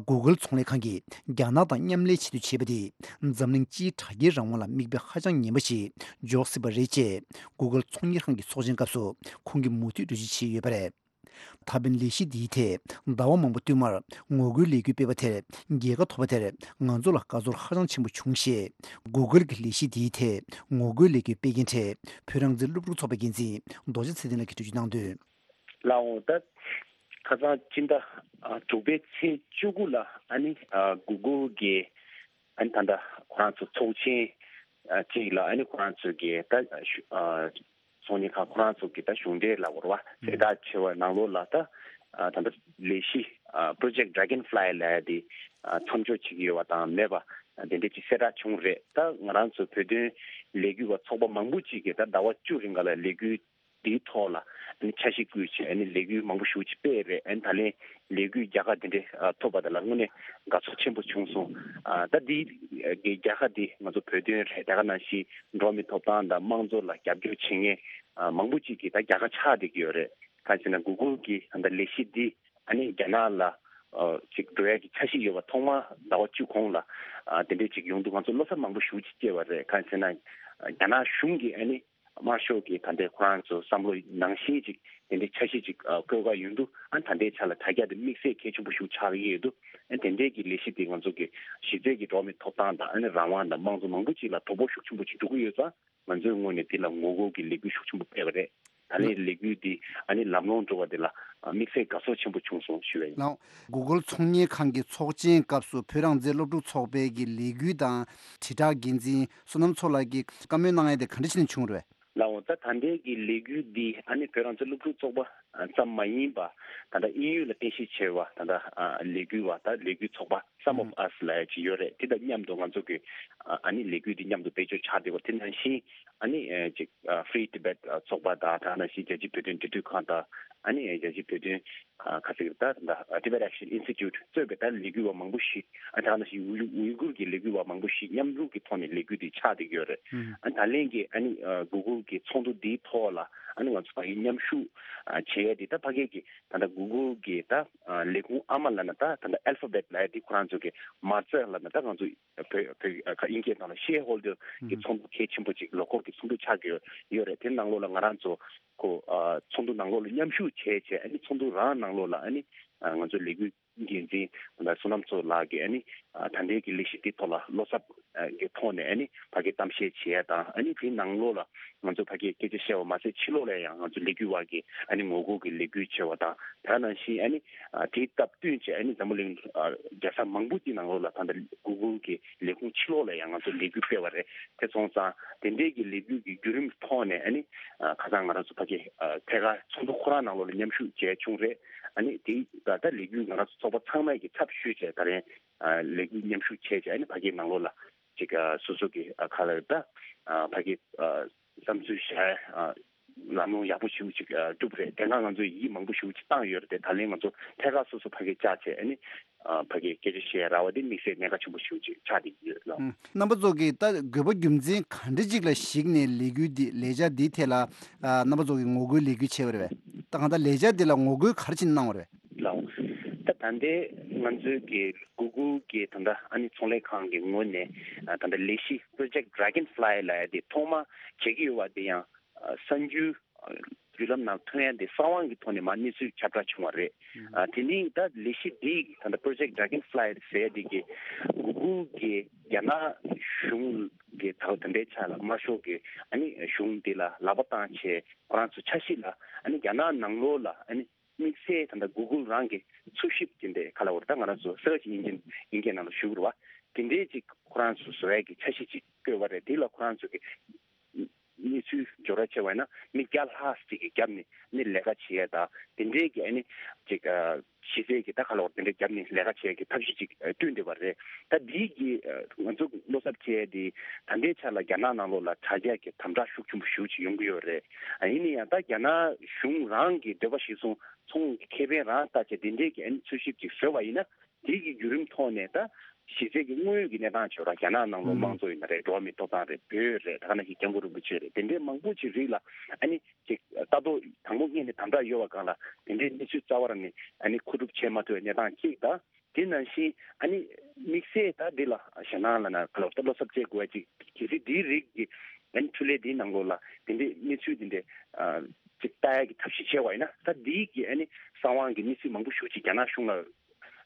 Google་ཚོང་ལས་ཁང་གིས་རྒྱ་ནག་དང་མཉམ་ལས་བྱེད་དུ་བྱས་པ་དེས་འཛམ་གླིང་སྤྱིའི་དྲ་རྒྱའི་རང་དབང་ལ་མིག་དཔེ་ཧ་ཅང་ངན་པ་ཞིག་འཇོག་སྲིད་པ་རེད་ཅེས་Google་ཚོང་གཉེར་ཁང་གི་ཚོགས་ཆེན་སྐབས་སུ་ཁོང་གིས་མུ་མཐུད་འགྲེལ་བརྗོད་བྱས་ཡོད་པ་རེད། ད་ཕན་ལས་གཞི་འདིའི་ཐད་ཟླ་བ་མང་པོ་བསྟུད་མར་ངོ་རྒོལ་ལས་འགུལ་སྤེལ་བ་དེར་རྒྱལ་ཁ་ཐོབ་པ་དེར་ང་ཚོ་ལ་དགའ་ཚོར་ཧ་ཅང་ཆེན་པོ་བྱུང་ཞེས། Google གྱི་ལས་གཞི་འདིའི་ཐད་ངོ་རྒོལ་ལས་འགུལ་སྤེལ་མཁན་གྲས་བོད་རང་བཙན་སློབ་ཕྲུག་ཚོགས་པའི་འགན་འཛིན་རྡོ་རྗེ་ཚེ་བརྟན་ལགས་ཀྱིས་འགྲེལ་བརྗོད་གནང་དོན། ལགས་འོང་། ད་ཁ་སང་སྤྱི་ཟླ་ཨ་དྲུག་པའི་ཚེས་བཅུ་དགུ་ལ་ཨ་ནི་ཨ་Google གི་ཨ་ནི་ད་ལྟ་ཁོ་རང་ཚོ་ཚོགས་ཆེན་ཨ་གཅིག་ལ་ཨ་ནི་ཁོ་རང་ཚོ་གི་ད་ཨ་ཚོང་གཉེར་ཁང་ཁོ་རང་ཚོ་གི་ད་གཞུང་འབྲེལ་ལ་བོར་བ་གསལ་བསྒྲགས་བྱས་པ་ནང་ལོགས་ལ་ད་ཨ་ད་ལྟ་ལས་གཞི་ཨ་Project Dragonfly ལབ་ཡ་དེ་ཨ་མཚམས་འཇོག་བྱེད་ཀྱི་ཡོད་པ་དང་མེད་པ་དེ་འདྲས་ཅིག་གསལ་བསྒྲགས་བྱུང་རེད། ད་ང་རང་ཚོ་བོད་དོན་ལས་འགུལ་བ་ཚོགས་པ་མང་པོ་ཅིག་གིས་ད་ཟླ་བ་བཅུ་རིང་ག་ལ་ལས་འགུལ་འདིའི་ཐོག་ལ་ཨ་ནི་འཆར་གཞི་བསྐུལ་བྱས་ཨ་ནི་ལས་འགུལ་མང་པོ་ཞེ་པོ་ཅིག་སྤེལ་རེད། ཨ་ནི་ད་ལན་ལས་འགུལ་རྒྱལ་ཁ་འདི་འདྲའི་ཨ་ཐོབ་པ་དེ་ལ་དངོས་གནས་དགའ་ཚོར་ཆེན་པོ་བྱུང་སོང་། ཨ་ད་འདི་གི་རྒྱལ་ཁ་འདི་ང་ཚོ་བོད་དོན་རེད། དེ་ག་ནང་བཞིན་འགྲོ་བ་མིའི་ཐོབ་ཐང་དང་དམངས་གཙོ་ལ་རྒྱབ་སྐྱོར་བྱེད་མཁན་ཨ་མང་པོ་ཅིག་གིས་ད་རྒྱལ་ཁ་ཆགས་བསྡད་ཀྱི་ཡོད་རེད། གང་ཡིན་ཟེར་ན་Google གི་ད་ལྟ་ལས་གཞི་འདི་ཨ་ནི་རྒྱ་ནག་ལ་ཨ་ཅིག་འགྲོ་ཡ་གི་འཆར་གཞི་ཡོད་པ་ཐོག་མ་ཟླ་བ་བཅུ་གོང་ལ་ཨ་དེ་འདྲས་ཅིག་ཡོང་དུས་ང་ཚོ་བློ་འཚབ་མང་པོ་ཞེ་པོ་ཅིག་སྐྱེས་པ་རེད། གང་ཡིན་ཟེར་ན་རྒྱ་ནག་གཞུང་གིས་ཨ་ནི་དམར་ཤོག་གི་ད་ལྟའི་ཁོ་རང་ཚོ་བསམ་བློ་ནང་བཞིན་ཅིག་དེ་འདྲའི་འཆར་གཞི་ཅིག་ཨ་བཀོད་ག་ཡོང་དུས་ཨ་ད་ལྟའི་ཆ་ལ་དྲ་རྒྱ་དེ་དམིགས་བསལ་གལ་ཆེན་པོ་ཞིག་ཆགས་ཀྱི་ཡོད་དུས་ཨ་དེ་འདྲའི་གི་ལས་གཞི་དེ་ང་ཚོ་གི་གཞི་རྩའི་གི་འགྲོ་བ་མིའི་ཐོབ་ཐང་དང་ཨ་ནི་རང་དབང་དང་དམངས་གཙོ་མང་པོ་ཅིག་ལ་དོ་ཕོག་ཤུགས་ཆེན་པོ་ཅིག་འགྲོ་གི་ཡོད་ཙང་ང་ཚོའི་ངོས་ནས་དེ་ལ་ངོ་རྒོལ་གི་ལས་འགུལ་ཤུགས་ཆེན་པོ་སྤེལ་བ་རེད། ད་ལན་ལས་འགུལ་འདི་ཨ་ནི་ལམ་ལྷོང་འགྲོ་བ་དེ་ལ་དམིགས་བསལ་དགའ་ཚོར་ཆེན་པོ་བྱུང་སོང་ཞུ་བ་ཡིན། ལགས། Google ཚོང་གཉེར་ཁང་གི་ཚོགས་ཆེན་སྐབས་སུ་བོད་རང་བཙན་སློབ་ཕྲུག་ཚོགས་པའི་གི་ལས་འགུལ་དང་དྲིལ་བསྒྲགས་འགན་འཛིན་བསོད་ནམས་མཚོ་ལགས་ཀྱིས་བཀའ་མོལ་གནང་ཡ་དེ་ག་འདྲ་བྱས་ནས་བྱུང་རེད། ལགས་འོང་། ད་ད་ལྟའི་གི་ལས་འགུལ་འདི་ཨ་ནི་བོད་རང་བཙན་སློབ་ཕྲུག་ཚོགས་པ་ཙམ་མ་ཡིན་པ་ད་ལྟ་དབྱིན་ཡུལ་ལ་རྟེན་གཞི་བྱས་པ་ད་ལྟ་ཨ་ལས་འགུལ་བ་ད་ལས་འགུལ་ཚོགས་པ་Some of Us ལབ་ཡ་ཅིག་ཡོད་རེད། དེ་དང་མཉམ་དུ་ང་ཚོ་གི་ཨ་ནི་ལས་འགུལ་འདི་མཉམ་དུ་བེད་སྤྱོད་བྱ་བདེ་བ་དེ་ནང་བཞིན་ཨ་ནི་ཅིག་Free Tibet ཚོགས་པ་དང་ད་ནང་བཞིན་རྒྱལ་སྤྱིའི་བོད་དོན་འབྲེལ་མཐུད་ཁང་དང་ཨ་ནི་རྒྱལ་སྤྱིའི་བོད་དོན་ཨ་ག་ཚོད་ད་ད་Tibet Action Institute གཙོས་པའི་ད་ལས་འགུལ་བ་མང་པོ་ཞིག་ཨ་ད་ནང་བཞིན་ཝུའུ་ཝུའུ་གུར་གྱི་ལས་འགུལ་བ་མང་པོ་ཞིག་མཉམ་རུབ་ཀྱི་ཐོག་ནས་ལས་འགུལ་འདི་ཆགས་བསྡད་ཀྱི་ཡོད་རེད། ཨ་ད་ལན་གྱི་ཨ་ནི་Google གྱི་ཚོགས་འདུ་འདིའི་ཐོག་ལ་ཨ་ནི་ང་ཚོ་ཕ་གི་མཉམ་ཞུགས་བྱེད་ཡས་འདི་ད་ཕ་གི་གི་ད་ལྟ་Google གི་ད་ལས་ཁུངས་ཨ་མ་ལབ་ན་ད་ད་ལྟ་Alphabet ལབ་ཡ་འདི་ཁོ་རང་ཚོ་གི་མ་རྩ་ལབ་ན་ད་ང་ཚོ་བོད་བོད་ཁ་དབྱིན་སྐད་ནང་ལ་Shareholder གི་ཚོགས་འདུ་གལ་ཆེན་པོ་ཅིག་ལོ་འཁོར་གྱི་ཚོགས་འདུ་ཆགས་ཀྱི་ཡོད་རེད། དེ་ནང་ལོགས་ལ་ང་རང་ཚོ་ཁོ་ཚོགས་འདུ་ནང་ལོགས་ལ་མཉམ་ཞུགས་བྱས་བྱས་ཨ་ནི་ཚོགས་འདུ་རང་ནང་ལོགས་ལ་ཨ་ནི་ང་ཚོ་ལས་འགུལ་འགན་འཛིན་བསོད་ནམས་མཚོ་ལགས་ཀྱིས་ཨ་ནི་ད་ལྟའི་གི་ལས་གཞི་འདི་ཐོག་ལ་བློ་འཚབ་ཀྱི་ཐོག་ནས་ཨ་ནི་ཕ་གི་གཏམ་བཤད་བྱེད་ཡ་དང་ཨ་ནི་དེའི་ནང་ལོགས་ལ་ང་ཚོ་ཕ་གི་སྐད་ཆ་བཤད་པ་མ་ཟད་ཕྱི་ལོགས་ལ་ཡང་ང་ཚོ་ལས་འགུལ་བ་གི་ཨ་ནི་ངོ་རྒོལ་གི་ལས་འགུལ་བྱེད་པ་དང་དེ་ནང་བཞིན་ཨ་ནི་དེའི་སྟབས་བསྟུན་བྱས་ཨ་ནི་འཛམ་བུ་གླིང་རྒྱལ་ས་མང་པོ་དེའི་ནང་ལོགས་ལ་ད་ལྟ་Google གི་ལས་ཁུངས་ཕྱི་ལོགས་ལ་ཡང་ང་ཚོ་ལས་འགུལ་སྤེལ་བ་རེད། དེ་སོང་ཙང་དེ་འདྲའི་གི་ལས་འགུལ་གི་བརྒྱུད་རིམ་ཐོག་ནས་ཨ་ནི་ཁ་སང་ང་རང་ཚོ་ཕ་གི་ཐད་ཀར་ཚོགས་འདུ་ཁོ་རང་ནང་ལོགས་ལ་མཉམ་ཞུགས་བྱས་བྱུང་རེད། ཨ་ནི་དེ་ད་ལྟ་ལས་འགུལ་ང་རང་ཚོ་ཚོགས་པ་ཚང་མས་ཀྱི་ཚབ་ཞུས་བྱས་ད་རེས་ལས་འགུལ་མཉམ་ཞུགས་བྱས་བྱས་ཨ་ནི་ཕ་གིའི་ནང་ལོགས་ལ་ཅིག་སོ་སོ་གི་ཁ་ལ་ད་ཕ་གི་བསམ་ཚུལ་བཤད་ལམ་ལྷོང་ཡག་པོ་ཞིག་ཅིག་བསྒྲུབས་རེད། དེ་སྔ་ང་ཚོས་ཡིད་མང་པོ་ཞིག་ཅིག་བཏང་ཡོད་རེད། དེ་ད་ལན་ང་ཚོ་ཐད་ཀར་སོ་སོ་ཕ་གི་བཅར་བྱས་ཨ་ནི་ཕ་གི་སྐད་ཆ་བཤད་ར་བ་དེ་དམིགས་བསལ་གནད་འགག་ཆེན་པོ་ཞིག་ཅིག་ཆགས་བསྡད་ཀྱི་ཡོད་ལགས། རྣམ་པ་ཚོ་གིས་ད་དགོས་པ་རྒྱུ་མཚན་ག་འདྲ་ཅིག་ལ་གཞིགས་ནས་ལས་འགུལ་འདི་ལས་འཆར་འདིའི་ཐད་ལ་རྣམ་པ་ཚོ་གིས་ངོ་རྒོལ་ལས་འགུལ་བྱས་པ་རེད་པས། ད་གང་ལྟར་ལས་འཆར་འདི་ལ་ངོ་རྒོལ་ག་རེ་བྱས་ནས་གནང་བ་རེད། ལགས། ད་ད་ལྟའི་ང་ཚོའི་གི་Google གི་ད་ལྟ་ཨ་ནི་ཚོང་ལས་ཁང་གི་ངོས་ནས་ད་ལྟ་ལས་གཞི་Project Dragonfly ལབ་ཡ་དེ་ཐོག་མ་བྱེད་ཀྱི་ཡོད་པ་དེ་ཡང་གསར་འགྱུར་བརྒྱུད་ལམ་ནང་ཐོན་ཡ་དེ་གསང་བ་གི་ཐོག་ནས་མར་གནས་ཚུལ་ཁྱབ་བསྒྲགས་བྱུང་བ་རེད། ཨ་དེ་ནི་ད་ལས་གཞི་འདི་ད་ལྟ་Project Dragonfly ཟེར་ཡ་དེ་གི་Google གི་རྒྱ་ནག་གཞུང་གི་ད་ད་ལྟའི་ཆ་ལ་དམར་ཤོག་གི་ཨ་ནི་གཞུང་འདི་ལ་ལག་པ་བཏང་བྱས་ཁོ་རང་ཚོ་འཆར་གཞི་ལ་ཨ་ནི་རྒྱ་ནག་ནང་ལོགས་ལ་ཨ་ནི་དམིགས་བསལ་ད་ལྟ་Google རང་གི་འཚོལ་ཞིབ་ཀྱི་འདི་ག་ལ་བར་ད་ང་རང་ཚོ་Search Engine ཡིན་མཁན་ནང་ལ་ཞུགས་རུ་བ་དེ་འདྲའི་ཅིག་ཁོ་རང་ཚོ་བཟོ་ཡ་གི་འཆར་གཞི་ཅིག་བཀོད་པ་རེད། དེ་ལ་ཁོ་རང་ཚོ་གི་གནས་ཚུལ་འབྱོར་བ་བྱས་པ་ཡིན་ན་མི་བརྒྱ་ལྷག་ཅིག་གི་རྒྱབ་ནས་ནི་ལས་ཀ་བྱེད་ཡ་དང་དེ་འདྲའི་གི་ཨ་ནི་ཅིག་གཞི་རྩའི་གི་ད་ག་ལ་བར་དེ་འདྲའི་རྒྱབ་ནས་ལས་ཀ་བྱེད་ཡ་གི་ཐབས་ཤེས་ཅིག་བསྐྲུན་བསྡད་པ་རེད། ད་འདིའི་གི་ང་ཚོ་བློ་འཚབ་བྱས་ཏེ་ད་ལྟའི་ཆ་ལ་རྒྱ་ནག་ནང་ལོགས་ལ་དྲ་རྒྱ་གི་དམ་དྲག་ཤུགས་ཆེན་པོ་ཞེ་པོ་ཅིག་ཡོང་གི་ཡོད་རེད། ཡིན་ན་ཡང་ད་རྒྱ་ནག་གཞུང་རང་གི་འདོད་པ་གཞིར་བཟུང་ཚོང་གི་ཁེ་ཕན་རང་ལྟ་བྱས་དེ་འདྲའི་གི་ཨ་ནི་འཚོལ་ཞིབ་ཅིག་བཟོས་པ་ཡིན་ན་དེ་གི་བརྒྱུད་རིམ་ཐོག་ནས་ད་གཞི་རྩའི་གི་དངོས་ཡོད་ཀྱི་གནས་སྟངས་བྱས་ར་རྒྱ་ནག་ནང་ལོགས་དམངས་གཙོ་ཡིན་ན་རེད། འགྲོ་བ་མིའི་ཐོབ་ཐང་རེད། བོད་རེད། ད་ག་ནང་བཞིན་སྐྱབས་མགོན་རིན་པོ་ཆེ་རེད། དེ་འདྲའི་མང་པོ་ཅིག་རིགས་ལ་ཨ་ནི་ཅིག་ལྟ་རྟོག་དང་པོ་སྔོན་ནས་དམ་དྲག་ཡོད་པ་སྒང་ལ་དེ་འདྲའི་གནས་ཚུལ་རྩ་བ་རང་ནས་ཨ་ནི་མཁོ་སྒྲུབ་བྱེད་མ་ཐུབ་པའི་གནས་སྟངས་གཅིག་དང་། དེ་ནང་བཞིན་ཨ་ནི་དམིགས་བསལ་ད་འདི་ལ་ཞེད་སྣང་ལ་ན་ག་ལ་ད་བློ་འཚབ་བྱེད་དགོས་པ་ཅིག་གལ་སྲིད་འདིའི་རིགས་ཀྱི་ཨ་ནི་འཕྲུལ་ལས་འདིའི་ནང་ལོགས་ལ་དེ་འདྲའི་གནས་ཚུལ་དེ་འདྲའི་ཨ་ ལྟ་ཡག་གི་ཐབས་ཤེས་བྱས་པ་ཡིན་ན། ད་འདིའི་གི་ཨ་ནི་གསང་བའི་གི་གནས་ཚུལ་མང་པོ་ཞེ་ཅིག་རྒྱ་ནག་གཞུང་ལ་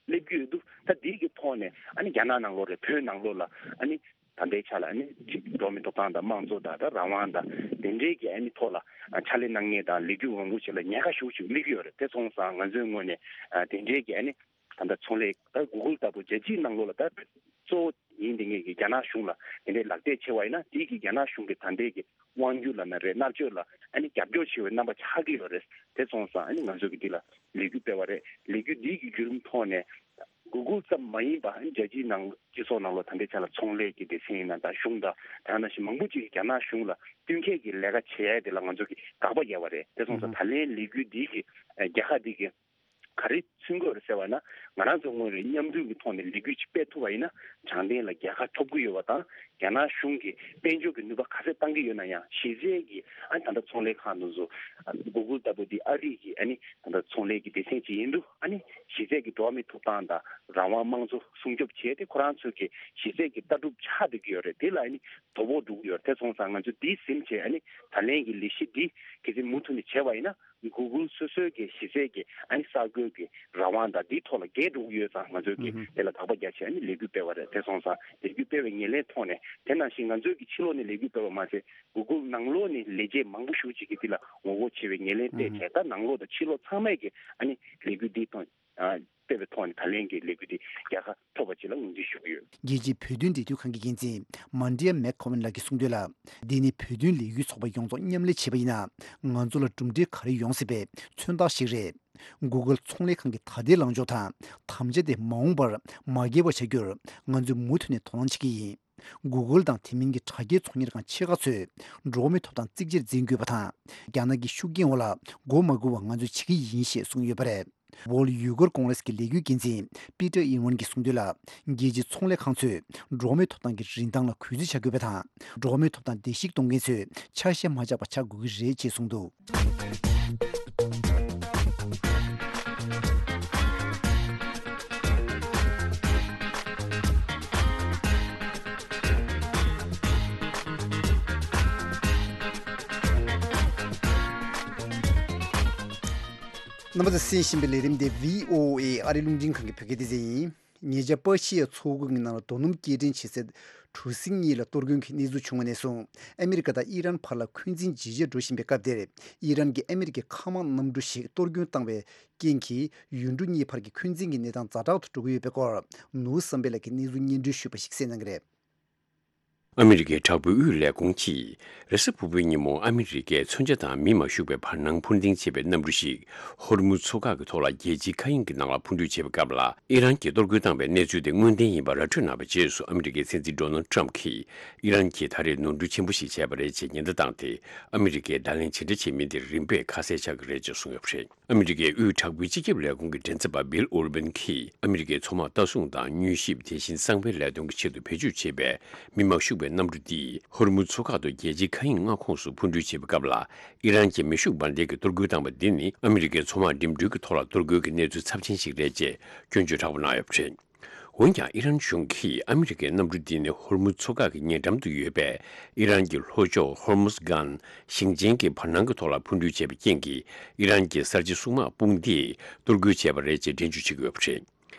སླེབས་ཀྱི་ཡོད་འདུག་ད་འདིའི་གི་ཐོག་ནས་ཨ་ནི་རྒྱ་ནག་ནང་ལོགས་རེད། བོད་ནང་ལོགས་ལ་ཨ་ནི་ད་ལྟའི་ཆ་ལ་ཨ་ནི་འགྲོ་བ་མིའི་ཐོབ་ཐང་དང་དམངས་གཙོ་དང་ད་རང་དབང་དང་དེ་འདྲའི་གི་ཨ་ནི་ཐོག་ལ་ཕྱག་ལས་གནང་མཁན་དང་ལས་འགུལ་མང་པོ་ཞིག་ལ་ཉེན་ཁ་ཞེ་ཅིག་དམིགས་ཀྱི་ཡོད་རེད། དེ་སོང་ཙང་ང་ཚོའི་ངོས་ནས་ཨ་དེ་འདྲའི་གི་ཨ་ནི་ད་ལྟ་ཚོང་ལས་ད་Google་ལྟ་བུ་རྒྱལ་སྤྱིའི་ནང་ལོགས་ལ་ད་གཙོ་བོ་ཡིན་དེ་ངེད་ཀྱི་རྒྱ་ནག་གཞུང་ལ་དེ་འདྲའི་ལག་དེབ་ཕྱེ་བ་ཡིན་ན། དེའི་གི་རྒྱ་ནག་གཞུང་གི་ད་ལྟའི་གི་དབང་སྒྱུར་ལབ་ན་རེད། མནར་གཅོད་ལ་ཨ་ནི་རྒྱབ་སྐྱོར་བྱེད་པའི་རྣམ་པ་ཆགས་ཀྱི་ཡོད་རེད། དེ་སོང་ཙང་ཨ་ནི་ང་ཚོ་གི་འདི་ལ་ལས་འགུལ་སྤེལ་བ་རེད། ལས་འགུལ་འདིའི་གི་བརྒྱུད་རིམ་ཐོག་ནས་Google་ཙམ་མ་ཡིན་པ་ཨ་ནི་རྒྱལ་སྤྱིའི་ནང་སྤྱི་ཚོགས་ནང་ལོགས་ད་ལྟའི་ཆ་ལ་ཚོང་ལས་ཀྱི་སྡེ་ཚན་ཡིན་ན་ད་གཞུང་དང་དེ་ནང་བཞིན་མང་པོ་ཅིག་གིས་རྒྱ་ནག་གཞུང་ལ་བསྟུན་མཁས་ཀྱི་ལས་ཀ་བྱེད་ཡ་དེ་ལ་ང་ཚོ་གིས་དགག་པ་བརྒྱབ་པ་རེད། དེ་སོང་ཙང་ད་ལན་ལས་འགུལ་འདིའི་གི་རྒྱལ་ཁ་འདི་གི་ག་རེ་མཚོན་གྱི་ཡོད་རེད་ཟེར་བ་ན། ང་རང་ཚོ་དངོས་རེད་མཉམ་འདུས་ཀྱི་ཐོག་ནས་ལས་འགུལ་ཅིག་སྤེལ་ཐུབ་པ་ཡིན་ན་དྲང་བདེན་ལ་རྒྱལ་ཁ་ཐོབ་ཀྱི་ཡོད་པ་དང་། རྒྱ་ནག་གཞུང་གིས་དཔལ་འབྱོར་གྱི་ནུས་པ་ག་ཚད་བཏང་གི་ཡོད་ན་ཡང་། གཞི་རྩའི་གི་ཨ་ད་ལྟ་ཚོང་ལས་ཁང་དེ་ཚོ་Google་ལྟ་བུ་འདི་ཨ་རི་གི་ཨ་ནི་ད་ལྟ་ཚོང་ལས་ཀྱི་སྡེ་ཚན་ཅིག་ཡིན་དུས། ཨ་ནི་གཞི་རྩའི་གི་འགྲོ་བ་མིའི་ཐོབ་ཐང་དང་རང་དབང་དམངས་གཙོ་སྲུང་སྐྱོབ་བྱས་ཏེ་ཁོ་རང་ཚོ་གི་གཞི་རྩའི་གི་ལྟ་གྲུབ་ཆགས་བསྡད་ཀྱི་ཡོད་རེད། དེ་ལ་ཨ་ནི་དོ་ཕོག་འགྲོ་གི་ཡོད་རེད། དེ་སོང་ཙང་ང་ཚོ་འདི་ཟིན་བྱས་ཨ་ནི་ད་ལན་གྱི་ལས་གཞི་འདི་གལ་སྲིད་མུ་མཐུད་ནས་བྱས་པ་ཡིན་ན། Google་སོ་སོའི་གི་གཞི་རྩའི་གི་ཨ་ནི་གསར་འགོད་ཀྱི་རང་དབང་དང་འདིའི་ཐོག་ལ་འགལ་འགྲོ་གི་ཡོད་ཙང་། ང་ཚོས་ཀྱི་ཨུ་ཧུམ། དེ་ལ་དགག་པ་རྒྱག་ཆེད་ཨ་ནི་ལས་འགུལ་སྤེལ་བ་རེད། དེ་སོང་ཙང་ལས་འགུལ་སྤེལ་བའི་ཉེར་ལེན་ཐོག་ནས། དེ་ནང་བཞིན་ང་ཚོས་ཀྱི་ཕྱི་ལོགས་ནས་ལས་འགུལ་སྤེལ་བ་མ་ཟད། Google་ནང་ལོགས་ནས་ལས་བྱེད་མང་པོ་ཞེ་ཅིག་གིས་འདི་ལ་ངོ་རྒོལ་ཆེ་བའི་ཉེར་ལེན་སྤེལ་ཨུ་ཧུམ། བྱས། ད་ནང་ལོགས་དང་ཕྱི་ལོགས་ཚང་མས་ཀྱི་ཨ་ནི་ལས་འགུལ་འདིའི་ཐོག་ཨ་སྤེལ་བའི་ཐོག་ནས་ད་ལན་གྱི་ལས་འགུལ་འདི་རྒྱལ་ཁ་ཐོབ་པ་ཅིག་ལ་ངོས་འཛིན་ཞུ་གི་ཡོད། རྒྱལ་སྤྱིའི་བོད་དོན་འབྲེལ་མཐུད་ཁང་གི་འགན་འཛིན་མཱན་ཌི་ཡ་མེག་ཁོ་ཝན་ལགས་ཀྱིས་གསུངས་དོན་ལ། འདི་ནི་བོད་དོན་ལས་འགུལ་ཚོགས་པ་ཡོངས་རྫོགས་མཉམ་ལས་བྱས་པ་ཡིན་ན། ང་ཚོ་ལ་གྲུབ་འབྲས་ག་རེ་ཡོང་སྲིད་པའི་མཚོན་རྟགས་ཤིག་རེད། Google་ཚོང་ལས་ཁང་གི་ད་ལྟའི་ལངས་ཕྱོགས་དང་དམ་བཅའ་དེ་མ་འོངས་པར་མ་འགལ་བ་བྱ་རྒྱུར་ང་ཚོས་མུ་མཐུད་ནས་དོ་སྣང་བྱེད་ཀྱི་ཡིན། Google་དང་དེ་མིན་གྱི་དྲ་རྒྱའི་ཚོང་གཉེར་ཁང་ཆེ་ཁག་ཚོས་འགྲོ་བ་མིའི་ཐོབ་ཐང་གཙིགས་ཆེར་འཛིན་དགོས་པ་དང་། རྒྱ་ནག་གི་ཤུགས་རྐྱེན་འོག་ལ་འགོ་མ་དགོས་པ་ང་ཚོས་བྱེད་ཀྱི་ཡིན་ཞེས་གསུངས་ཡོད་པ་རེད། World Uyghur Congress་གི་ལས་འགུལ་འགན་འཛིན་པི་ཏར་ཨིན་ཝན་གྱིས་གསུངས་དོན་ལ། རྒྱལ་སྤྱིའི་ཚོང་ལས་ཁང་ཚོས་འགྲོ་བ་མིའི་ཐོབ་ཐང་གི་རིན་ཐང་ལ་གུས་བརྩི་བྱ་དགོས་པ་དང་། འགྲོ་བ་མིའི་ཐོབ་ཐང་བརྡལ་བཤིག་གཏོང་མཁན་ཚོས་ཆ་ཤས་མ་ཆག་པ་བྱ་དགོས་ཀྱི་རེད་ཅེས་གསུངས་འདུག་རྣམ་པ་ཚོས་གསན་བཞིན་པའི་ལས་རིམ་དེ་བྷི་ཨོ་ཨེ་ཨ་རིའི་རླུང་འཕྲིན་ཁང་གི་བོད་སྐད་སྡེ་ཚན་ཡིན། ཉེ་ཆར་པ་ཤི་ཡའི་མཚོ་ཁུག་གི་ནང་ལ་རྡོ་སྣུམ་སྐྱེལ་འདྲེན་བྱེད་སའི་གྲུ་གཟིངས་གཉིས་ལ་གཏོར་སྐྱོན་གྱི་གནས་ཚུལ་བྱུང་བ་ནས་བཟུང་། ཨ་མི་རི་ཀ་དང་ཨི་རན་བར་ལ་འཁོན་འཛིན་ཇེ་ཆེར་འགྲོ་བཞིན་པའི་སྐབས་དེར། ཨི་རན་གྱིས་ཨ་མི་རི་ཀའི་མཁའ་དམག་གནམ་གྲུ་ཞིག་གཏོར་སྐྱོན་བཏང་བའི་རྐྱེན་གྱིས་ཡུལ་གྲུ་གཉིས་བར་གྱི་འཁོན་འཛིན་གྱི་གནས་སྟངས་ཛ་དྲག་ཏུ་འགྲོ་གི་ཡོད་པའི་སྐོར། ནོར་བུ་བསམ་འཕེལ་ལགས་ཀྱིས་གནས་ཚུལ་སྙན་སྒྲོན་ཞུས་པ་ཞིག་གསན་གནང་གི་རེད། ཨ་མི་རི་ཀའི་དྲག་པོའི་དབུས་ལས་ཁུངས་ཀྱིས་རེས་གཟའ་ཕུར་བུའི་ཉིན་མོ་ཨ་མི་རི་ཀའི་མཚོན་ཆ་དང་མི་མ་ཤུགས་པའི་བར་སྣང་འཕུར་ལྡིང་བྱེད་པའི་གནམ་གྲུ་ཞིག་ཧོར་མུ་མཚོ་འགག་གི་ཐོག་ལ་རྒྱལ་སྤྱིའི་མཁའ་དབྱིངས་ཀྱི་ནང་ལ་འཕུར་འགྲུལ་བྱེད་པའི་སྐབས་ལ། ཨི་རན་གྱིས་གཏོར་རྒོལ་བཏང་བའི་གནས་ཚུལ་དེ་དངོས་བདེན་ཡིན་པ་ར་སྤྲོད་གནང་བའི་རྗེས་སུ། ཨ་མི་རི་ཀའི་སྲིད་འཛིན་ཌོ་ནལ་ཊམ་གྱིས་ཨི་རན་གྱིས་ད་རེས་ནོར་འཁྲུལ་ཆེན་པོ་ཞིག་བྱས་པ་རེད་ཅེས་ཉེན་བརྡ་བཏང་སྟེ། ཨ་མི་རི་ཀས་བརྡ་ལན་ཇི་འདྲ་བྱེད་མིན་དེ་རིམ་པས་ཁ་གསལ་ཆགས་ཀྱི་རེད་ཅེས་གསུངས་ཡོད་པ་རེད། ཨ་མི་རི་ཀའི་དབུས་དྲག་པོའི་སྤྱི་ཁྱབ་ལས་ཁུངས་ཀྱི་མགྲིན་ཚབ་པ་བྷིལ་ཨོ་རི་བན་གྱིས། ཨ་མི་རི་ཀའི་མཚོ་དམག་ལྟ་སྲུང་དང་མྱུལ་ཞིབ། དེ་བཞིན་གསང་བའི་ལས་དོན་གྱི་ཆེད་དུ་བེད་སྤྱོད་བྱེད་པའི་མི་མ་ཤུགས་པའི་གནམ་གྲུ་འདིས་ཧོར་མུ་མཚོ་འགག་ཏུ་རྒྱལ་སྤྱིའི་མཁའ་དབྱིངས་མངའ་ཁོངས་སུ་འཕུར་འགྲུལ་བྱེད་པའི་སྐབས་ལ། ཨི་རན་གྱི་མེ་ཤུགས་འབར་མདེལ་གྱིས་གཏོར་རྒོལ་བཏང་བ་འདི་ནི། ཨ་མི་རི་ཀའི་མཚོ་དམག་འགྲིམ་འགྲུལ་གྱི་ཐོག་ལ་གཏོར་རྒོལ་གྱི་གནས་ཚུལ་ཚབས་ཆེན་ཞིག་རེད་ཅེས་སྐྱོན་བརྗོད་དྲག་པོ་གནང་ཡོད་པ་རེད། འོན་ཀྱང་ཨི་རན་གཞུང་གིས་ཨ་མི་རི་ཀའི་གནམ་གྲུ་འདི་ནི་ཧོར་མུ་མཚོ་འགག་གི་ཉེ་འགྲམ་དུ་ཡོད་པའི་ཨི་རན་གྱི་ལྷོ་ཕྱོགས་ཧོར་མུ་སྒན་ཞིང་ཆེན་གྱི་བར་སྣང་གི་ཐོག་ལ་འཕུར་འགྲུལ་བྱས་པའི་རྐྱེན་གྱིས། ཨི་རན་གྱི་གསར་བརྗེ་སྲུང་དམག་དཔུང་སྡེས་གཏོར་རྒོལ་བྱས་པ་རེད་ཅེས་འགྲེལ་བརྗོད་བྱེད་ཀྱི་ཡོད་པ་རེད།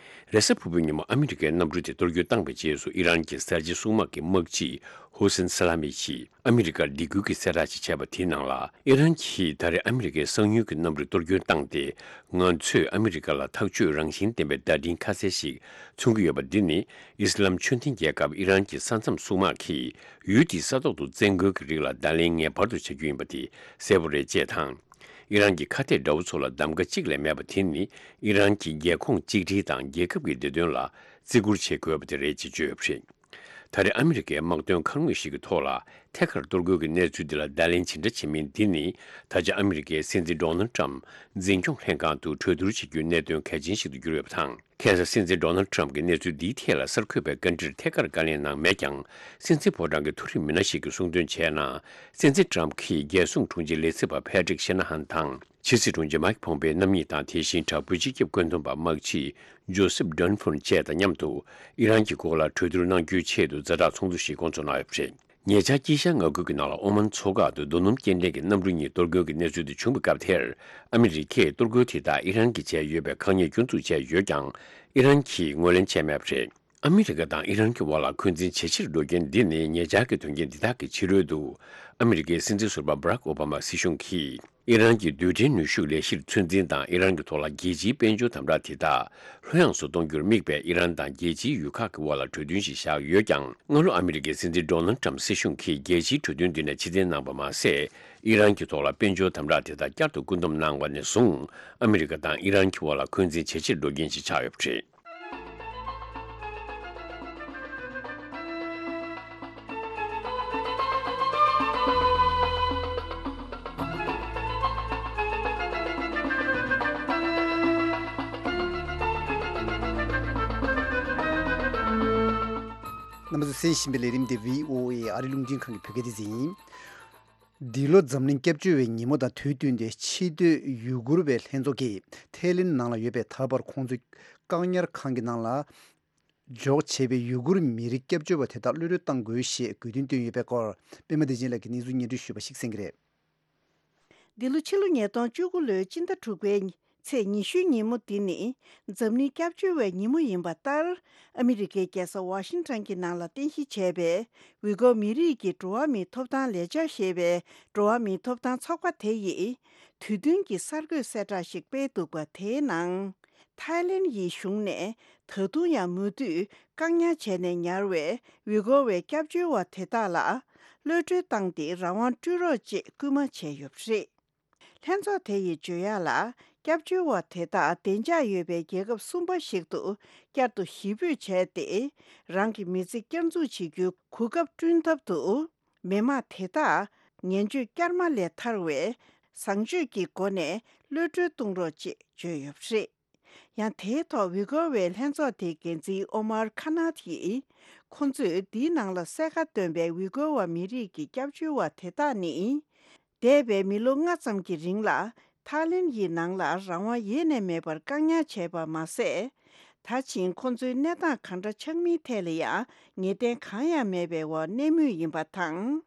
རེས་གཟའ་ཕུར་བུའི་ཉིན་མོ་ཨ་མི་རི་ཀའི་གནམ་གྲུ་དེ་གཏོར་རྒོལ་བཏང་བའི་རྗེས་སུ། ཨི་རན་གྱི་གསར་བརྗེ་སྲུང་དམག་གི་དམག་སྤྱི་ཧུ་སེན་ས་ལ་མི་ཡིས་ཨ་མི་རི་ཀར་སྡིགས་སྐུལ་གྱི་གསལ་བསྒྲགས་ཤིག་བྱས་པ་དེའི་ནང་ལ། ཨི་རན་གྱིས་ད་རེས་ཨ་མི་རི་ཀའི་གསང་ཉུལ་གྱི་གནམ་གྲུ་གཏོར་སྐྱོན་བཏང་སྟེ། ང་ཚོས་ཨ་མི་རི་ཀ་ལ་ཐག་གཅོད་རང་བཞིན་ལྡན་པའི་བརྡ་འཕྲིན་ཁ་གསལ་ཞིག་མཚོན་གྱི་ཡོད་པ་འདི་ནི། ཨི་སི་ལམ་ཆོས་ལྡན་རྒྱལ་ཁབ་ཨི་རན་གྱི་ས་མཚམས་སྲུང་དམག་གིས་ཡུལ་དེའི་ས་ཐོག་ཏུ་བཙན་རྒོལ་གྱི་རིགས་ལ་བརྡ་ལན་ངེས་པར་དུ་བྱ་རྒྱུ་ཡིན་པ་དེ་གསལ་པོ་རེད་ཅེས་དང་། ཨི་རན་གྱི་ཁ་གཏད་དགྲ་བོ་ཚོ་ལ་གདམ་ག་གཅིག་ལས་མེད་པ་དེ་ནི། ཨི་རན་གྱི་རྒྱལ་ཁོངས་གཅིག་སྒྲིལ་དང་རྒྱལ་ཁབ་ཀྱི་བདེ་དོན་ལ་བརྩི་བཀུར་བྱེད་དགོས་པ་དེ་རེད་ཅེས་བརྗོད་ཡོད་པ་རེད། ད་རེས་ཨ་མི་རི་ཀའི་དམག་དོན་མཁར་དངོས་ཤིག་གི་ཐོག་ལ་ཐད་ཀར་གཏོར་རྒོལ་གྱི་གནས་ཚུལ་འདི་ལ་བརྡ་ལན་ཇི་འདྲ་བྱེད་མིན་འདི་ནི། ད་ཆ་ཨ་མི་རི་ཀའི་སྲིད་འཛིན་ཌོ་ནལ་ཊམ་འཛིན་སྐྱོང་ལྷན་ཁང་དུ་གྲོས་བསྡུར་བྱེད་རྒྱུའི་གནད་དོན་གལ་ཆེན་ཞིག་ཏུ་གྱུར་ཡོད་པ་དང་། ཁ་སང་སྲིད་འཛིན་ཌོ་ནལ་ཊམ་གྱིས་གནས་ཚུལ་འདིའི་ཐད་ལ་གསར་འགོད་པའི་བཀའ་འདྲིར་ཐད་ཀར་བཀའ་ལན་གནང་མེད་ཀྱང་། སྲིད་འཛིན་ཕོ་བྲང་གི་མཐོ་རིམ་མི་སྣ་ཞིག་གིས་གསུངས་དོན་བྱས་ན། སྲིད་འཛིན་ཊམ་གྱིས་རྒྱལ་སྲུང་དྲུང་ཆེ་ལས་བྱེད་པ་ཕེ་ཏྲིག་ཤེ་ན་ཧན་དང་། ཕྱི་སྲིད་དྲུང་ཆེ་མཱིག་ཕོམ་པེའི་རྣམ་གཉིས་དང་། དེ་བཞིན་དྲག་པོའི་སྤྱི་ཁྱབ་བཀོད་འདོམས་པ་དམག་སྤྱི་ཇོ་སེབ་ཌོན་ཕོན་བཅས་དང་མཉམ་དུ་ཨི་རན་གྱི་སྐོར་ལ་གྲོས་བསྡུར་གནང་རྒྱུའི་ཆེད་དུ་ཛ་དྲག་ཚོགས་འདུ་ཞིག་སྐོང་ཚོགས་གནང་ཡོད་པ་རེད། ཉེ་ཆར་དཀྱིལ་ཤར་མངའ་ཁུལ་གྱི་ནང་ལ་ཨོ་མན་མཚོ་འགག་ཏུ་རྡོ་སྣུམ་སྐྱེལ་འདྲེན་གྱི་གནམ་གྲུ་གཉིས་གཏོར་རྒོལ་གྱི་གནས་ཚུལ་དེ་བྱུང་བའི་སྐབས་དེར། ཨ་མི་རི་ཀས་གཏོར་རྒོལ་དེ་དག་ཨི་རན་གྱིས་བྱས་ཡོད་པའི་ཁག་ཉེས་སྐྱོན་འཛུགས་བྱས་ཡོད་ཀྱང་། ཨི་རན་གྱིས་ངོས་ལེན་བྱས་མེད་པ་རེད། ཨ་མི་རི་ཀ་དང་ཨི་རན་གྱི་དབར་ལ་འཁོན་འཛིན་ཇེ་ཆེར་འགྲོ་རྐྱེན་འདི་ནི་ཉེ་ཆར་གྱི་དོན་རྐྱེན་འདི་དག་གི་ཕྱི་རོལ་དུ། ཨ་མི་རི་ཀའི་སྲིད་འཛིན་ཟུར་པ་Barack Obama སྲིད་གཞུང་གིས། ཨི་རན་གྱི་རྡུལ་ཕྲན་ནུས་ཤུགས་ལས་གཞིར་ཚོད་འཛིན་དང་ཨི་རན་གྱི་ཐོག་ལ་རྒྱལ་སྤྱིའི་དཔལ་འབྱོར་དམ་དྲག་དེ་དག་ལྷོད་ཡངས་སུ་གཏོང་རྒྱུར་དམིགས་པའི་ཨི་རན་དང་རྒྱལ་སྤྱིའི་ཡུལ་ཁག་གི་དབར་ལ་གྲོས་མཐུན་ཞིག་བཞག་ཡོད་ཀྱང་། སྔ་ལོ་ཨ་མི་རི་ཀའི་སྲིད་འཛིན་Donald Trump སྲིད་གཞུང་གིས་རྒྱལ་སྤྱིའི་གྲོས་མཐུན་འདི་ནས་ཕྱིར་འཐེན་གནང་བ་མ་ཟད། ཨི་རན་གྱི་ཐོག་ལ་དཔལ་འབྱོར་དམ་དྲག་དེ་དག་བསྐྱར་དུ་སྐུལ་འདེད་གནང་བ་ནས་བཟུང་། ཨ་མི་རི་ཀ་དང་ཨི་རན་གྱི་དབར་ལ་འཁོན་འཛིན་ཇེ་ཆེར་འགྲོ་རྐྱེན་ཞིག་ཆགས་ཡོད་པ་རེད། རྣམ་པ་ཚོས་གསན་བཞིན་པའི་ལས་རིམ་དེ་བྷི་ཨོ་ཨེ་ཨ་རིའི་རླུང་འཕྲིན་ཁང་གི་བོད་སྐད་སྡེ་ཚན་ཡིན། འདི་ལོ་འཛམ་གླིང་སྐྱབས་བཅོལ་བའི་ཉིན་མོ་དང་དུས་བསྟུན་ཏེ། ཕྱིར་སྡོད་ཡུ་གུར་བའི་ལྷན་ཚོགས་ཀྱིས་ཐའི་ལེན་ནང་ལ་ཡོད་པའི་ད་བར་ཁོང་ཚོའི་བཀག་ཉར་ཁང་གི་ནང་ལ་འཇོག་བྱས་པའི་ཡུ་གུར་མི་རིགས་སྐྱབས་བཅོལ་བ་དེ་དག་གློད་གྲོལ་གཏང་དགོས་ཞེས་དགོས་འདུན་བཏོན་ཡོད་པའི་སྐོར། པད་མ་བདེ་ཆེན་ལགས་ཀྱིས་གནས་ཚུལ་སྙན་སྒྲོན་ཞུས་པ་ཞིག་གསན་གྱི་རེད། འདི་ལོ་ཕྱི་ལོ་ཉིས་སྟོང་བཅུ་དགུ་ལོའི་སྤྱི་ཟླ་དྲུག་པའི་ཚེས་ཉི་ཤུའི་ཉིན་མོ་འདི་ནི་འཛམ་གླིང་སྐྱབས་བཅོལ་བའི་ཉིན་མོ་ཡིན་པ་ལྟར། ཨ་མི་རི་ཀའི་རྒྱལ་ས་ཝ་ཤིང་ཊོན་གྱི་ནང་ལ་རྟེན་གཞི་བྱས་པའི་ཝི་གོ་མི་རིགས་ཀྱི་འགྲོ་བ་མིའི་ཐོབ་ཐང་ལས་འཆར་ཞེས་པའི་འགྲོ་བ་མིའི་ཐོབ་ཐང་ཚོགས་པ་དེ་ཡིས་དུས་སྟོན་གྱི་གསར་འགོད་གསལ་བསྒྲགས་ཤིག་སྤེལ་འདུག་པ། དེའི་ནང་། ཐའི་ལེན་ཡི་གཞུང་ནས་ད་དུང་ཡང་མུ་མཐུད་བཀག་ཉར་བྱས་ནས་ཉར་བའི་ཝི་གོ་བའི་སྐྱབས་བཅོལ་བ་དེ་དག་ལ་གློད་གྲོལ་བཏང་སྟེ་རང་དབང་སྤྲོད་རོགས་ཅེས་སྐུལ་མ་བྱས་ཡོད་པ་རེད། ལྷན་ཚོགས་དེ་ཡིས་བརྗོད་ཡག་ལ། སྐྱབས་བཅོལ་བ་དེ་དག་བདེ་འཇགས་ཡོད་པའི་རྒྱལ་ཁབ་གསུམ་པ་ཞིག་ཏུ་བསྐྱར་དུ་གཞིས་སྤོས་བྱས་ཏེ། རང་གི་མི་ཚེ་བསྐྱར་འཛུགས་བྱེད་རྒྱུའི་གོ་སྐབས་བསྐྲུན་ཐབས་དུ། མི་མང་དེ་དག་ངན་སྤྱོད་བསྐྱར་མ་ལས་ཐར་བའི་བཟང་སྤྱོད་ཀྱི་སྒོ་ནས་གློད་གྲོལ་གཏོང་རོགས་ཅེས་བརྗོད་ཡོད་པ་རེད། ཡང་དེའི་ཐོག་ཝི་གོ་བའི་ལྷན་ཚོགས་དེའི་འགན་འཛིན་ཨོ་མར་ཁ་ནཱཐ་ཡིས། ཁོང་ཚོས་འདིའི་ནང་ལ་གསལ་ཁ་བཏོན་པའི་ཝི་གོ་བ་མི་རིགས་ཀྱི་སྐྱབས་བཅོལ་བ་དེ་དག་ནི། འདས་པའི་མི་ལོ་ལྔ་ཙམ་གྱི་རིང་ལ་ཐའི་ལེན་ཡི་ནང་ལ་རང་དབང་ཡེ་ནས་མེད་པར་བཀག་ཉར་བྱས་པ་མ་ཟད། ད་ཕྱིན་ཁོང་ཚོའི་གནས་སྟངས་གང་འདྲ་ཆགས་མིན་ཐད་ལ་ཡང་ངེས་གཏན་གང་ཡང་མེད་པའི་འོག་གནས་མུས་ཡིན་པ་དང་།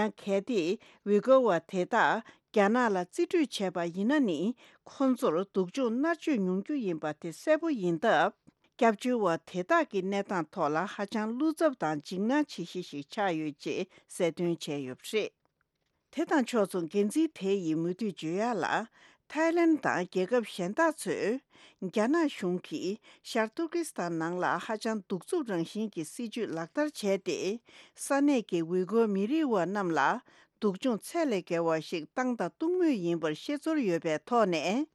ཡང་གལ་ཏེ་ཝི་གོ་བ་དེ་དག་རྒྱ་ནག་ལ་རྩིས་སྤྲོད་བྱས་པ་ཡིན་ན་ནི། ཁོང་ཚོར་སྡུག་སྦྱོང་མནར་གཅོད་མྱོང་རྒྱུ་ཡིན་པ་དེ་གསལ་པོ་ཡིན་སྟབས། སྐྱབས་བཅོལ་བ་དེ་དག་གི་གནས་སྟངས་ཐོག་ལ་ཧ་ཅང་བློ་འཚབ་དང་འཇིགས་སྣང་བྱེད་གཞི་ཞིག་ཆགས་ཡོད་ཅེས་གསལ་སྟོན་བྱས་ཡོད་པ་རེད། དེ་དང་ཕྱོགས་མཚུངས་འགན་འཛིན་དེ་ཡིས་མུ་མཐུད་བརྗོད་ཡག་ལ། ཐའི་ལེན་དང་རྒྱལ་ཁབ་གཞན་དག་ཚོས་རྒྱ་ནག་གཞུང་གིས་ཤར་ཏུར་ཀི་སི་ཐན་ནང་ལ་ཧ་ཅང་གདུག་རྩུབ་རང་བཞིན་གྱི་སྲིད་བྱུས་ལག་བསྟར་བྱས་ཏེ། ས་གནས་ཀྱི་ཝི་གོ་མི་རིགས་བ་རྣམས་ལ་སྡུག་སྦྱོང་ཚད་ལས་བརྒལ་བ་ཞིག་བཏང་དང་གཏོང་མུས་ཡིན་པར་ཤེས་ཚོར་ཡོད་པའི་ཐོག་ནས།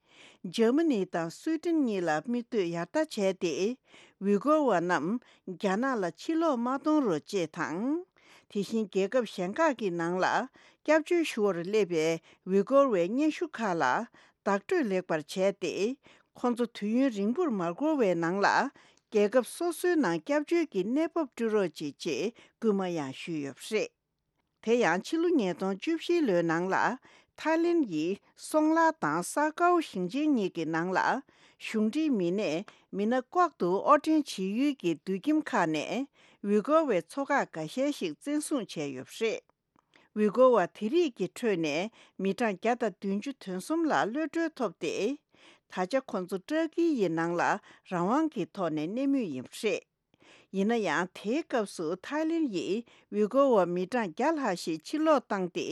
འཇར་མ་ནི་དང་སུའེ་ཏེན་གཉིས་ལ་མིག་ལྟོས་ཡར་ལྟ་བྱས་ཏེ། ཝི་གོ་བ་རྣམས་རྒྱ་ནག་ལ་ཕྱིར་ལོག་མ་གཏོང་རོགས་ཅེས་དང་། དེ་བཞིན་རྒྱལ་ཁབ་གཞན་ཁག་གི་ནང་ལ་སྐྱབས་བཅོལ་ཞུ་བར་སླེབས་པའི་ཝི་གོ་བའི་སྙན་ཞུ་ཁག་ལ་བདག་སྤྲོད་ལེགས་པར་བྱས་ཏེ། ཁོང་ཚོ་དུས་ཡུན་རིང་པོར་མ་འགོར་བའི་ནང་ལ་རྒྱལ་ཁབ་སོ་སོའི་ནང་སྐྱབས་བཅོལ་གྱི་གནས་བབ་སྤྲོད་རོགས་ཅེས་ཅེས་སྐུལ་མ་ཡང་ཞུས་ཡོད་པ་རེད། དེ་ཡང་ཕྱི་ལོ་ཉིས་སྟོང་བཅུ་བཞི་ལོའི་ནང་ལ་ཐའི་ལེན་ཡི་སོང་ལ་དང་ས་ཀའོ་ཞིང་ཆེན་གཉིས་ཀྱི་ནང་ལ་གཞུང་འབྲེལ་མི་སྣས་མི་སྣ་ལྐོག་ཏུ་དབོར་འདྲེན་བྱེད་ཡུལ་གྱི་དུད་ཁྱིམ་ཁག་ནས་ཝི་གོ་བའི་ཚོ་ཁག་འགའ་ཤས་ཤིག་བཙན་བཟུང་བྱས་ཡོད་པ་རེད། ཝི་གོ་བ་དེ་རིགས་ཀྱི་ཁྲོད་ནས་མི་གྲངས་བརྒྱ་དང་བདུན་ཅུ་དོན་གསུམ་ལ་གློད་གྲོལ་ཐོབ་སྟེ། ད་ཆ་ཁོང་ཚོ་ཏྲ་ཀི་ཡི་ནང་ལ་རང་དབང་གི་ཐོག་ནས་གནས་མུས་ཡིན་པ་རེད། ཡིན་ན་ཡང་དེའི་སྐབས་སུ་ཐའི་ལེན་ཡིས་ཝི་གོ་བ་མི་གྲངས་བརྒྱ་ལྷག་ཞིག་ཕྱིར་ལོག་བཏང་སྟེ་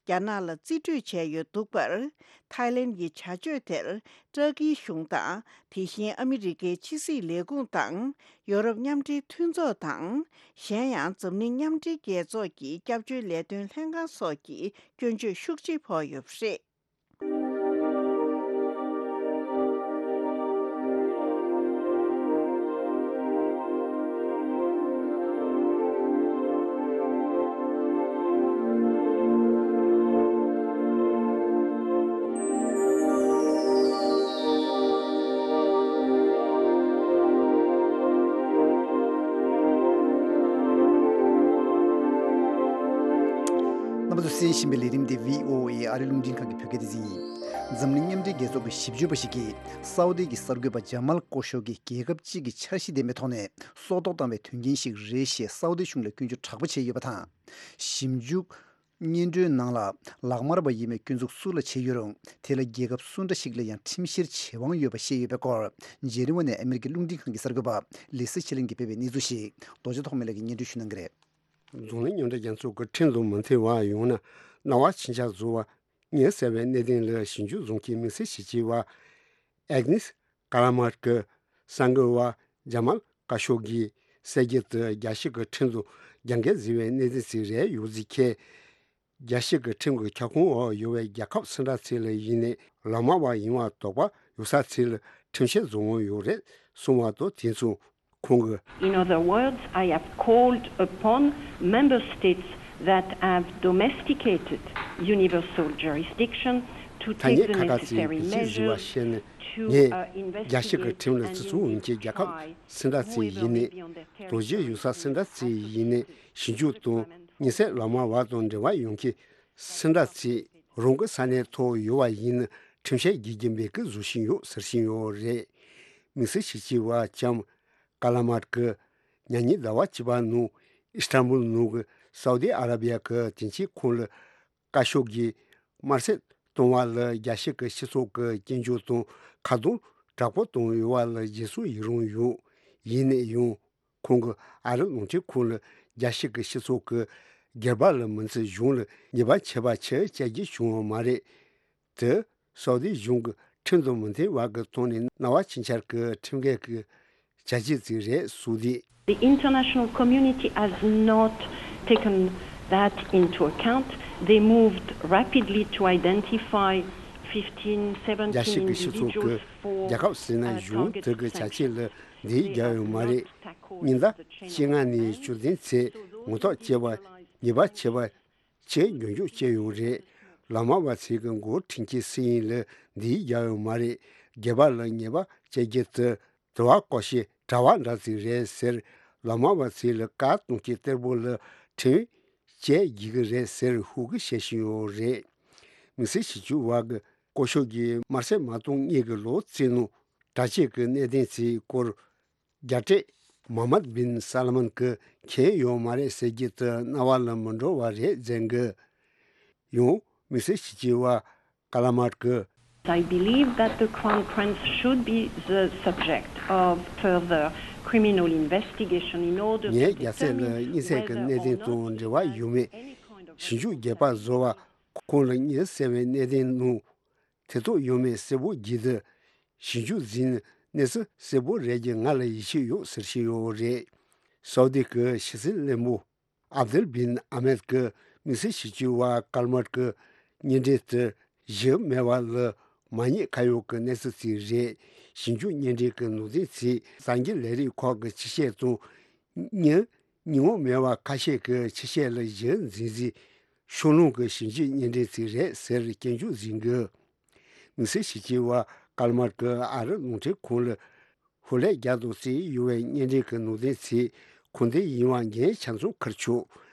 རྒྱ་ནག་ལ་རྩིས་སྤྲོད་བྱས་ཡོད་འདུག་པར། ཐའི་ལེན་ཡི་བྱ་སྤྱོད་དེར་ཏྲ་ཀིའི་གཞུང་དང་། དེ་བཞིན་ཨ་མི་རི་ཀའི་ཕྱི་སྲིད་ལས་ཁུངས་དང་། ཡོ་རོབ་མཉམ་འབྲེལ་མཐུན་ཚོགས་དང་། གཞན་ཡང་འཛམ་གླིང་མཉམ་འབྲེལ་རྒྱལ་ཚོགས་ཀྱི་སྐྱབས་བཅོལ་ལས་དོན་ལྷན་ཁང་སོགས་ཀྱི་སྐྱོན་བརྗོད་ཤུགས་ཆེ་ཕོག་ཡོད་པ་རེད། རྣམ་པ་ཚོས་གསན་བཞིན་པའི་ལས་རིམ་དེ་བྷི་ཨོ་ཨེ་ཨ་རིའི་རླུང་འཕྲིན་ཁང་གི་བོད་སྐད་སྡེ་ཚན་ཡིན། འཛམ་གླིང་མཉམ་འབྲེལ་རྒྱལ་ཚོགས་ཀྱི་ཞིབ་འཇུག་པ་ཞིག་གིས་སའུ་དི་གི་གསར་འགོད་པ་ཇ་མལ་ཀོ་ཤོ་གི་རྒྱལ་ཁབ་གཅིག་གི་འཆར་གཞི་ལྡན་པའི་ཐོག་ནས་སྲོག་ཐོག་བཏང་བའི་དོན་རྐྱེན་ཞིག་རེད་ཞེས་སའུ་དི་གཞུང་ལ་སྐྱོན་བརྗོད་དྲག་པོ་བྱས་ཡོད་པ་དང་། ཞིབ་འཇུག་སྙན་སྒྲོན་ནང་ལ་ལག་དམར་བ་ཡིན་པའི་སྐྱོན་འཛུགས་སུ་ལ་བྱས་ཡོད་རུང་། དེ་ལ་རྒྱལ་ཁབ་སུ་འདྲ་ཞིག་ལ་ཡང་ཁྲིམས་བཤེར་བྱེད་དབང་ཡོད་པ་བཤད་ཡོད་པའི་སྐོར། ཇེ་ནི་ཝ་ནས་ཨ་མེ་རི་ཀའི་རླུང་འཕྲིན་ཁང་གི་གསར་འགོད་པ་ལི་སི་ཆི་ལིང་གིས་སྤེལ་བའི་གནས་ཚུལ་ཞིག་རྡོ་རྗེ་ཐོགས་མེད་ལགས་ཀྱིས་སྙན་སྒྲོན་ཞུ་གནང་གི་རེད། འཛམ་གླིང་མཉམ་འབྲེལ་རྒྱལ་ཚོགས་ཀྱི་ཁྲིམས་དང་མི་མཐུན་པ་ཡོང་ན། སྣང་བ་ཕྱིན་ཆད་བཟོ་བ་ཉེན་སྲིད་པའི་གནད་དོན་ལ་ཞིབ་འཇུག་བཟོ་མཁན་དམིགས་བསལ་ཞིབ་དཔྱད་པ་ཨེག་ནིས་ཀ་ལ་མར་གྱིས་གསར་འགོད་པ་ཇ་མལ་ཀ་ཤོ་གིས་གསལ་རྒྱལ་དུ་རྒྱལ་སྤྱི་གི་ཁྲིམས་དང་རྒྱབ་འགལ་བཟོས་པའི་གནད་དོན་ཞིག་རེད་ཡོད་ཟེར་མཁན། རྒྱལ་སྤྱི་གི་ཁྲིམས་ཀྱི་ཁྱབ་ཁོངས་འོག་ཡོད་པའི་རྒྱལ་ཁབ་སུ་འདྲ་ཞིག་ལ་ཡིན་ནའི་ལག་དམར་བ་ཡིན་པར་དོགས་པ་ཡོད་ས་ཞིག་ལ་ཁྲིམས་བཤེར་བཟོ་དབང་ཡོད་རེད་གསུངས་པ་དང་། དེ་མཚུངས་ཁོང་གིས། In other words, I have called upon member states that have domesticated universal jurisdiction to ཐ་སྙད་ཁ་ཁ་ཚིག་གི་ཞིག་བཟོས་པ་བཤད་ནས། ངས་རྒྱལ་སྤྱི་གི་ཁྲིམས་ལ་བརྩི་སྲུང་ཡོད་མཁན་རྒྱལ་ཁབ་སུ་འདྲ་ཞིག་ཡིན་ནའི། དོགས་གཞི་ཡོད་ས་སུ་འདྲ་ཞིག་ཡིན་ནའི་ཞིབ་འཇུག་དང་། ཉེན་སྲིད་ལག་དམར་བ་དང་འབྲེལ་བ་ཡོད་མཁན་སུ་འདྲ་ཞིག་རང་གི་ས་གནས་ཐོག་ཡོད་པ་ཡིན་ན། ཁྲིམས་བཤེར་བགྱིད་ཀྱི་མེད་ཀི་བཟོ་བཞིན་ཡོད་ཟེར་བཞིན་ཡོད་རེད། དམིགས་བསལ་ཞིབ་དཔྱད་པ་ལྕམ་ཀ་ལ་མར་གྱིས་ཉེ་ཉིན་ཟླ་བ་བཅུ་པ་ནང་ཨི་སི་ཐན་བུལ་ནང་གི་སའུ་དི་ཨ་ར་བི་ཡ་གི་དོན་གཅོད་ཁང་ལ་བཀའ་ཤོག་གིས་དམར་གསོད་གཏོང་བ་ལ་རྒྱལ་སྤྱི་གི་སྤྱི་ཚོགས་ཀྱི་སྐྱོན་བརྗོད་དང་ཁ་རྡུང་དྲག་པོ་བཏང་ཡོད་པ་ལ་རྗེས་སུ་ཡི་རང་ཡོད། ཡིན་ནའི་ཡང་ཁོང་གིས་ཨ་རི་རླུང་འཕྲིན་ཁང་ལ་རྒྱལ་སྤྱི་གི་སྤྱི་ཚོགས་ཀྱི་སྒེར་པ་ལ་མི་ཚེ་གཞུང་ལ་ཉེས་པ་ཆད་པ་ཆེ་བ་བཅད་རྒྱུ་བྱུང་བ་མ་རེད། དེ་སའུ་དི་གཞུང་གི་ཁྲིམས་དང་མི་མཐུན་པ་གི་ཐོག་ནས་སྣང་བ་ཕྱིན་ཆད་ཀྱི་ཁྲིམས་འགལ་གྱི་བྱ་སྤྱོད་ཅིག་རེད་གསུངས་ཏེ། The international community has not taken that into account. They moved rapidly to identify fifteen, རྒྱལ་སྤྱི་seventeen གི་སྤྱི་ཚོགས་individuals ཀྱི་for རྒྱལ་ཁབ་ཟེར་ན་uh, གཞུང་targeted དེ་གི་བྱ་སྤྱོད་sanctions. ལ་འདི་They རྒྱག་ཡོད་མ་རེད། ཉིན་ཟླ་བཅོ་ལྔ་ནས་བཅུ་བདུན་ཚེས་ངོ་ཐོག་བཅད་པ་ཉེས་པ་ཆད་པ་ཆེས་མགྱོགས་མགྱོགས་བཅད་ཡོད་རེད། ལག་དམར་བ་ཚོས་ཀྱི་མགོ་ཁྲིད་ཀྱི་སྲིད་ཡིན་ལ་འདི་རྒྱག་ཡོད་མ་རེད། སྒེར་པ་ལ་ཉེས་པ་བཅད་རྒྱུ་དེ་དྲི་བ་བཀོད་ཤེས་དྲ་བ་འདྲ་ཅིག་རེད་ཟེར། ལག་དམར་བ་ཚོས་ལ་བཀའ་གཏོང་སྐྱིད་གཏེར་པོ་ལ་ཁྲིམས་བཅད་རྒྱུ་གི་རེད་ཟེར་ཧུར་གི་བཤད་བཞིན་ཡོད་རེད། མི་སེར་ཞིབ་འཇུག་བ་གི་ཀོ་ཤོ་གིས་དམར་གསོད་མ་གཏོང་སྔོན་གྱི་ལོ་གཅིག་ནང་གྲ་སྒྲིག་གི་གནད་དོན་ཚོའི་སྐོར་རྒྱལ་སྲས་མོ་ཧམ་མད་བིན་སཱལ་མན་གྱིས་མཁྱེན་ཡོད་མ་རེད་ཟེར་རྒྱུ་དེ་རྣ་བ་ལ་མི་འགྲོ་བ་རེད་ཟེར་གི། ཡང་མི་སེར་ཞིབ་འཇུག་བ་ཀ་ལ་མར་གྱིས། I believe that the Crown Prince should be the subject of further criminal investigation in order to determine whether or not he has any kind of ཞིབ་འཇུག་རྒྱས་པ་བཟོ་བ་ཁོང་ལ་ཉེན་སྲིད་པའི་གནད་དོན་ནང་ཐེ་གཏོགས་ཡོད་མེད་གསལ་པོ་བརྗོད་དུས། ཞིབ་འཇུག་འཛིན་གནས་ཚུལ་གསལ་པོ་རེད་ཀྱི་ང་ལ་ཡིད་ཆེས་ཡོད་ཟེར་བཞིན་ཡོད་རེད། སའུ་དི་གི་ཕྱི་སྲིད་བློན་པོ་ཨབ་དུལ་བིན་ཨ་མེད་ཀྱིས་དམིགས་བསལ་ཞིབ་འཇུག་པ་ཀལ་མར་གྱི་སྙན་འགྲེལ་དེ་གཞི་མེད་པ་ལ་མ་ཉེས་ཁ་གཡོག་གི་གནས་ཚུལ་ཅིག་རེད། ཞིབ་འཇུག་སྙན་འགྲེལ་གྱི་ནང་དོན་ཚོས་གསར་འགྱུར་ལས་རིགས་ཁག་གི་ཆེད་བཤད་དང་། སྙན་ཉིན་འོང་མེད་པ་ཁ་ཤས་ཀྱི་ཆེད་བཤད་ལ་གཞི་འཛིན་སའི་ཕྱོགས་ལྷུང་གི་ཞིབ་འཇུག་སྙན་འགྲེལ་ཅིག་རེད་ཟེར་སྐྱོན་བརྗོད་ཟིན་གི། དམིགས་བསལ་ཞིབ་འཇུག་པ་ཀལ་མར་གྱིས་ཨ་རི་རླུང་འཕྲིན་ཁང་ལ་ཧུར་ལས་རྒྱག་དང་བརྩིས་ཡོད་པའི་སྙན་འགྲེལ་གྱི་ནང་དོན་ཚོས་ཁུངས་ལྡན་ཡིན་པ་ངས་ཆ་ཚང་ཁུར་ཆོག་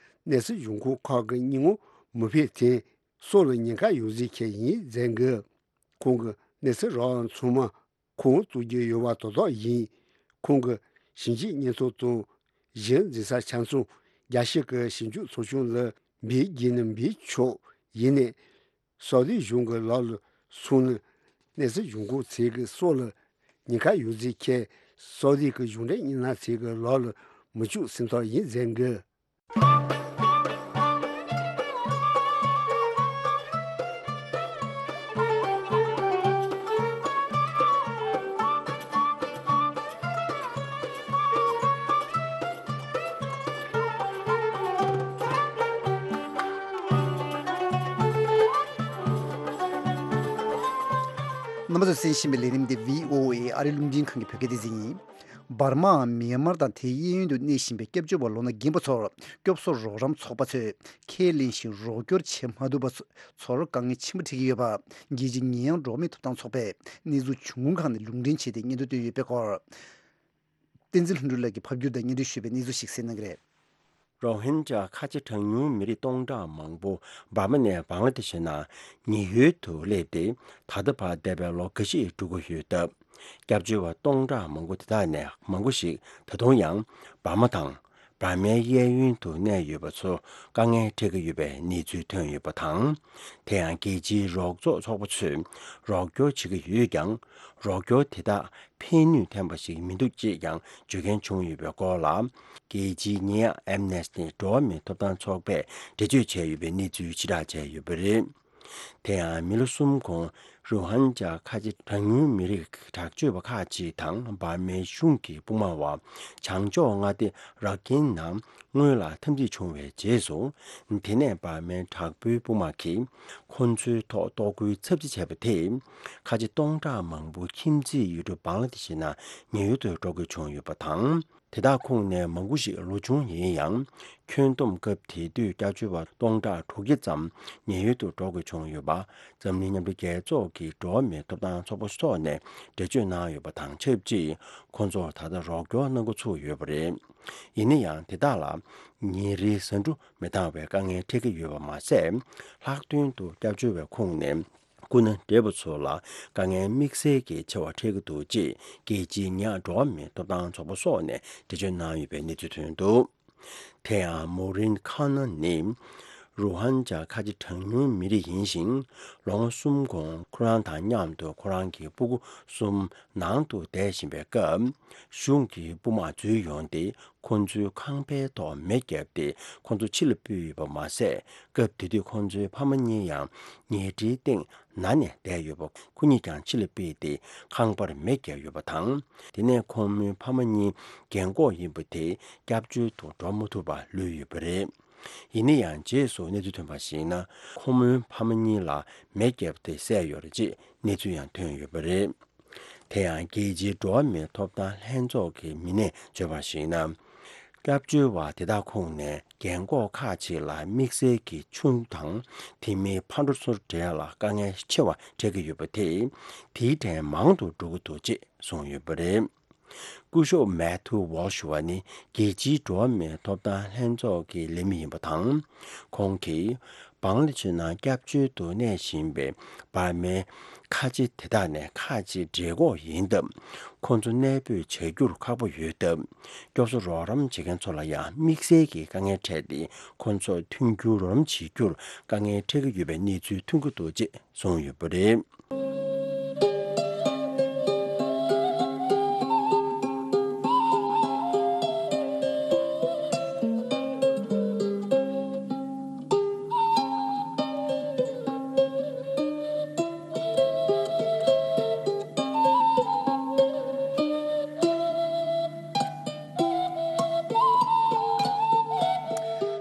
གནས་ཚུལ་འབྱུང་ཁུངས་ཁག་གི་སྙན་ངག་མི་ཕེབས་དོན་སོགས་ལ་ཉེན་ཁ་ཡོད་ཟེར་མཁན་ཡིན་ཟེར་གི། ཁོང་གིས་གནས་ཚུལ་རགས་ཚང་མ་ཁོང་རྩོད་རྒྱུ་ཡོད་པ་དོགས་དོགས་ཡིན། ཁོང་གི་ཞིབ་འཇུག་སྙན་ཐོ་དང་གཞི་འཛིན་ས་ཆ་ཚང་རྒྱལ་སྤྱི་གི་ཞིབ་འཇུག་ཚོགས་ཆུང་ལ་འབུལ་རྒྱུ་ན་འབུལ་ཆོག་ཡིན་ནའི། སའུ་དི་གཞུང་གི་ལག་ལ་སོང་ན། གནས་ཚུལ་འབྱུང་ཁུངས་ཚོས་ཀྱི་སྲོག་ལ་ཉེན་ཁ་ཡོད་ཟེར་མཁན་སའུ་དི་གི་གཞུང་འབྲེལ་མི་སྣ་ཚོས་ཀྱི་ལག་ལ་མི་བཅུག་ཟིན་ཐབས་ཡིན་ཟེར་གི། རྣམ་པ་ཚོས་གསན་བཞིན་པའི་ལས་རིམ་འདི་བྷི་ཨོ་ཨེ་ཨ་རིའི་རླུང་འཕྲིན་ཁང་གི་བོད་སྐད་སྡེ་ཚན་ཡིན། འབར་མའམ་མེན་མར་དང་དེའི་གཡས་གཡོན་དུ་གནས་བཞིན་པའི་སྐྱབས་བཅོལ་བ་ལོ་ན་རྒན་པ་ཚོར་སྐྱོབ་གསོ་རོགས་རམ་ཚོགས་པ་ཚོས་ཁས་ལེན་བཞིན་རོགས་སྐྱོར་བྱེད་མ་ཐུབ་པ་ཚོར་དཀའ་ངལ་ཆེན་པོ་འཕྲད་ཀྱི་ཡོད་པ། རྒྱལ་སྤྱིའི་ཉེས་ཡངས་འགྲོ་བ་མིའི་ཐོབ་ཐང་ཚོགས་པས་གནས་ཚུལ་བྱུང་ཁུངས་ཁག་ནས་ལུང་འདྲེན་བྱས་ཏེ་སྙན་ཐོ་བཏོན་ཡོད་པའི་སྐོར། བསྟན་འཛིན་ལྷུན་གྲུབ་ལགས་ཀྱིས་ཕབ་བསྒྱུར་དང་སྙན་སྒྲོན་ཞུས་པའི་གནས་ཚུལ་ཞིག་གསན་གནང་གི་རེད། རོ་ཧིན་ཇཱ་ཁ་ཆེ་གྲངས་ཉུང་མི་རིགས་སྟོང་ཕྲག་མང་པོ་འབར་མ་ནས་བང་ལ་དེ་ཤི་ནང་ཉེན་གཡོལ་དུ་སླེབས་ཏེ། ད་ལྟ་བར་འདས་པའི་ལོ་འགའ་ཤས་འགྲོ་གི་ཡོད་སྟབས། སྐྱབས་བཅོལ་བ་སྟོང་ཕྲག་མང་པོ་དེ་དག་ནས་མང་པོ་ཞིག་ད་དུང་ཡང་འབར་མ་དང་འབར་མའི་གཡས་གཡོན་དུ་གནས་ཡོད་པ་ཚོ་དཀའ་ངལ་འཕྲད་ཀྱི་ཡོད་པའི་གནས་ཚུལ་ཐོན་ཡོད་པ་དང་། དེ་ཡང་རྒྱལ་སྤྱིའི་རོགས་ཚོགས་ཚོགས་པ་ཚོས་རོགས་སྐྱོར་བྱེད་ཀྱི་ཡོད་ཀྱང་། རོགས་སྐྱོར་དེ་དག་ཕན་ནུས་ལྡན་པ་ཞིག་མི་འདུག་ཅེས་ཀྱང་བརྗོད་མཁན་བྱུང་ཡོད་པའི་སྐོར་ལ། རྒྱལ་སྤྱིའི་ཉེས་ཡངས་ཨེམ་ནེ་སི་ཊི་འགྲོ་བ་མིའི་ཐོབ་ཐང་ཚོགས་པས་འགྲེལ་བརྗོད་བྱས་ཡོད་པའི་གནས་ཚུལ་ཕྱིར་བསྒྲགས་བྱས་ཡོད་པ་རེད། དེ་ཡང་མི་ལོ་གསུམ་གོང་རུ་ཧན་ཇཱ་ཁ་ཆེ་གྲངས་ཉུང་མི་རིགས་དྲག་སྤྱོད་པ་ཁག་ཅིག་དང་འབར་མའི་གཞུང་གི་དཔུང་དམག་བ་བྱང་ཕྱོགས་མངའ་སྡེ་ར་ཁིན་ནང་སྔོན་ལ་འཐབ་འཛིང་བྱུང་བའི་རྗེས་སུ། དེ་ནས་འབར་མའི་དྲག་པོའི་དཔུང་དམག་གིས་ཁོ་ཚོའི་ཐོག་གཏོར་རྒོལ་ཚབས་ཆེ་བྱས་པ་དེས། ཁ་ཆེ་སྟོང་ཕྲག་མང་པོ་ཁྱིམ་མཚེས་ཡུལ་གྲུ་བང་ལ་དེ་ཤི་ནང་ཉེན་གཡོལ་དུ་འགྲོ་དགོས་བྱུང་ཡོད་པ་དང་། དེ་དག་ཁོངས་ནས་མང་པོ་ཞིག་ལོ་ཆུང་ཡིན་ཡང་། ཁྱོན་བསྡོམས་སྐབས་དེ་དུས་སྐྱབས་བཅོལ་བ་སྟོང་ཕྲག་དྲུག་བརྒྱ་ཙམ་ཉེན་གཡོལ་དུ་འགྲོ་དགོས་བྱུང་ཡོད་པ། འཛམ་གླིང་མཉམ་འབྲེལ་རྒྱལ་ཚོགས་ཀྱི་འགྲོ་བ་མིའི་ཐོབ་ཐང་ཚོགས་པ་སོགས་ནས་འགྲེལ་བརྗོད་གནང་ཡོད་པ་དང་ཆབས་ཅིག་ཁོ་ཚོར་ད་ལྟ་རོགས་སྐྱོར་གནང་འགོ་ཚུགས་ཡོད་པ་རེད། ཡིན་ན་ཡང་དེ་དག་ལ་ཉིན་རེའི་ཟ་འབྲུ་མི་འདང་བའི་དཀའ་ངལ་འཕྲད་ཀྱི་ཡོད་པ་མ་ཟད། ལྷག་དོན་དུ་སྐྱབས་བཅོལ་བའི་ཁོངས་ནས། སྐུ་ན་བགྲེས་པ་ཚོ་ལ་དཀའ་ངལ་དམིགས་བསལ་གྱི་ཆེ་བ་འཕྲད་ཀྱི་འདུག་ཅེས་རྒྱལ་སྤྱིའི་ཉག་འགྲོ་བ་མིའི་ཐོབ་ཐང་ཚོགས་པ་སོགས་ནས་འགྲེལ་བརྗོད་གནང་ཡོད་པའི་གནས་ཚུལ་ཐོན་འདུག་དེ་ཡང་མོ་རིན་ཁ་ན་ནི་རུ་ཧན་ཇཱ་ཁ་ཆེ་གྲངས་ཉུང་མི་རིགས་ཡིན་ཞིང་། ལོ་ངོ་གསུམ་གོང་ཁོ་རང་དང་མཉམ་དུ་ཁོ་རང་གི་སྤུ་གུ་གསུམ་ནང་དུ་བསྡད་བཞིན་པའི་སྐབས། གཞུང་གི་དཔུང་དམག་འཛུལ་ཡོང་སྟེ། ཁོ་ཚོའི་ཁང་པའི་ཐོག་མེ་བརྒྱབ་སྟེ་ཁོ་ཚོ་ཕྱི་ལ་ཕུད་ཡོད་པ་མ་ཟད། སྐབས་དེ་དུས་ཁོ་ཚོའི་ཕ་མ་གཉིས་ཡང་ཉལ་ཁྲིའི་སྟེང་ན་ནས་བསྡད་ཡོད་པ། ཁོ་གཉིས་ཀྱང་ཕྱི་ལ་ཕུད་དེ་ཁང་པར་མེ་བརྒྱབ་ཡོད་པ་དང་། དེ་ནས་ཁོ་མོའི་ཕ་མ་གཉིས་རྒན་གོག་ཡིན་པ་དེ་སྐྱབས་བཅོལ་དུ་འགྲོ་མ་ཐུབ་པར་ལུས་ཡོད་པ་རེད། ཡིན་ན་ཡང་རྗེས་སུ་གནས་ཚུལ་ཐོན་པར་གཞིགས་ན། ཁོ་མོའི་ཕ་མ་གཉིས་ལ་མེ་བརྒྱབ་སྟེ་བསད་ཡོད་རེད་ཅེས་གནས་ཚུལ་ཡང་ཐོན་ཡོད་པ་རེད། དེ་ཡང་རྒྱལ་སྤྱིའི་འགྲོ་བ་མིའི་ཐོབ་ཐང་ལྷན་ཚོགས་ཀྱི་མི་སྣས་བརྗོད་པར་གཞིགས་ན། སྐྱབས་བཅོལ་བ་དེ་དག་ཁོངས་ནས་རྒན་གོག་ཁག་ཅིག་ལ་དམིགས་བསལ་གྱི་ཆུ་དང་དེ་མིན་ཕར་འགྲོ་ཚུར་འགྲོ་ལ་དཀའ་ངལ་ཆེ་བ་འཕྲད་ཀྱི་ཡོད་པ་དེས། དེའི་གྲས་མང་དུ་འགྲོ་གི་འདུག་ཅེས་གསུངས་ཡོད་པ་རེད། སྐུ་ཞབས་མེ་ཐུ་ཝོལ་ཤུ་བ་ནི་རྒྱལ་སྤྱིའི་འགྲོ་བ་མིའི་ཐོབ་ཐང་ལྷན་ཚོགས་ཀྱི་ལས་མི་ཡིན་པ་དང་། ཁོང་གིས་བང་ལ་ཆེ་ནང་སྐྱབས་བཅོལ་དུ་གནས་བཞིན་པའི་འབར་མའི་ཁ་ཆེ་དེ་དག་ནས་ཁག་ཅིག་བགྲེས་གོག་ཡིན་སྟབས། ཁོང་ཚོ་གནས་སྤོས་བྱ་རྒྱུར་ཁག་པོ་ཡོད་སྟབས། སྐྱོབ་གསོ་རོགས་རམ་བྱེད་མཁན་ཚོ་ལ་ཡང་དམིགས་བསལ་གྱི་དཀའ་ངལ་འཕྲད་དེ། ཁོང་ཚོར་མཐུན་འགྱུར་རོགས་རམ་བྱེད་རྒྱུར་དཀའ་ངལ་འཕྲད་ཀྱི་ཡོད་པའི་གནས་ཚུལ་ཐོན་གྱི་འདུག་ཅེས་གསུངས་ཡོད་པ་རེད།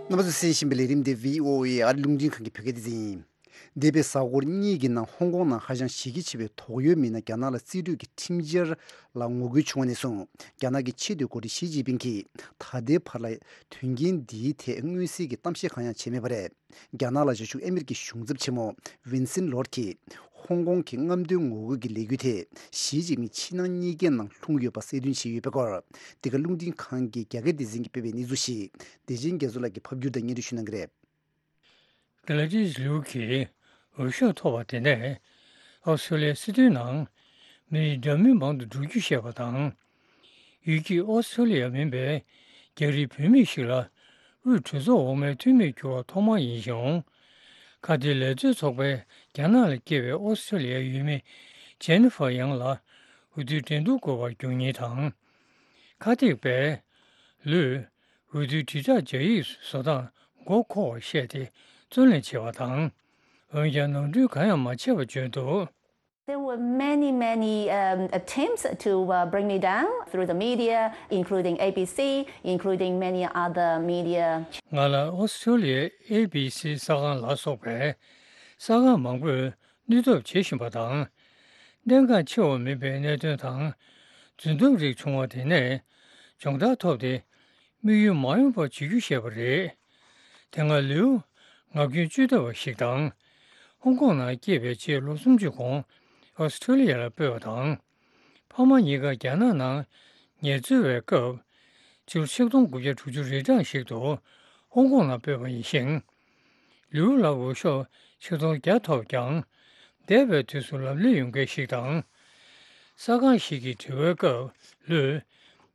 རྣམ་པ་ཚོས་གསན་བཞིན་པའི་ལས་རིམ་འདི་བྷི་ཨོ་ཨེ་ཨ་རི་རླུང་འཕྲིན་ཁང་གི་བོད་སྐད་སྡེ་ཚན་ཡིན། འདས་པའི་གཟའ་འཁོར་གཉིས་ཀྱི་ནང་ཧོང་ཀོང་ནང་ཧ་ཅང་གཞི་རྒྱ་ཆེ་བའི་དོགས་ཡོད་མི་སྣ་རྒྱ་ནག་ལ་རྩིས་སྤྲོད་ཀྱི་ཁྲིམས་འཆར་ལ་ངོ་རྒོལ་བྱུང་བ་ནས་བཟུང་། རྒྱ་ནག་གི་ཆེས་མཐོའི་འགོ་ཁྲིད་ཞི་ཅིན་ཕིང་གིས་ད་ལྟའི་བར་ལ་དོན་རྐྱེན་འདིའི་ཐད་མངོན་གསལ་གྱི་གཏམ་བཤད་གང་ཡང་བྱས་མེད་པ་རེད། རྒྱ་ནག་ལ་བྱང་ཕྱོགས་ཨ་མི་རི་ཀའི་གཞུང་ཚབ་ཆེན་མོ་ཝིན་སིན་ལོར་གྱིས་ཧོང་ཀོང་གི་རྔམ་སྟོན་ངོ་རྒོལ་གྱི་ལས་འགུལ་དེ་ཞི་ཅིན་ཕིང་ཕྱི་ནང་གཉིས་ཀའི་ནང་ལྷུང་ཡོད་པ་གསལ་སྟོན་བྱས་ཡོད་པའི་སྐོར། འདི་ག་རླུང་འཕྲིན་ཁང་གི་རྒྱ་སྐད་སྡེ་ཚན་གྱིས་སྤེལ་བའི་གནས་ཚུལ་ཞིག་བདེ་ཆེན་རྒྱ་མཚོ་ལགས་ཀྱིས་ཕབ་བསྒྱུར་དང་སྙན་སྒྲོན་ཞུ་གནང་གི་རེད། གྷ་ལ་ཏིས་ལིའུ་གིས་འོས་ཤོག་ཐོབ་པ་དེ་ནས་ཨོ་སི་ཀྲོ་ལི་ཡའི་སྲིད་དོན་ནང་མི་རིགས་འདྲ་མིན་མང་དུ་འགྲོ་རྒྱུ་བཤད་པ་དང་། ཡུལ་གྱིས་ཨོ་སི་ཀྲོ་ལི་ཡ་མིན་པའི་རྒྱ་རིགས་བུད་མེད་ཞིག་ལ་དབུས་གྲོས་ཚོགས་འོག་མའི་འཐུས་མིར་གྱུར་བ་ཐོག་མ་ཡིན་ཞིང་། ཁ་གཏད་ལས་བཟོའི་ཚོགས་པས་རྒྱ་ནག་ལ་སྐྱེས་པའི་ཨོ་སི་ཀྲོ་ལི་ཡའི་ཡུལ་མི་ཇེ་ནི་ཧྥར་ཡང་ལ་འོས་བསྡུའི་འགྲན་བསྡུར་དགོས་པར་གྱུར་ཉེན་དང་། ཁ་གཏད་པས་ལུས། འོས་བསྡུའི་དྲིལ་བསྒྲགས་སྦྱར་ཡིག་བཟོ་སྟངས་མགོ་འཁོར་བར་བཤད་དེ་བརྩོན་ལེན་བྱས་པ་དང་། འོན་ཀྱང་ནོར་འཁྲུལ་གང་ཡང་མ་བྱས་པ་བརྗོད་འདུག། There were many, many um, attempts to uh, bring me down through the media, including A B C, including many other media. ང་ལ་ཨོ་སི་ཀྲོ་ལི་ཡའི་ཨེ་བི་སི་གསར་ཁང་ལ་སོགས་པའི་གསར་ཁང་མང་པོས་ནུས་སྟོབས་བྱེད་བཞིན་པ་དང་། གནད་འགག་ཆེ་བ་མིན་པའི་གནད་དོན་དང་རྫུན་གཏམ་རིགས་བྱུང་བ་དེ་ནས་སྦྱོང་བརྡར་ཐོབ་སྟེ། དམིགས་ཡུལ་མ་ཡོང་བ་བྱེད་རྒྱུ་ཞེས་པ་རེད། དེ་སྔ་ལིའུ་ངག་རྒྱུན་བཅོས་ཐབས་པ་ཞིག་དང་། ཧོང་ཀོང་ནང་སྐྱེས་པའི་རྗེས་ལོ་སུམ་ཅུ་གོང་ཨོ་སི་ཀྲོ་ལི་ཡ་ལ་སྤོས་པ་དང་། ཕ་མ་གཉིས་ཀ་རྒྱ་ནག་ནང་ངལ་རྩོལ་བའི་སྐབས། སྤྱི་ལོ་ཆིག་སྟོང་དགུ་བརྒྱ་དྲུག་ཅུ་རེ་གྲངས་ཤིག་ཏུ་ ཧོང་ཀོང་ལ་སྤོས་པ་ཡིན་ཞིང་། ལིའུ་ལ་འོས་ཤོག་ཆིག་སྟོང་བརྒྱ་ཐོབ་ཀྱང་། འདས་པའི་དུས་སུ་ལམ་ལུགས་ཡོངས་འགལ་ཞིག་དང་། གསར་ཁང་ཞིག་གི་དྲི་བའི་སྐབས་ལུས།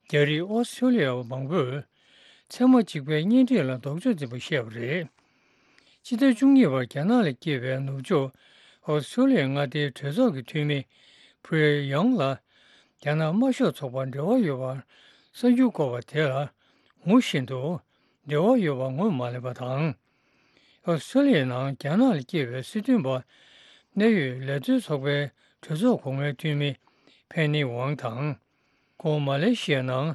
རྒྱ་རིགས་ཨོ་སི་ཁྲུ་ལི་ཡ་བ་མང་པོས་མཚན་མ་གཅིག་པའི་གཉེན་སྒྲིག་ལ་ལྡོག་ཕྱོགས་འཛིན་པ་བཤད་པ་རེད། ཕྱི་ཟླ་བཅུ་གཉིས་པར་རྒྱ་ནག་ལ་སྐྱེས་པའི་ནུབ་ཕྱོགས་ཨོ་སི་ཁྲུ་ལི་ཡའི་མངའ་སྡེའི་གྲོས་ཚོགས་ཀྱི་འཐུས་མི་ཕུ་རེ་ཡང་ལ་རྒྱ་ནག་དམར་ཤོག་ཚོགས་པར་འབྲེལ་བ་ཡོད་པར་གསར་འགྱུར་བཀོད་པ་དེ་ལ་ངོ་ཤེས་འདུག་འབྲེལ་བ་ཡོད་པ་ངོས་མ་ལེན་པ་དང་། ཨོ་སི་ཁྲུ་ལི་ཡའི་ནང་རྒྱ་ནག་ལ་སྐྱེས་པའི་སྲིད་དོན་པ་གནད་ཡོད་ལས་དོན་ཚོགས་པའི་གྲོས་ཚོགས་གོང་མའི་འཐུས་མི་ཕེ་ནི་ཝང་དང་། ཁོང་མ་ལེ་ཤི་ཡའི་ནང་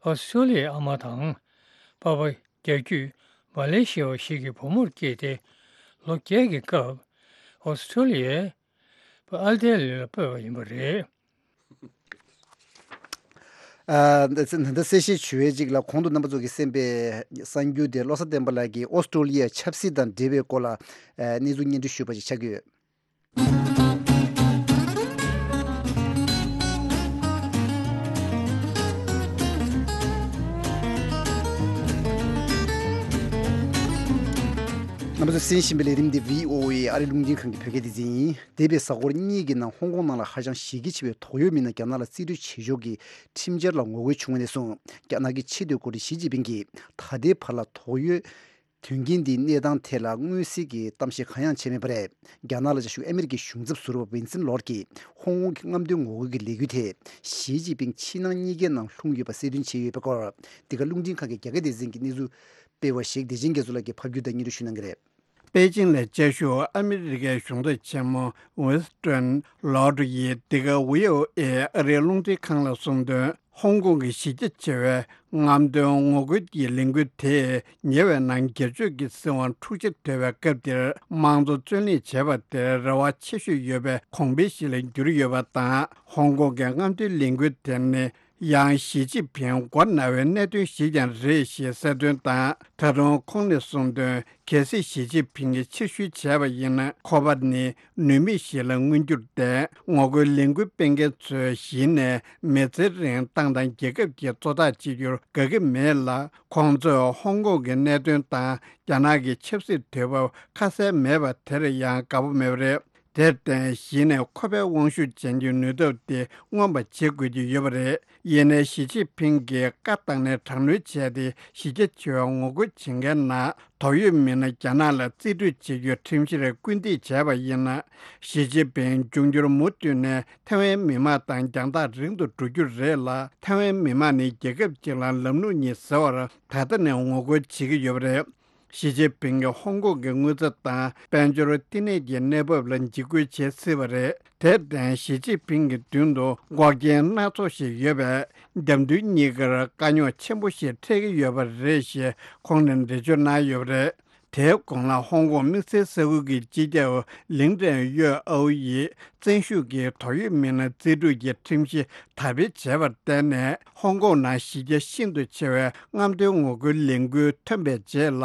ཨོ་སི་ཁྲུ་ལི་ཡའི་ཨ་མ་དང་། པ་ཕ་རྒྱ་བརྒྱུད་མ་ལེ་ཤི་ཡ་བ་ཞིག་གི་བུ་མོར་སྐྱེས་ཏེ། ལོ་བརྒྱད་ཀྱི་སྐབས་ཨོ་སི་ཁྲུ་ལི་ཡའི་ཨལ་ཏེ་ལི་ལ་སྤོས་པ་ཡིན་པ་རེད། ཨ། ད་ད་གསལ་བཤད་ཞུ་བའི་ཅིག་ལ་གོང་དུ་རྣམ་པ་ཚོ་གིས་གསན་པའི་གསར་འགྱུར་དེ་བློ་བཟང་བསྟན་པ་ལགས་ཀྱིས་ཨོ་སི་ཀྲོ་ལི་ཡའི་ཆབ་སྲིད་དང་འབྲེལ་བའི་སྐོར་ལ་ཨ་གནས་ཚུལ་སྙན་སྒྲོན་ཞུས་པ་ཞིག་ཆགས་ཀྱི་ཡོད། རྣམ་པ་ཚོས་གསན་བཞིན་པའི་ལས་རིམ་འདི་བྷི་ཨོ་ཨེ་ཨ་རི་རླུང་འཕྲིན་ཁང་གི་བོད་སྐད་སྡེ་ཚན་ཡིན། འདས་པའི་གཟའ་འཁོར་གཉིས་ཀྱི་ནང་ཧོང་ཀོང་ནང་ལ་ཧ་ཅང་གཞི་རྒྱ་ཆེ་བའི་དོགས་ཡོད་མི་སྣ་རྒྱ་ནག་ལ་རྩིས་སྤྲོད་བྱེད་ཕྱོགས་ཀྱི་ཁྲིམས་འཆར་ལ་ངོ་རྒོལ་བྱུང་བ་ནས་བཟུང་རྒྱ་ནག་གི་ཕྱི་སྡོད་འགོ་ཁྲིད་ཞི་ཅིན་ཕིང་གིས་ད་ལྟའི་བར་ལ་དོགས་ཡོད་དོན་རྐྱེན་འདིའི་གནས་སྟངས་ཐད་ལ་མངོན་གསལ་གྱི་གཏམ་བཤད་གང་ཡང་བྱས་མེད་པ་རེད། རྒྱ་ནག་ལ་བཅའ་བཞུགས་ཨ་མི་རི་ཀའི་གཞུང་ཚབ་ཟུར་པ་ཝིན་སན་ལོར་གྱིས་ཧོང་ཀོང་གི་རྔམ་སྟོན་ངོ་རྒོལ་གྱི་ལས་འགུལ་དེ་ཞི་ཅིན་ཕིང་ཕྱི་ནང་གཉིས་ཀའི་ནང་ལྷུང་ཡོད་པ་གསལ་སྟོན་བྱས་ཡོད་པའི་སྐོར། འདི་ག་རླུང་འཕྲིན་ཁང་གི་རྒྱ་སྐད་སྡེ་ཚན་གྱི་གནས་ཚུལ་སྤེལ་བ་ཞིག་བདེ་ཆེན་རྒྱ་མཚོ་ལགས་ཀྱིས་ཕབ་སྒྱུར་དང་སྙན་སྒྲོན་ཞུ་གནང་གི་རེད། པེ་ཅིང་ལ་བཅའ་བཞུགས་ཨ་མི་རི་ཀའི་གཞུང་ཚབ་ཆེན་མོ་ཝིན་སི་ཏོན་ལོར་ཡིས་འདི་ག་བྷི་ཨོ་ཨེ་ཨ་རིའི་རླུང་འཕྲིན་ཁང་ལ་གསུངས་དོན། ཧོང་ཀོང་གི་གཞི་རྒྱ་ཆེ་བའི་རྔམ་སྟོན་ངོ་རྒོལ་གྱི་ལས་འགུལ་དེས་ཉེ་བའི་ནང་སྒེར་གཅོད་ཀྱི་སྲིད་དབང་འཁྲུག་ཆ་དོད་པའི་སྐབས་འདིར་དམངས་གཙོ་བརྩོན་ལེན་བྱས་པ་དེར་རེ་བ་ཆེ་ཤོས་ཡོད་པའི་གོང་འཕེལ་ཞིག་ལ་གྱུར་ཡོད་པ་དང་། ཧོང་ཀོང་གི་རྔམ་སྟོན་ལས་འགུལ་དེ་ནི་ཡང་ཞི་ཅིན་ཕིང་མགོ་ན་བའི་གནད་དོན་ཞིག་ཀྱང་རེད་ཞེས་གསལ་སྟོན་དང་། ད་དུང་ཁོང་ནས་གསུངས་དོན། གལ་སྲིད་ཞི་ཅིན་ཕིང་གིས་ཕྱིར་བཤོལ་བྱས་པ་ཡིན་ན། ཁོ་པ་ནི་ནུས་མེད་ཞིག་ལ་མངོན་གྱུར་ཏེ། ངོ་རྒོལ་ལས་འགུལ་སྤེལ་མཁན་ཚོས་གཞི་ནས་མི་ཚེ་རིང་ཏང་དང་རྒྱལ་ཁབ་ཀྱི་གཙོ་བདག་བྱེད་རྒྱུར་དགའ་གི་མེད་ལ། ཁོང་ཚོས་ཧོང་ཀོང་གི་གནད་དོན་དང་རྒྱ་ནག་གི་ཆབ་སྲིད་དུས་བབ་ཁ་གསལ་མེད་པ་དེར་ཡང་དགའ་པོ་མེད་པ་རེད། དེར་བརྟེན་གཞི་ནས་ཁོ་པའི་དབང་ཤུགས་ཅན་གྱི་ནུས་སྟོབས་དེ་མངོན་པ་བྱེད་དགོས་ཀྱི་ཡོད་པ་རེད། ཡིན་ནའི་ཞི་ཅིན་ཕིང་གིས་བཀའ་བཏང་ནས་དྲག་གནོན་བྱས་ཏེ་གཞི་རྒྱ་ཆེ་བའི་ངོ་རྒོལ་བྱེད་མཁན་ནང་དོགས་ཡོད་མི་སྣ་རྒྱ་ནག་ལ་རྩིས་སྤྲོད་བྱེད་རྒྱུའི་ཁྲིམས་གཞིར་སྐུལ་འདེད་བྱས་པ་ཡིན་ན། ཞི་ཅིན་ཕིང་འབྱུང་འགྱུར་མུ་མཐུད་ནས་ཐའེ་ཝན་མི་དམངས་དང་རྒྱང་ཐག་རིང་དུ་འགྲོ་རྒྱུ་རེད་ལ། ཐའེ་ཝན་མི་དམངས་ནི་རྒྱལ་ཁབ་ཅིག་ལ་ལམ་ལུགས་གཉིས་ཟེར་བར་ད་ལྟ་ནས་ངོ་རྒོལ་བྱེད་ཀྱི་ཡོད་པ་རེད། ཞི་ཅིན་ཕིང་གིས་ཧོང་ཀོང་གི་དངུལ་རྩ་དང་དཔལ་འབྱོར་བསྟི་གནས་ཀྱི་གནས་བབ་ལ་འཇིགས་སྐུལ་བྱེད་སྲིད་པ་རེད། དེར་བརྟེན་ཞི་ཅིན་ཕིང་གི་མདུན་དུ་འགོག་རྐྱེན་སྣ་ཚོགས་ཤིག་ཡོད་པས། རྒྱབ་མདུན་གཉིས་ཀར་དཀའ་རྙོག་ཆེན་པོ་ཞིག་འཕྲད་ཀྱི་ཡོད་པ་རེད་ཞེས་ཁོང་ནས་འགྲེལ་བརྗོད་གནང་ཡོད་པ་རེད། དེའི་གོང་ལ་ཧོང་ཀོང་དམིགས་བསལ་ས་ཁུལ་གྱི་སྤྱི་ཁྱབ་ལིང་ཀྲེང་ཡོས་ཨའོ་ཡིས་བཙན་ཤུགས་ཀྱིས་དོགས་ཡོད་མི་སྣ་རྩིས་སྤྲོད་ཀྱི་ཁྲིམས་གཞི་དར་སྤེལ་བྱས་པར་བརྟེན་ནས། ཧོང་ཀོང་ནང་གཞི་རྒྱ་ཤིན་ཏུ་ཆེ་བའི་རྔམ་སྟོན་ངོ་རྒོལ་ལས་འགུལ་ཐོན་པའི་རྗེས་ལ།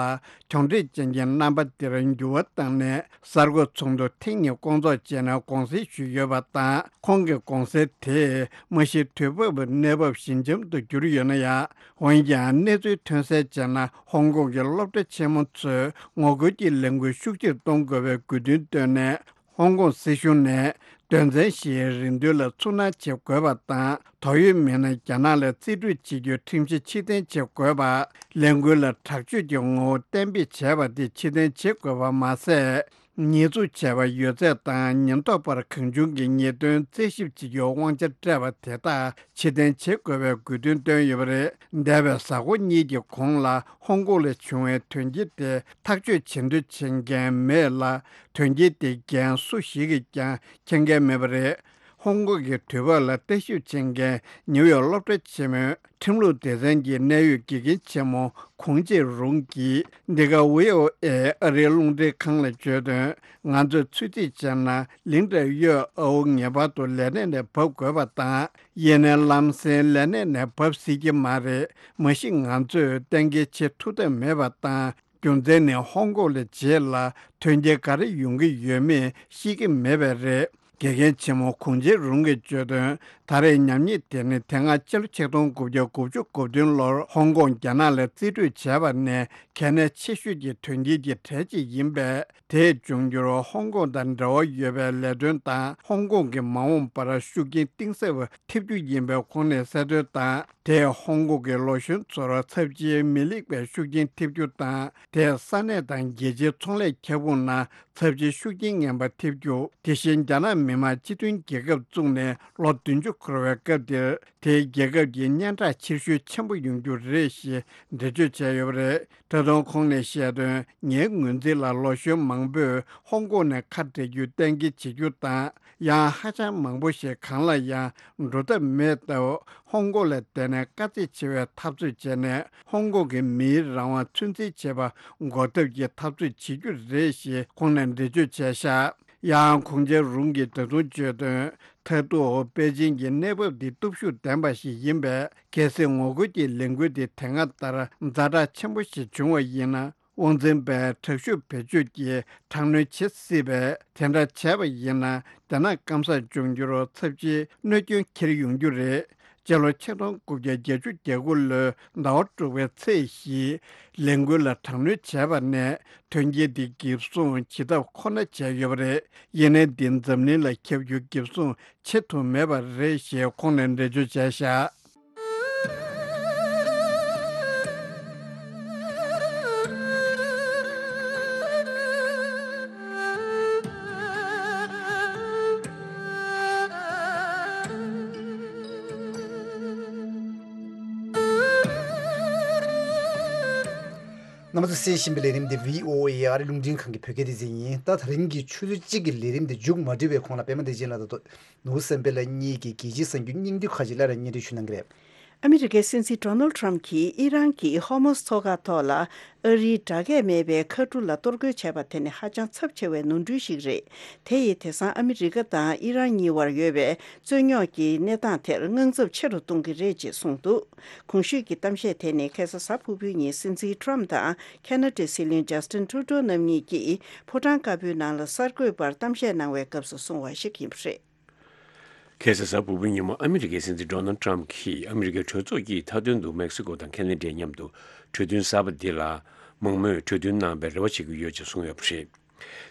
གྱོང་འཕྲད་ཅན་གྱི་རྣམ་པ་དེར་འགྱུར་བ་བཏང་ནས། གསར་འགོད་ཚོགས་འདུ་ཐེངས་གཉིས་སྐོང་ཚོགས་བྱས་ནས་དགོངས་སེལ་ཞུས་ཡོད་པ་དང་། ཁོང་གི་དགོངས་སེལ་དེས་མ་གཞི་དུས་བབ་གནས་བབ་ཞི་འཇམ་དུ་གྱུར་ཡོད་ན་ཡང་། འོན་ཀྱང་གནས་ཚུལ་ཐོན་གསལ་བྱས་ན། ཧོང་ཀོང་གི་སློབ་གྲྭ་ཆེན་མོ་ཚོས་ངོ་རྒོལ་གྱི་ལས་འགུལ་ཤུགས་ཆེར་གཏོང་དགོས་པའི་དགོས་འདུན་བཏོན་ནས། ཧོང་ཀོང་སྲིད་གཞུང་ནས་དོན་ཚན་བཞིའི་རེ་འདུན་ལ་ཚུར་སྣང་བྱེད་དགོས་པ་དང་། དོགས་ཡོད་མི་སྣ་རྒྱ་ནག་ལ་རྩིས་སྤྲོད་བྱེད་རྒྱུའི་ཁྲིམས་གཞི་ཕྱིར་འཐེན་བྱེད་དགོས་པ། ལས་འགུལ་ལ་དྲག་སྤྱོད་ཀྱི་ངོ་བོ་གཏན་འབེབས་བྱས་པ་དེ་ཕྱིར་འཐེན་བྱེད་དགོས་པ་མ་ཟད། ཉེས་འཛུགས་བྱས་པ་ཡོད་ཚད་དང་ཉེན་རྟོག་པར་གང་བྱུང་གི་ཉེས་དོན་རྩད་ཞིབ་བྱེད་རྒྱུའི་དབང་ཆ་སྤྲད་པ་དེ་དག་ཕྱིར་འཐེན་བྱེད་དགོས་པའི་དགོས་འདུན་བཏོན་ཡོད་པ་རེད། འདས་པའི་གཟའ་འཁོར་གཉིས་ཀྱི་གོང་ལ་ཧོང་ཀོང་ལ་བྱུང་བའི་དོན་རྐྱེན་དེ་ཐག་གཅོད་བྱེད་འདོད་བྱེད་མཁན་མེད་ལ། དོན་རྐྱེན་དེའི་འགན་སུ་ཞིག་གིས་ཀྱང་འཁྱེར་མཁན་མེད་པ་རེད། ཧོང་ཀོང་གི་དུས་བབ་ལ་ལྟ་ཞིབ་བྱེད་མཁན་ནིའུ་ཡོག་སློབ་གྲྭ་ཆེན་མོའི་ཁྲིམས་ལུགས་སྡེ་ཚན་གྱི་གནད་ཡོད་དགེ་རྒན་ཆེན་མོ་ཁུང་ཅེ་རུང་གིས་འདི་ག་ཝི་ཨོ་ཨེ་ཨ་རིའི་རླུང་འཕྲིན་ཁང་ལ་བརྗོད་དོན། ང་ཚོས་ཚོད་རྩིས་བྱས་ན་ལིང་ཀྲེང་ཡོས་ཨའོ་ངེས་པར་དུ་ལས་གནས་ནས་བབས་དགོས་པ་དང་། ཡིན་ནའི་ལམ་སེང་ལས་གནས་ནས་བབས་སྲིད་ཀྱི་མ་རེད། མ་གཞི་ང་ཚོས་གཏན་འཁེལ་བྱེད་ཐུབ་ཐབས་མེད་པ་དང་། རྒྱུ་མཚན་ནི་ཧོང་ཀོང་ལ་རྗེས་ལ་དོན་རྐྱེན་ག་རེ་ཡོང་གི་ཡོད་མེད་ཤེས་ཀྱི་མེད་པས་རེད། དགེ་རྒན་ཆེན་མོ་གུང་ཆེན་རུང་གིས་བརྗོད་དོན། ད་རེས་ཉམས་ཉེས་དེ་ནི་དེ་སྔ་ཕྱི་ལོ་ཆིག་སྟོང་དགུ་བརྒྱ་དགུ་བཅུ་གོ་བདུན་ལོར་ཧོང་ཀོང་རྒྱ་ནག་ལ་རྩིས་སྤྲོད་བྱས་པ་ནས་གལ་གནད་ཆེ་ཤོས་ཀྱི་དོན་རྐྱེན་གྱི་གྲས་གཅིག་ཡིན་པས། དེས་འབྱུང་འགྱུར་ཧོང་ཀོང་དང་འབྲེལ་བ་ཡོད་པའི་ལས་དོན་དང་ཧོང་ཀོང་གི་མ་འོངས་པར་ཤུགས་རྐྱེན་གཏིང་ཟབ་ཐེབས་རྒྱུ་ཡིན་པའི་ཁོང་ནས་གསལ་སྟོན་དང་། དེས་ཧོང་ཀོང་གི་ལོ་གཞོན་ཚོར་ཚབས་ཆེའི་མི་ལེགས་པའི་ཤུགས་རྐྱེན་ཐེབས་རྒྱུ་དང་། དེས་ས་གནས་དང་རྒྱལ་སྤྱིའི་ཚོང་ལས་ཁྱབ་ཁོངས་ནང་ཚབས་ཆེའི་ཤུགས་རྐྱེན་ངན་པ་ཐེབས་རྒྱུ། དེ་བཞིན་རྒྱ་ནག་མི་དམངས་སྤྱི་མཐུན་རྒྱལ་ཁབ་བཙུགས་ནས་ལོ་བདུན་ཅུ་འཁོར་བའི་སྐབས་འདིར། དེའི་རྒྱལ་ཁབ་ཀྱི་སྙན་གྲགས་ཕྱིར་བཤོལ་ཆེན་པོ་ཡོང་རྒྱུ་རེད་ཞེས་འགྲེལ་བརྗོད་བྱས་ཡོད་པ་རེད། ད་དུང་ཁོང་ནས་བཤད་དོན། ངའི་ངོས་འཛིན་ལ་ལོ་གཞོན་མང་པོས་ཧོང་ཀོང་ནས་ཁ་བྲལ་རྒྱུ་གཏན་འཁེལ་བྱེད་རྒྱུ་དང་། ཡང་ཧ་ཅང་མང་པོ་ཞིག་གང་ལ་ཡང་འགྲོ་ཐབས་མེད་སྟབས། ཧོང་ཀོང་ལ་བསྡད་ནས་དཀའ་ཚེགས་ཆེ་བའི་འཐབ་རྩོད་བྱས་ནས། ཧོང་ཀོང་གི་མིའི་རང་དབང་ཚུན་ཆད་བྱེད་པ་འགོག་ཐབས་ཀྱི་འཐབ་རྩོད་བྱེད་རྒྱུ་རེད་ཞེས་ཁོང་ནས་འགྲེལ་བརྗོད་བྱས་ཤག་ཡང་གུང་ཆེན་རུང་གིས་ད་དུང་བརྗོད་དོན། མཐར་གཏུག་པེ་ཅིང་གི་གནས་བབ་འདི་སྟོབས་ཤུགས་ལྡན་པ་ཞིག་ཡིན་པས། གལ་སྲིད་ངོ་རྒོལ་གྱི་ལས་འགུལ་འདི་དེ་སྔ་ལྟར་ཛ་དྲག་ཆེན་པོ་ཞིག་བྱུང་བ་ཡིན་ན། དབང་འཛིན་པས་དྲག་ཤུགས་བེད་སྤྱོད་ཀྱིས་དྲག་གནོན་བྱེད་སྲིད་པས། དེ་འདྲ་བྱས་པ་ཡིན་ན། རྒྱ་ནག་སྐམ་སར་འབྱུང་རྒྱུར་ཚབས་ཆེའི་གནོད་སྐྱོན་འཁྱེར་ཡོང་རྒྱུ་རེད། སྤྱི་ལོ་ཆིག་སྟོང་དགུ་བརྒྱ་བརྒྱད་ཅུ་གྱ་དགུ་ལོའི་ཟླ་བ་དྲུག་པའི་ཚེས་བཞིའི་ལས་འགུལ་ལ་དྲག་གནོན་བྱས་པ་ནས་དོན་རྐྱེན་འདི་འགེབས་སྲུང་བྱེད་ཐབས་ཁོ་ན་བྱས་ཡོད་པ་རེད། ཡིན་ནའི་འདི་འཛམ་གླིང་ལ་ཁྱབ་རྒྱུ་འགེབས་སྲུང་བྱེད་ཐུབ་མེད་པ་རེད་ཞེས་ཁོང་ནས་འགྲེལ་བརྗོད་བྱས་ཤག་རྣམ་པ་ཚོ་གསན་བཞིན་པའི་ལས་རིམ་འདི་བྷི་ཨོ་ཨེ་ཨ་རི་རླུང་འཕྲིན་ཁང་གི་བོད་སྐད་སྡེ་ཚན་ཡིན། ད་དེ་རིང་གི་ཆུ་ཚོད་གཅིག་གི་ལས་རིམ་འདི་མཇུག་མ་སྒྲིལ་བའི་གོང་ལ་པད་མ་བདེ་ཆེན་ལགས་དང་ནོར་བུ་བསམ་འཕེལ་ལགས་གཉིས་ཀྱིས་རྒྱལ་སྤྱིའི་གསར་འགྱུར་སྙིང་བསྡུས་ཁག་ཅིག་སླར་ཡང་སྙན་སྒྲོན་ཞུ་གནང་གི་རེད། ཨ་མི་རི་ཀའི་སྲིད་འཛིན་ཌོ་ནལ་ཊམ་གྱིས་ཨི་རན་གྱི་ཧོར་མུ་སི་མཚོ་ཁ་ཐོག་ལ་ཨ་རིའི་སྦྲགས་ཀས་མེད་པའི་མཁའ་གྲུ་ལ་གཏོར་རྒོལ་བྱས་པ་དེ་ནི་ཧ་ཅང་ཚབས་ཆེ་བའི་ནོར་འཁྲུལ་ཞིག་རེད། དེ་ཡིས་དེང་སང་ཨ་མི་རི་ཀ་དང་ཨི་རན་གཉིས་བར་ཡོད་པའི་རྩོད་རྙོག་གི་གནས་སྟངས་དེར་དངངས་འཚབ་ཆེ་རུ་གཏོང་གི་རེད་ཅེས་གསུངས་འདུག་གོང་ཞུས་ཀྱི་གཏམ་བཤད་དེ་ནི་ཁ་སང་གཟའ་ཕུར་བུའི་ཉིན་སྲིད་འཛིན་ཊམ་དང་ཁེ་ན་ཌའི་སྲིད་བློན་ཇ་སི་ཊིན་ཊུ་རུ་ཌོ་རྣམ་གཉིས་ཀྱིས་ཕོ་བྲང་དཀར་པོའི་ནང་ལ་གསར་འགོད་པར་གཏམ་བཤད་གནང་བའི་སྐབས་སུ་གསུངས་པ་ཞིག་ཡིན་པ་རེད། ཁ་སང་གཟའ་ཕུར་བུའི་ཉིན་མོ་ཨ་མི་རི་ཀའི་སྲིད་འཛིན་ཌོ་ནལ་ཊམ་གྱིས་ཨ་མི་རི་ཀའི་གྲོས་ཚོགས་ཀྱི་མཐའ་དོན་དུ་མེག་སི་ཀོ་དང་ཁེ་ན་ཌའི་མཉམ་དུ་གྲོས་མཐུན་གསར་པ་འདི་ལ་མང་མོས་གྲོས་མཐུན་གནང་བའི་རེ་བ་བྱེད་ཀྱི་ཡོད་ཅེས་གསུངས་ཡོད་པ་རེད།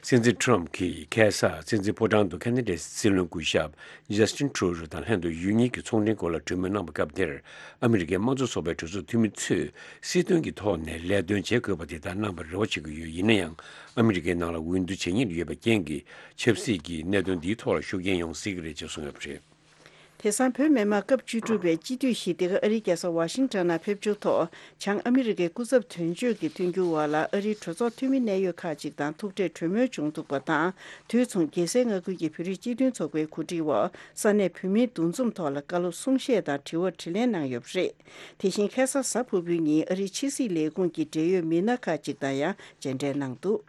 སྲིད་འཛིན་ཊམ་གྱིས་ཁ་སང་སྲིད་འཛིན་ཕོ་བྲང་དུ་ཁེ་ན་ཌའི་སྲིད་བློན་སྐུ་ཞབས་ཇ་སི་ཊིན་ཊུ་རུ་ཌོ་དང་ལྷན་དུ་ཡུལ་གཉིས་ཀྱི་ཚོང་འབྲེལ་སྐོར་ལ་གྲོས་མོལ་གནང་བའི་སྐབས་དེར། ཨ་མི་རི་ཀའི་དམངས་གཙོ་ཚོགས་པའི་གྲོས་ཚོགས་འཐུས་མི་ཚོས་སྲིད་དོན་གྱི་ཐོག་ནས་ལས་དོན་བྱེད་དགོས་པ་དེ་ལྟར་གནང་བར་རེ་བ་བྱེད་ཀྱི་ཡོད། ཡིན་ན་ཡང་། ཨ་མི་རི་ཀའི་ནང་ལ་འོས་བསྡུ་བྱེད་ཉེན་ཡོད་པའི་རྐྱེན་གྱིས་ཆབ་སྲིད་ཀྱི་གནད་དོན་འདིའི་ཐོག་ལ་ཤུགས་རྐྱེན་ཡོང་སྲིད་ཀྱི་རེད་ཅེས་གསུངས་ཡོད་པ་རེད། དེང་སང་བོད་མི་མང་སྐབས་བཅུ་དྲུག་པའི་སྤྱི་འཐུས་ཞི་བདེ་ཁ་ཨ་རིའི་རྒྱལ་ས་ཝ་ཤིང་ཊོན་ནང་ཕེབས་འབྱོར་ཐོག་བྱང་ཨ་མི་རི་ཀའི་སྐུ་ཚབ་དོན་གཅོད་ཀྱི་མཐུན་འགྱུར་འོག་ལ་ཨ་རིའི་གྲོས་ཚོགས་འཐུས་མི་གནད་ཡོད་ཁག་ཅིག་དང་ཐུག་འཕྲད་གྲོས་མོལ་བྱུང་འདུག་པ་དང་། དུས་མཚུངས་རྒྱལ་སའི་མངའ་ཁུལ་གྱི་བོད་རིགས་སྤྱི་མཐུན་ཚོགས་པའི་གོ་སྒྲིག་འོག་ས་གནས་བོད་མིའི་འདུ་འཛོམས་ཐོག་ལ་བཀའ་སློབ་གསུང་བཤད་དང་དྲི་བ་དྲིས་ལན་གནང་ཡོད་པ་རེད། དེ་བཞིན་ཁ་སང་གཟའ་ཕུར་བུའི་ཉིན་ཨ་རིའི་ཕྱི་སྲིད་ལས་ཁུངས་ཀྱི་འབྲེལ་ཡོད་མི་སྣ་ཁག་ཅིག་དང་ཡང་མཇལ་འཕྲད་གནང་འདུག་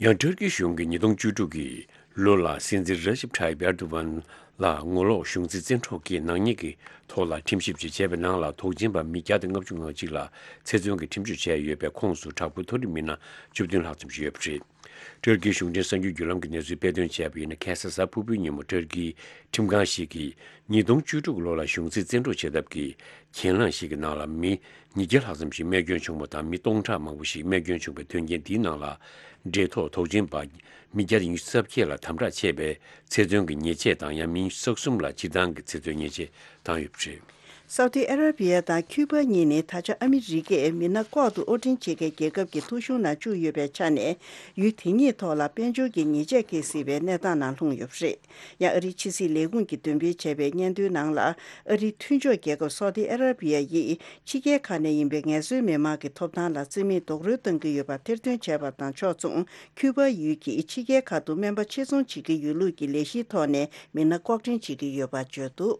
ཡང་ཊར་ཀི་གཞུང་གིས་ཉིས་སྟོང་བཅུ་དྲུག་གི་ལོ་ལ་སྲིད་འཛིན་ར་ཇིབ་ཐཱ་ཡིབ་ཨེར་དོ་ཝན་ལ་ངོ་ལོག་གཞུང་འཛིན་བཙན་འཕྲོག་གིས་ནག་ཉེས་ཀྱི་ཐོག་ལ་ཁྲིམས་ཞིབ་ཅིག་བྱས་པའི་ནང་ལ་དོགས་ཟོན་པ་མི་བརྒྱ་དང་ལྔ་བཅུ་ང་གཅིག་ལ་ཚེ་བཙོན་གྱི་ཁྲིམས་གཅོད་བྱས་ཡོད་པའི་ཁོངས་སུ་དྲག་པོའི་མཐོ་རིམ་མི་སྣ་བཅུ་བདུན་ལྷག་ཙམ་ཞིག་ཡོད་པ་རེད། ཊར་ཀིའི་གཞུང་འབྲེལ་གསར་འགྱུར་བརྒྱུད་ལམ་གྱིས་གནས་ཚུལ་སྤེལ་དོན་བྱས་པ་ཡིན་ན། ཁ་སང་གཟའ་ཕུར་བུའི་ཉིན་མོ་ཊར་ཀིའི་ཁྲིམས་ཁང་ཞིག་གིས་ཉིས་སྟོང་བཅུ་དྲུག་ལོ་ལ་གཞུང་འཛིན་བཙན་འཕྲོག་བྱེད་ཐབས་ཀྱི་གྱེན་ལངས་ཤིག་གི་ནང་ལ་མི་ཉིས་བརྒྱ་ལྷག་ཙམ་ཞིག་རྨས་སྐྱོན་བྱུང་བ་དང་། མི་སྟོང་ཕྲག་མང་པོ་ཞིག་རྨས་སྐྱོན་བྱུང་བའི་དོན་རྐྱེན་འདིའི་ནང་ལ་འབྲེལ་ཐོགས་དོགས་ཟོན་པ་མི་བརྒྱ་དང་ཉི་ཤུ་རྩ་བརྒྱད་ལ་དམ་དྲག་བྱས་པའི་ཚེ་བཙོན་གྱི་ཉེས་ཆད་དང་། ཡང་མི་ཉི་ཤུ་རྩ་གསུམ་ལ་སྤྱིར་བཏང་གི་ཚེ་བཙོན་ཉེས་ཆད་བཏང་ཡོད་པ་རེད། སའུ་ཏི་ཨ་ར་བི་ཡ་དང་ཁྱུ་པ་གཉིས་ནི་ད་ཆ་ཨ་མི་རི་ཀས་མི་སྣ་ལྐོག་ཏུ་དབོར་འདྲེན་བྱེད་མཁན་རྒྱལ་ཁབ་ཀྱི་ཐོ་གཞུང་ནང་བཅུག་ཡོད་པའི་ཆ་ནས། ཡུལ་དེ་གཉིས་ཐོག་ལ་དཔལ་འབྱོར་གྱི་ཉེས་ཆད་འཁེལ་སྲིད་པའི་གནས་སྟངས་ནང་ལྷུང་ཡོད་པ་རེད། ཡང་ཨ་རིའི་ཕྱི་སྲིད་ལས་ཁུངས་ཀྱིས་འདོན་སྤེལ་བྱས་པའི་སྙན་ཐོའི་ནང་ལ། ཨ་རིའི་མཐུན་ཕྱོགས་རྒྱལ་ཁབ་སའུ་ཏི་ཨ་ར་བི་ཡ་ཡིས་ཕྱི་རྒྱལ་ཁག་ནས་ཡིན་པའི་ངལ་རྩོལ་མི་མང་གི་ཐོབ་ཐང་ལ་བརྩི་མེད་རྡོག་རོལ་གཏོང་གི་ཡོད་པ་ཐེར་འདོན་བྱས་པ་དང་ཕྱོགས་མཚུངས། ཁྱུ་པ་ཡུལ་གྱིས་ཕྱི་རྒྱལ་ཁག་ཏུ་སྨན་པ་ཆེད་རྫོང་བྱེད་ཀྱི་ཡོད་ལུགས་ཀྱི་ལས་གཞིའི་ཐོག་ནས་མི་སྣ་ལྐོག་འདྲེན་བྱེད་ཀྱི་ཡོད་པ་བརྗོད་འདུག་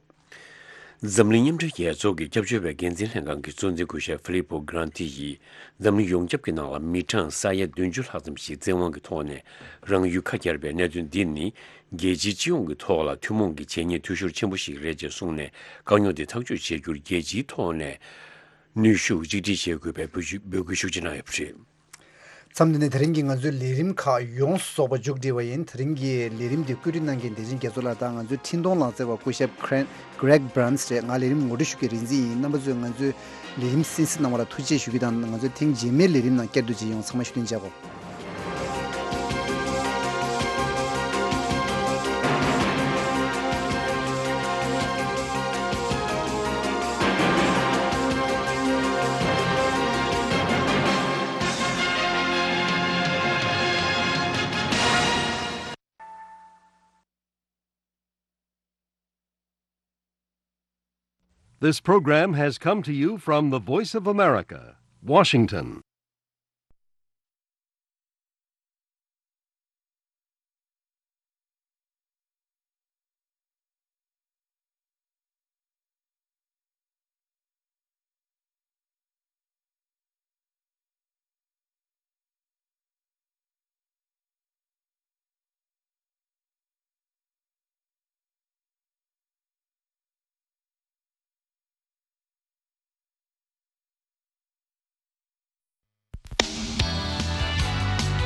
འཛམ་གླིང་མཉམ་འབྲེལ་རྒྱལ་ཚོགས་ཀྱི་སྐྱབས་བཅོལ་བའི་འགན་འཛིན་ལྷན་ཁང་གི་གཙོ་འཛིན་སྐུ་ཞབས་ཧྥི་ལི་པོ་གྷ་རན་ཏི་ཡིས། འཛམ་གླིང་ཡོངས་ཁྱབ་ཀྱི་ནང་ལ་མི་གྲངས་ས་ཡ་བདུན་ཅུ་ལྷག་ཙམ་ཞིག་བཙན་དབང་གི་ཐོག་ནས་རང་ཡུལ་ཁ་གྱར་བའི་གནད་དོན་འདི་ནི། རྒྱལ་སྤྱིའི་སྤྱི་ཡོངས་ཀྱི་ཐོག་ལ་ཐུན་མོང་གི་བྱས་ཉེས་འཐུས་ཤོར་ཆེན་པོ་ཞིག་རེད་ཅེས་གསུངས་ནས། དཀའ་རྙོག་འདི་ཐག་གཅོད་བྱེད་རྒྱུར་རྒྱལ་སྤྱིའི་ཐོག་ནས་ནུས་ཤུགས་གཅིག་སྒྲིལ་བྱེད་དགོས་པའི་འབོད་སྐུལ་ཤུགས་ཆེ་གནང་ཡོད་པ་རེད། མཚམས་འདི་ནས་དེ་རིང་གི་ང་ཚོའི་ལས་རིམ་ཁག་ཡོངས་སུ་རྫོགས་པ་མཇུག་སྒྲིལ་བ་ཡིན། དེ་རིང་གི་ལས་རིམ་འདི་བཀོད་སྒྲིག་གནང་མཁན་བདེ་ཆེན་རྒྱ་མཚོ་ལགས་དང་ང་ཚོའི་འཕྲིན་གཏོང་ལག་རྩལ་བ་སྐུ་ཞབས་Greg Burns རེད། ང་ལས་རིམ་ངོ་སྤྲོད་ཞུ་མཁན་རིག་འཛིན་ཡིན། རྣམ་པ་ཚོས་ང་ཚོའི་ལས་རིམ་གསན་གཟིགས་གནང་བ་ལ་ཐུགས་རྗེ་ཆེ་ཞུ་རྒྱུ་དང་། ང་ཚོའི་ཐེངས་རྗེས་མའི་ལས་རིམ་ནང་བསྐྱར་དུ་མཇལ་ཡོང་། ཚང་མ་ཤུགས་ལྡན་མཇལ་གོ། This program has come to you from the Voice of America, Washington.